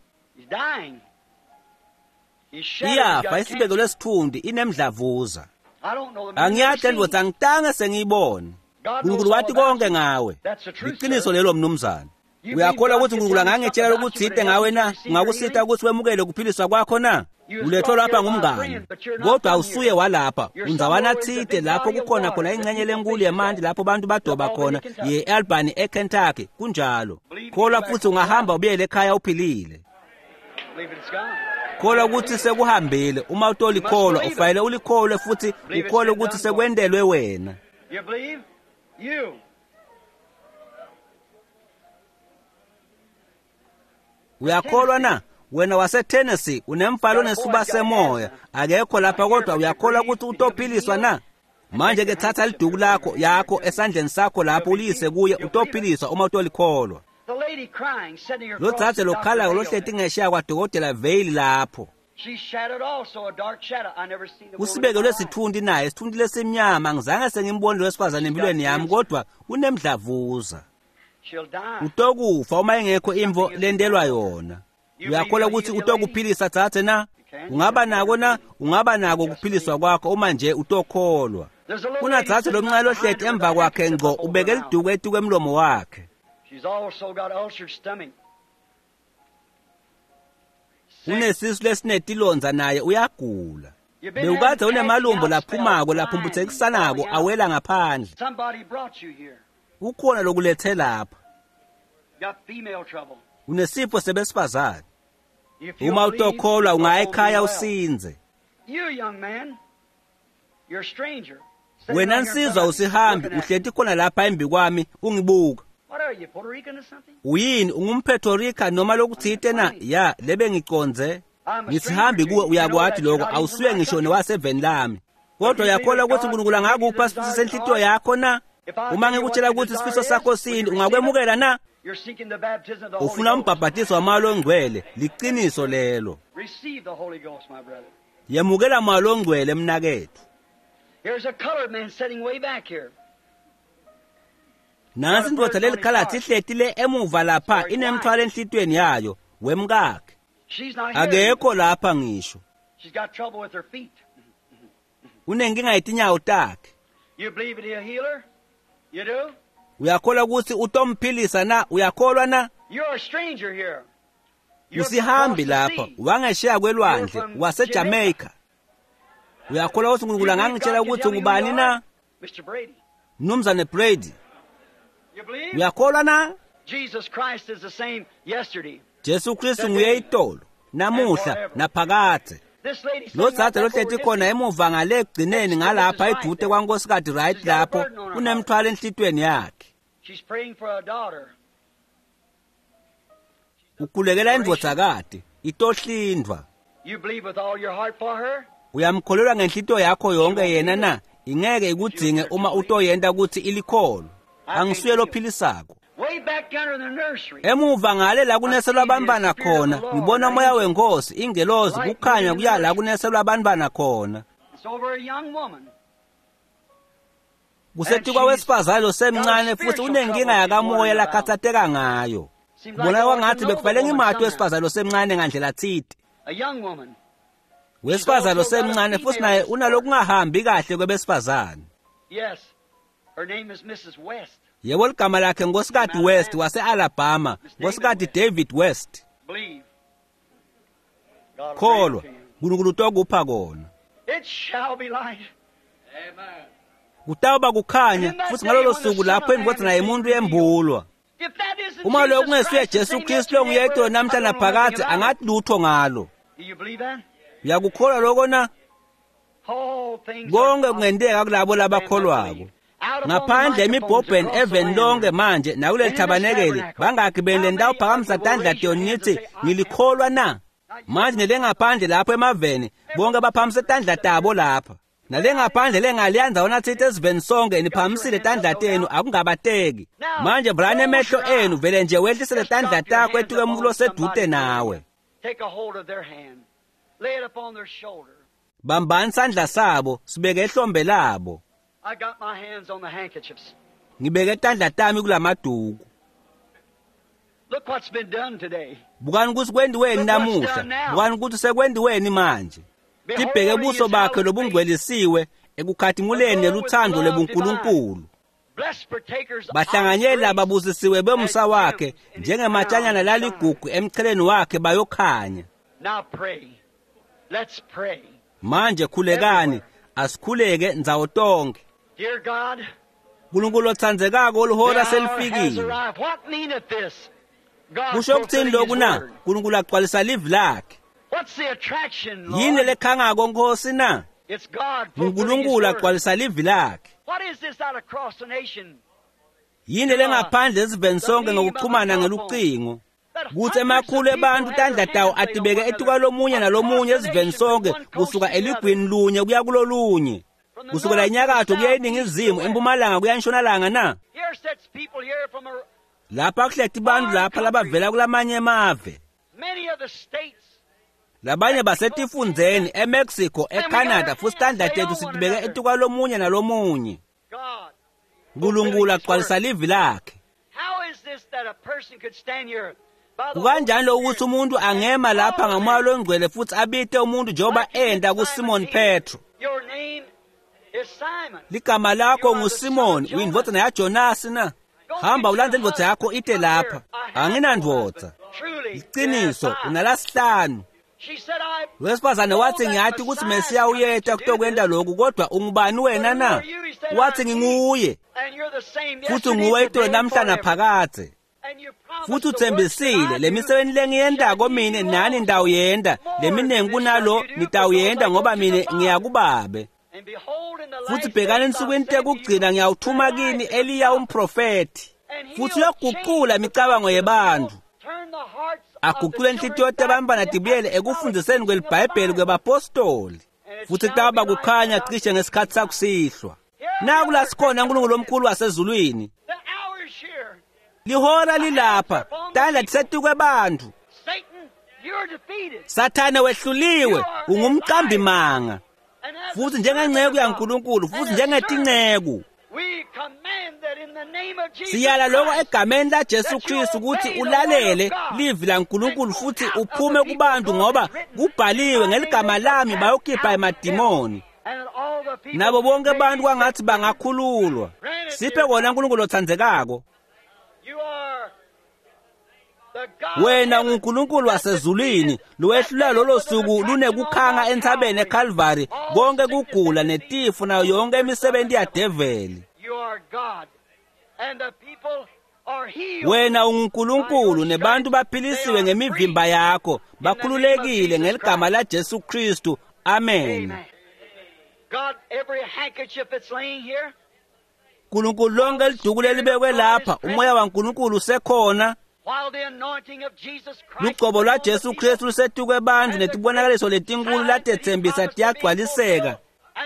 Iyafa isibeko lesitfundi inemdlavuza. Angiyati le ndvodza, angitange sengiyibone. Nkulunkulu wati konke ngawe. Liqiniso lelo mnumzane. Uyakholwa ukuthi uNkulunkulu angangitshela lokutsite ngawe na? Ungakusita ukuthi wemukele kuphiliswa kwakho na? Ulethwe lapha ngumngane, kodwa awusuye walapha. Undzawana tsite lapho kukhona khona ingxenye lenkulu yemanti lapho bantu badoba khona ye-Albany eKentucky. Kunjalo. Kholwa futhi ungahamba ubuyele ekhaya uphilile. Kholwa ukuthi sekuhambile. Uma utolikholwa, ufanele ulikholwe futhi ukholwe ukuthi sekwentelwe wena. Uyakholwa na? Wena waseTennessee unemfalo onesuba semoya, akekho lapha kodwa uyakholwa ukuthi utophiliswa na? Manje ke thatha liduku lakho yakho esandleni sakho lapho uliyise kuye, utophiliswa uma utolikholwa. Lo dzadze lokhalako lohleti ngesheya kwadokotela Vale lapho. Usibekelwe sitfunti naye, sitfunti lesimnyama. Angizange sengimbone lowesifazane empilweni yami, kodwa unemdlavuza. Utokufa uma ingekho imvo lentelwa yona. Uyakholwa ukuthi utokuphilisa dzadze na? Ungaba nako na? Ungaba nako ukuphiliswa kwakho uma nje utokholwa. Kunadzadze lomncane lohleti emva kwakhe ngco, ubeke liduku etuku emlomo wakhe. Unesisu lesinetilondza naye uyagula. Bewukade unemalumbo laphumako laphumphutsekisanako awela ngaphandle. Kukhona lokulethe lapha. Unesifo sebesifazane. Uma utokholwa ungaya ekhaya usinze. Wena nsizwa usihambi uhleti khona lapha embi kwami ungibuka. Uyini, ungumphetho Rica noma lokutsite na? Ya, lebe ngiconze. Ngisihambi kuwe, uyakwati lokho, awusuye ngisho nowaseveni lami. Kodwa uyakholwa ukuthi uNkulunkulu angakupha sifiso senhlitiyo yakho na? Uma ngikutshela ukuthi isifiso sakho sini, ungakwemukela na? Ufuna umbhabhatiso wamoya longcwele, liqiniso lelo. Yemukela moya longcwele mnaketfu. Nansi indvodza lelikhalatsi ihleti le emuva lapha inemthwalo enhlitiyweni yayo wemkakhe. Akekho lapha ngisho. Unenkinga yetinyawo takhe. Uyakholwa ukuthi utomphilisa na? Uyakholwa na? Usihambi lapha, wangesheya kwelwandle, waseJamaica. Uyakholwa ukuthi uNkulunkulu angangitshela ukuthi ngubani na? Mnumzane Brady. Uyakholwa na? Jesu Kristu nguye itolo, namuhla, naphakadze. Lo dzadze lohleti khona emuva ngale ekugcineni ngalapha edude kwaNkosikati Wright lapho unemthwalo enhlitiyweni yakhe. Ukhulekela indvodzakati, itohlindvwa. Uyamkholelwa ngenhlitiyo yakho yonke yena na? Ingeke ikudzinge uma utoyenta ukuthi ilikholwe. Angisuye lophilisako. Emuva ngale la kuneselwa abantwana khona, ngibona umoya wenkosi, ingelozi, kukhanya kuya la kuneselwa abantwana khona. Kusetikwa wesifazane losemncane futhi unenkinga yakamoya lakhathateka ngayo. Kubonakala kwangathi bekufanele ngimati wesifazane losemncane ngandlela tsite. Wesifazane losemncane futhi naye unalokungahambi kahle kwebesifazane. Yebo, ligama lakhe Nkosikati West wase-Alabama, Nkosikati David West. Kholwa, uNkulunkulu utokupha kona. It shall be light. Kutawuba kukhanya futhi ngalolo suku lapho indvodzana yemuntu yembulwa. If that isn't Uma lokho Jesus kungesuye Christ, the Jesu same Kristu yesterday, longuye itolo I namhla don't know naphakadze nothing about angathi lutho ngalo. it. Do you believe that? Uyakukholwa lokho na? All things Konke are kungenteka kulabo labakholwako. Ngaphandle emibhobheni eveni lonke manje nakuleli thabanekeli bangakhi beni nitawuphakamisa tandla tenu nithi ngilikholwa na? Manje nelengaphandle lapho emaveni bonke baphakamise tandla tabo lapha. Nalengaphandle lengaliya ndzawona tsite esiveni sonke niphakamisile tandla tenu akungabateki. Manje vulani emehlo enu vele nje wehlisele tandla takho etuke emuntfu losedute nawe. Take a hold of their hand. Lay it upon their shoulder. Bambani sandla sabo sibeke ehlombe labo. I got my hands on the handkerchiefs. Ngibeke tandla tami kulamaduku. Look what's been done today. Bukani ukuthi kwentiweni namuhla, bukani ukuthi sekwentiweni manje. Tibheke buso bakhe lobungcwelisiwe ekukhatimuleni neluthando lebuNkulunkulu. Blessed partakers of Bahlanganyeli grace. lababusisiwe bemusa wakhe njengematshanyana laligugu emcheleni wakhe bayokhanya. Now pray. Let's pray. Manje khulekani, asikhuleke ndzawo tonke. Dear God, uNkulunkulu otsandzekako the lihora hour has selifikile. arrived. What meaneth this? God Kusho ukuthini fulfilling lokhu His na? word. uNkulunkulu agcwalisa livi lakhe. What's the attraction, Yini Lord? lekhangako Nkosi na? It's God fulfilling His uNkulunkulu word. agcwalisa livi lakhe. What is this out across the nation? Yini lengaphandle esiveni sonke ngokuxhumana ngelucingo? That Kuthi hundreds emakhulu of people ebantu have tandla their tawo hands laid on atibeke one etuka another lomunye nalomunye across the esiveni nation sonke from one coast kusuka to the other. eligwini lunye kuya kulolunye. From the Kusukela north to the enyakatho kuya south, eningizimu, east to west. empumalanga kuya entshonalanga na? Here sits people here from Lapha kuhleti bantu lapha labavela kulamanye emave. many of the states. Labanye basetifundzeni eMexico, eCanada futhi tandla tethu sitibeke etuka lomunye nalomunye. God. uNkulunkulu agcwalisa livi lakhe. How is this that a person could stand here by the Kukanjani Holy lokuthi Spirit umuntu angema lapha ngamoya longcwele futhi abite umuntu njengoba enda kuSimon Petro. Your name is Simon. Ligama lakho nguSimon, uyindvodzana yaJonasi na? Hamba ulandze indvodza yakho ite lapha. Anginandvodza. Truly, Iqiniso, you have five. unalasihlanu. She said, I Wesifazane wathi ngiyathi ukuthi Mesiya uyeta kutokwenta lokhu kodwa ungubani wena na? Wathi nginguye and you're the same futhi yesterday, nguwe itolo today, and namhla forever. naphakadze. And you promised Futhi the works uthembisile that I le do misebenti lengiyentako mine nani nitawuyenta leminingi kunalo nitawuyenta ngoba mine ngiyakubabe. And behold, in the Futhi last bhekani days ensukwini I'll send to you tekugcina ngiyawuthuma kini Eliya umprofethi. and Futhi he'll uyaguqula change imicabango the yebantu. turn the hearts of the Aguqule inhlitiyo children back tebantfwana to the tibuyele apostolic ekufundziseni teaching of the kwelibhayibheli Bible. kwebapostoli. Futhi kutawuba kukhanya cishe ngesikhathi sakusihlwa. Naku la sikhona uNkulunkulu omkhulu wasezulwini. The hour is here. Lihora lilapha, tandla tisetukwe bantfu. Satan, you're defeated. Sathane wehluliwe, ungumqambi manga. And as Futhi a njengenceku servant of God, yaNkulunkulu, futhi and a njengetinceko. servant, we command that in the name of Jesus Siyala lokho Christ, egameni laJesu Kristu ukuthi ulalele livi laNkulunkulu futhi uphume kubantu ngoba kubhaliwe ngeligama lami bayokhipha emadimoni. and that all the people Nabo bonke may abantu be kwangathi set free. bangakhululwa. Siphe kona uNkulunkulu otsandzekako. You are the God Wena of heaven unguNkulunkulu wasezulwini lowehlula lolo suku lunekukhanga entsabeni eCalvary konke kugula netifo nayo yonke imisebenzi yadeveli. You are God. And the people are healed. Wena unguNkulunkulu nebantu baphilisiwe ngemivimba yakho bakhululekile ngeligama laJesu Kristu. Amen. Amen. God, every handkerchief that's laying here, uNkulunkulu lonke liduku lelibekwe lapha umoya waNkulunkulu usekhona. while the anointing of Jesus Christ Lugcobo is lwa upon the Jesu people, Kristu lusetukwe bantu netibonakaliso letinkulu latetsembisa tiyagcwaliseka.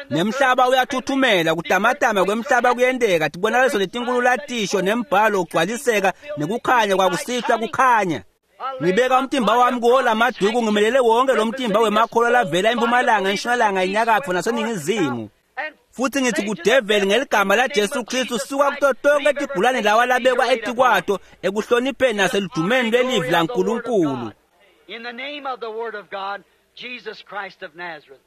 Nemhlaba uyathuthumela kutamatama kwemhlaba kuyenteka tibonakaliso letinkulu latisho nembhalo ugcwaliseka nekukhanya kwakusihlwa kukhanya. Ngibeka umtimba wami kuwo lamaduku ngimelele wonke lo mtimba wemakholwa lavela empumalanga entshonalanga inyakatfo naseningizimu. Futhi ngithi kudeveli ngeligama laJesu Kristu suka kuto tonke tigulane lawa labekwa etikwato ekuhlonipheni naseludumeni lwelivi laNkulunkulu. In the name of the Word of God, Jesus Christ of Nazareth.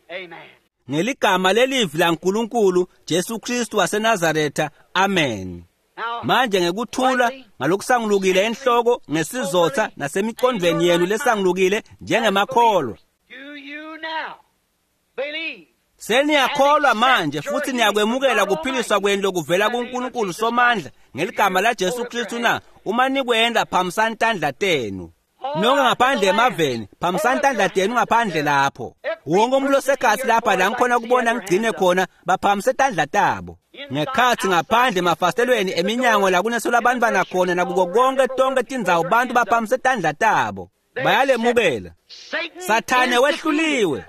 Amen. Ngeligama lelivi laNkulunkulu Jesu Kristu waseNazaretha. Amen. Now, Manje ngekuthula ngalokusangulukile enhloko ngesizotha nasemicondvweni yenu lesangulukile njengemakholwa. do you now Seniyakholwa manje futhi niyakwemukela kuphiliswa kwenu lokuvela kuNkulunkulu Somandla ngeligama laJesu Kristu na? Uma nikwenda phamisani tandla tenu. Nonke ngaphandle emaveni, phamisani tandla tenu ngaphandle lapho. Wonke umuntu osekhathi lapha la ngikhona kubona ngigcine khona baphamise tandla tabo. Ngekhathi ngaphandle emafasitelweni eminyango la kunesola abantwana khona nakuko konke tonke tindzawo bantu baphamise tandla tabo. Bayalemukela. Sathane wehluliwe.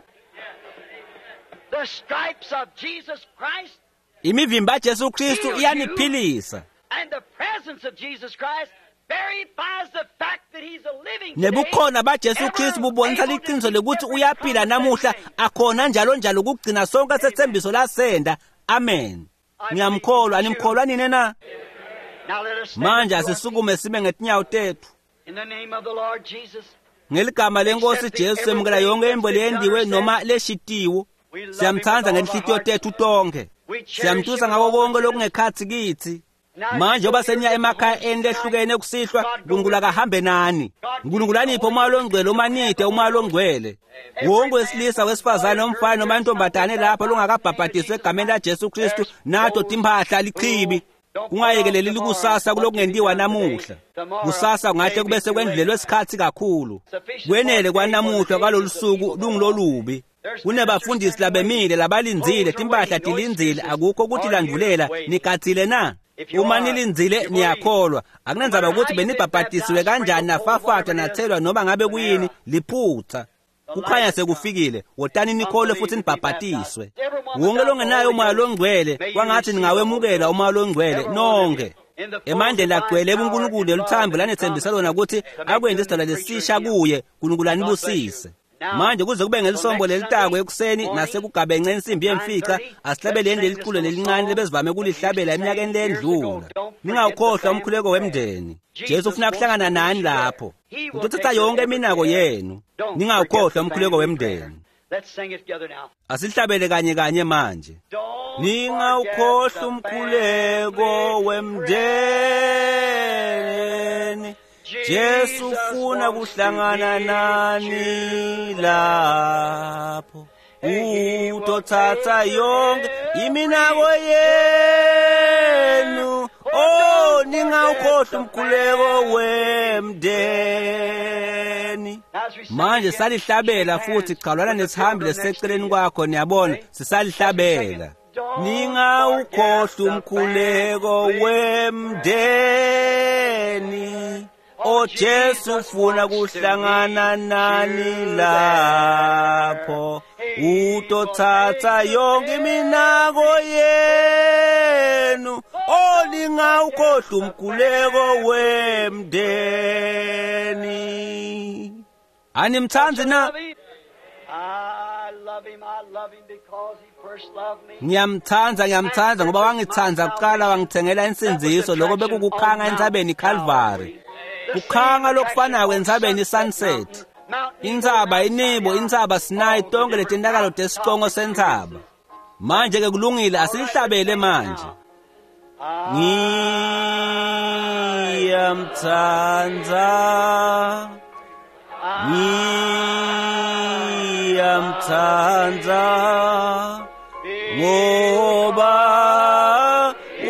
The stripes of Jesus Christ Imivimba yaJesu Kristu iyaniphilisa. and the presence of Jesus Christ verifies the fact that he's a living today, Nebukhona baJesu Kristu bubonisa liqiniso lokuthi uyaphila namuhla akhona njalo njalo ukugcina sonke sethembiso lasenda. Amen. Ngiyamkholwa, animkholwa nini na? Now let us stand Manje up to our asisukume sime ngetinyawo tethu. feet. In the name of the Lord Jesus. Ngeligama lenkosi Jesu semukela yonke imbo leyendiwe noma leshitiwe. Siyamthanda ngenhlitiyo tethu tonke. Siyamtusa ngako konke lokungekhathi kithi. Manje oba seniya emakhaya eni lehlukene kusihlwa, uNkulunkulu akahambe nani. uNkulunkulu aniphe umoya longcwele umanide umoya longcwele. Wonke wesilisa wesifazane omfana noma intombazane lapha longakabhabhadiswa egameni laJesu Kristu nato timphahla lichibi. Kungayekeleli likusasa kulokungentiwa namuhla. Kusasa kungahle kube sekwendlulelwe isikhathi kakhulu. Kwenele kwanamuhla kwalolu suku lungilolubi. Kunebafundisi labemile labalindzile timpahla tilindzile akukho ukuthi landulela nigatsile na? Uma nilindzile niyakholwa. Akunandzaba ukuthi benibhabhadisiwe kanjani nafafatwa nathelwa noma ngabe kuyini liphutha. Kukhanya sekufikile, wotani nikholwe futhi nibhabhadiswe. Wonke longenayo umoya longcwele, kwangathi ningawemukela umoya longcwele nonke. Emandleni agcwele ebuNkulunkulu leluthambo lanethembisa lona ukuthi akwenze isidalwa lesisha kuye, uNkulunkulu anibusise. Manje kuze kube ngelisombo lelitako ekuseni nasekugabence insimbi yemfica asihlabeleni leli culo lelincane lebesivame kulihlabela eminyakeni lendlula. Ningawukhohlwa umkhuleko wemndeni. Jesu ufuna kuhlangana nani lapho. Utothatha yonke iminako yenu. Ningawukhohlwa umkhuleko wemndeni. Let's sing it together now. Asihlabele kanye kanye manje. Don't Ningawukhohlwa umkhuleko wemndeni. Jesu ufuna kuhlangana nani lapho. Utothatha yonke iminako yenu. Oh, ningawukhohlwa umkhuleko wemndeni. Manje salihlabela futhi chalwana nesihambi leseceleni kwakho niyabona sisalihlabela. Ningawukhohlwa umkhuleko wemndeni. O Jesu ufuna kuhlangana nani lapho. Utothatha yonke iminako yenu. O ningawukhohlwa umkhuleko wemndeni. Animthandi na? I love him, I love him because he first loved me. Ngiyamthanda ngiyamthanda ngoba wangithanda kuqala wangithengela insindiso lokho bekukukhanga entsabeni iCalvary. Kukhanga lokufanayo entsabeni iSunset. Intsaba iNebo, intsaba Sinai tonke letintakalo tesicongo sentsaba. Manje ke kulungile asilihlabele manje. Ngiyamthanda. Ngiyamthanda ngoba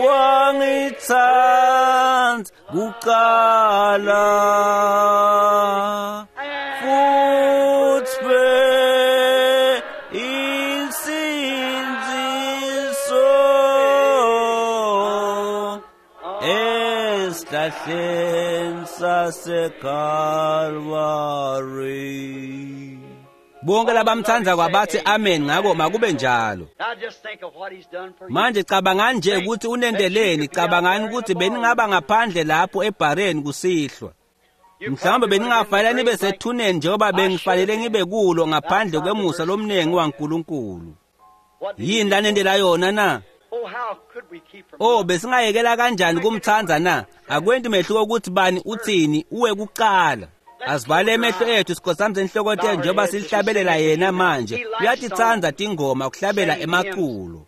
wangithanda kuqala futhi be insindziso esihlahleni saseKalvari. Bonke labamthanda kwabathi amen ngakho makube njalo. Now just think of what he's done for you. Manje cabangani nje ukuthi unendeleni, cabangani ukuthi beningaba ngaphandle lapho ebhareni kusihlwa. Mhlawumbe beningafanele nibe sethuneni njengoba bengifanele ngibe kulo ngaphandle kwemusa lomnengi waNkulunkulu. What did Yini lanendela yona na? Oh, how could we keep from Oh besingayekela kanjani kumthanda na? Akwenti mehluko ukuthi bani uthini uwe kuqala. Asivale emehlo ethu sikhothamise inhloko tethu njengoba silihlabelela yena manje. Uyatitsandza tingoma kuhlabela emaculo.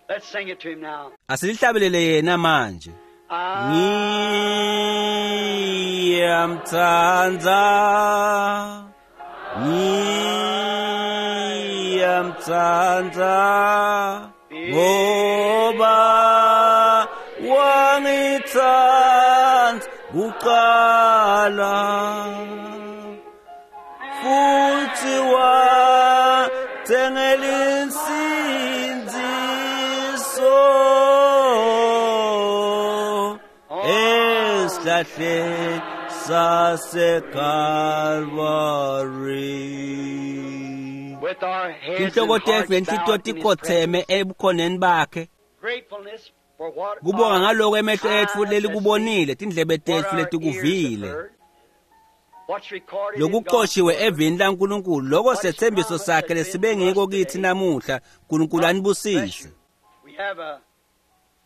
Let's sing it to him now. Asilihlabelele yena manje. Ngiyamthanda. Ngiyamtsandza ngoba wangitsandza kuqala futhi wathengela insindziso esihlahleni saseKalvari. With our heads and Tinhloko tetfu hearts nenhlitiyo bowed in His tikhotseme ebukhoneni bakhe. Gratefulness for what Kubonga our ngaloko emehlo etfu eyes have lelikubonile, tindlebe seen, what tetfu our ears have letikuvile. heard, what's recorded in God's Lokuqoshiwe Word. evini laNkulunkulu, loko setsembiso sakhe lesibe ngiko kithi namuhla. Nkulunkulu Bless anibusise. you. We have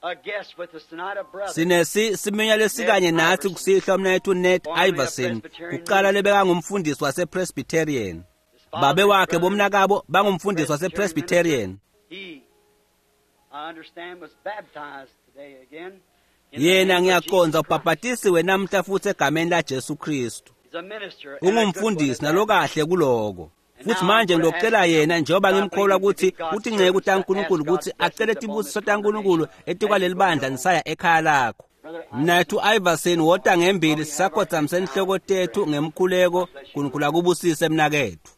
a guest with us tonight, a brother. Sinesi siminya lesikanye nathi kusihlwa mnayethu Ned Iverson, kuqala lebekangumfundisi wasePresbyterian. His father, Babe wakhe brother, bomnakabo bangumfundisi wasePresbyterian. He, I understand, was baptized today again. in the Yena name of ngiyaqonza Jesus Christ. ubhabhatisiwe namhla futhi egameni laJesu Kristu. He's a minister and a good one Ungumfundisi at that. nalokahle kuloko. Futhi manje ngilocela yena njengoba ngimkholwa ukuthi utinceku taNkulunkulu ukuthi acele tibusiso taNkulunkulu etikwaleli bandla nisaya ekhaya lakho. Mnathu Iverson wota ngembili sisakhothamisa inhloko tethu ngemkhuleko. Nkulunkulu akubusise mnakethu.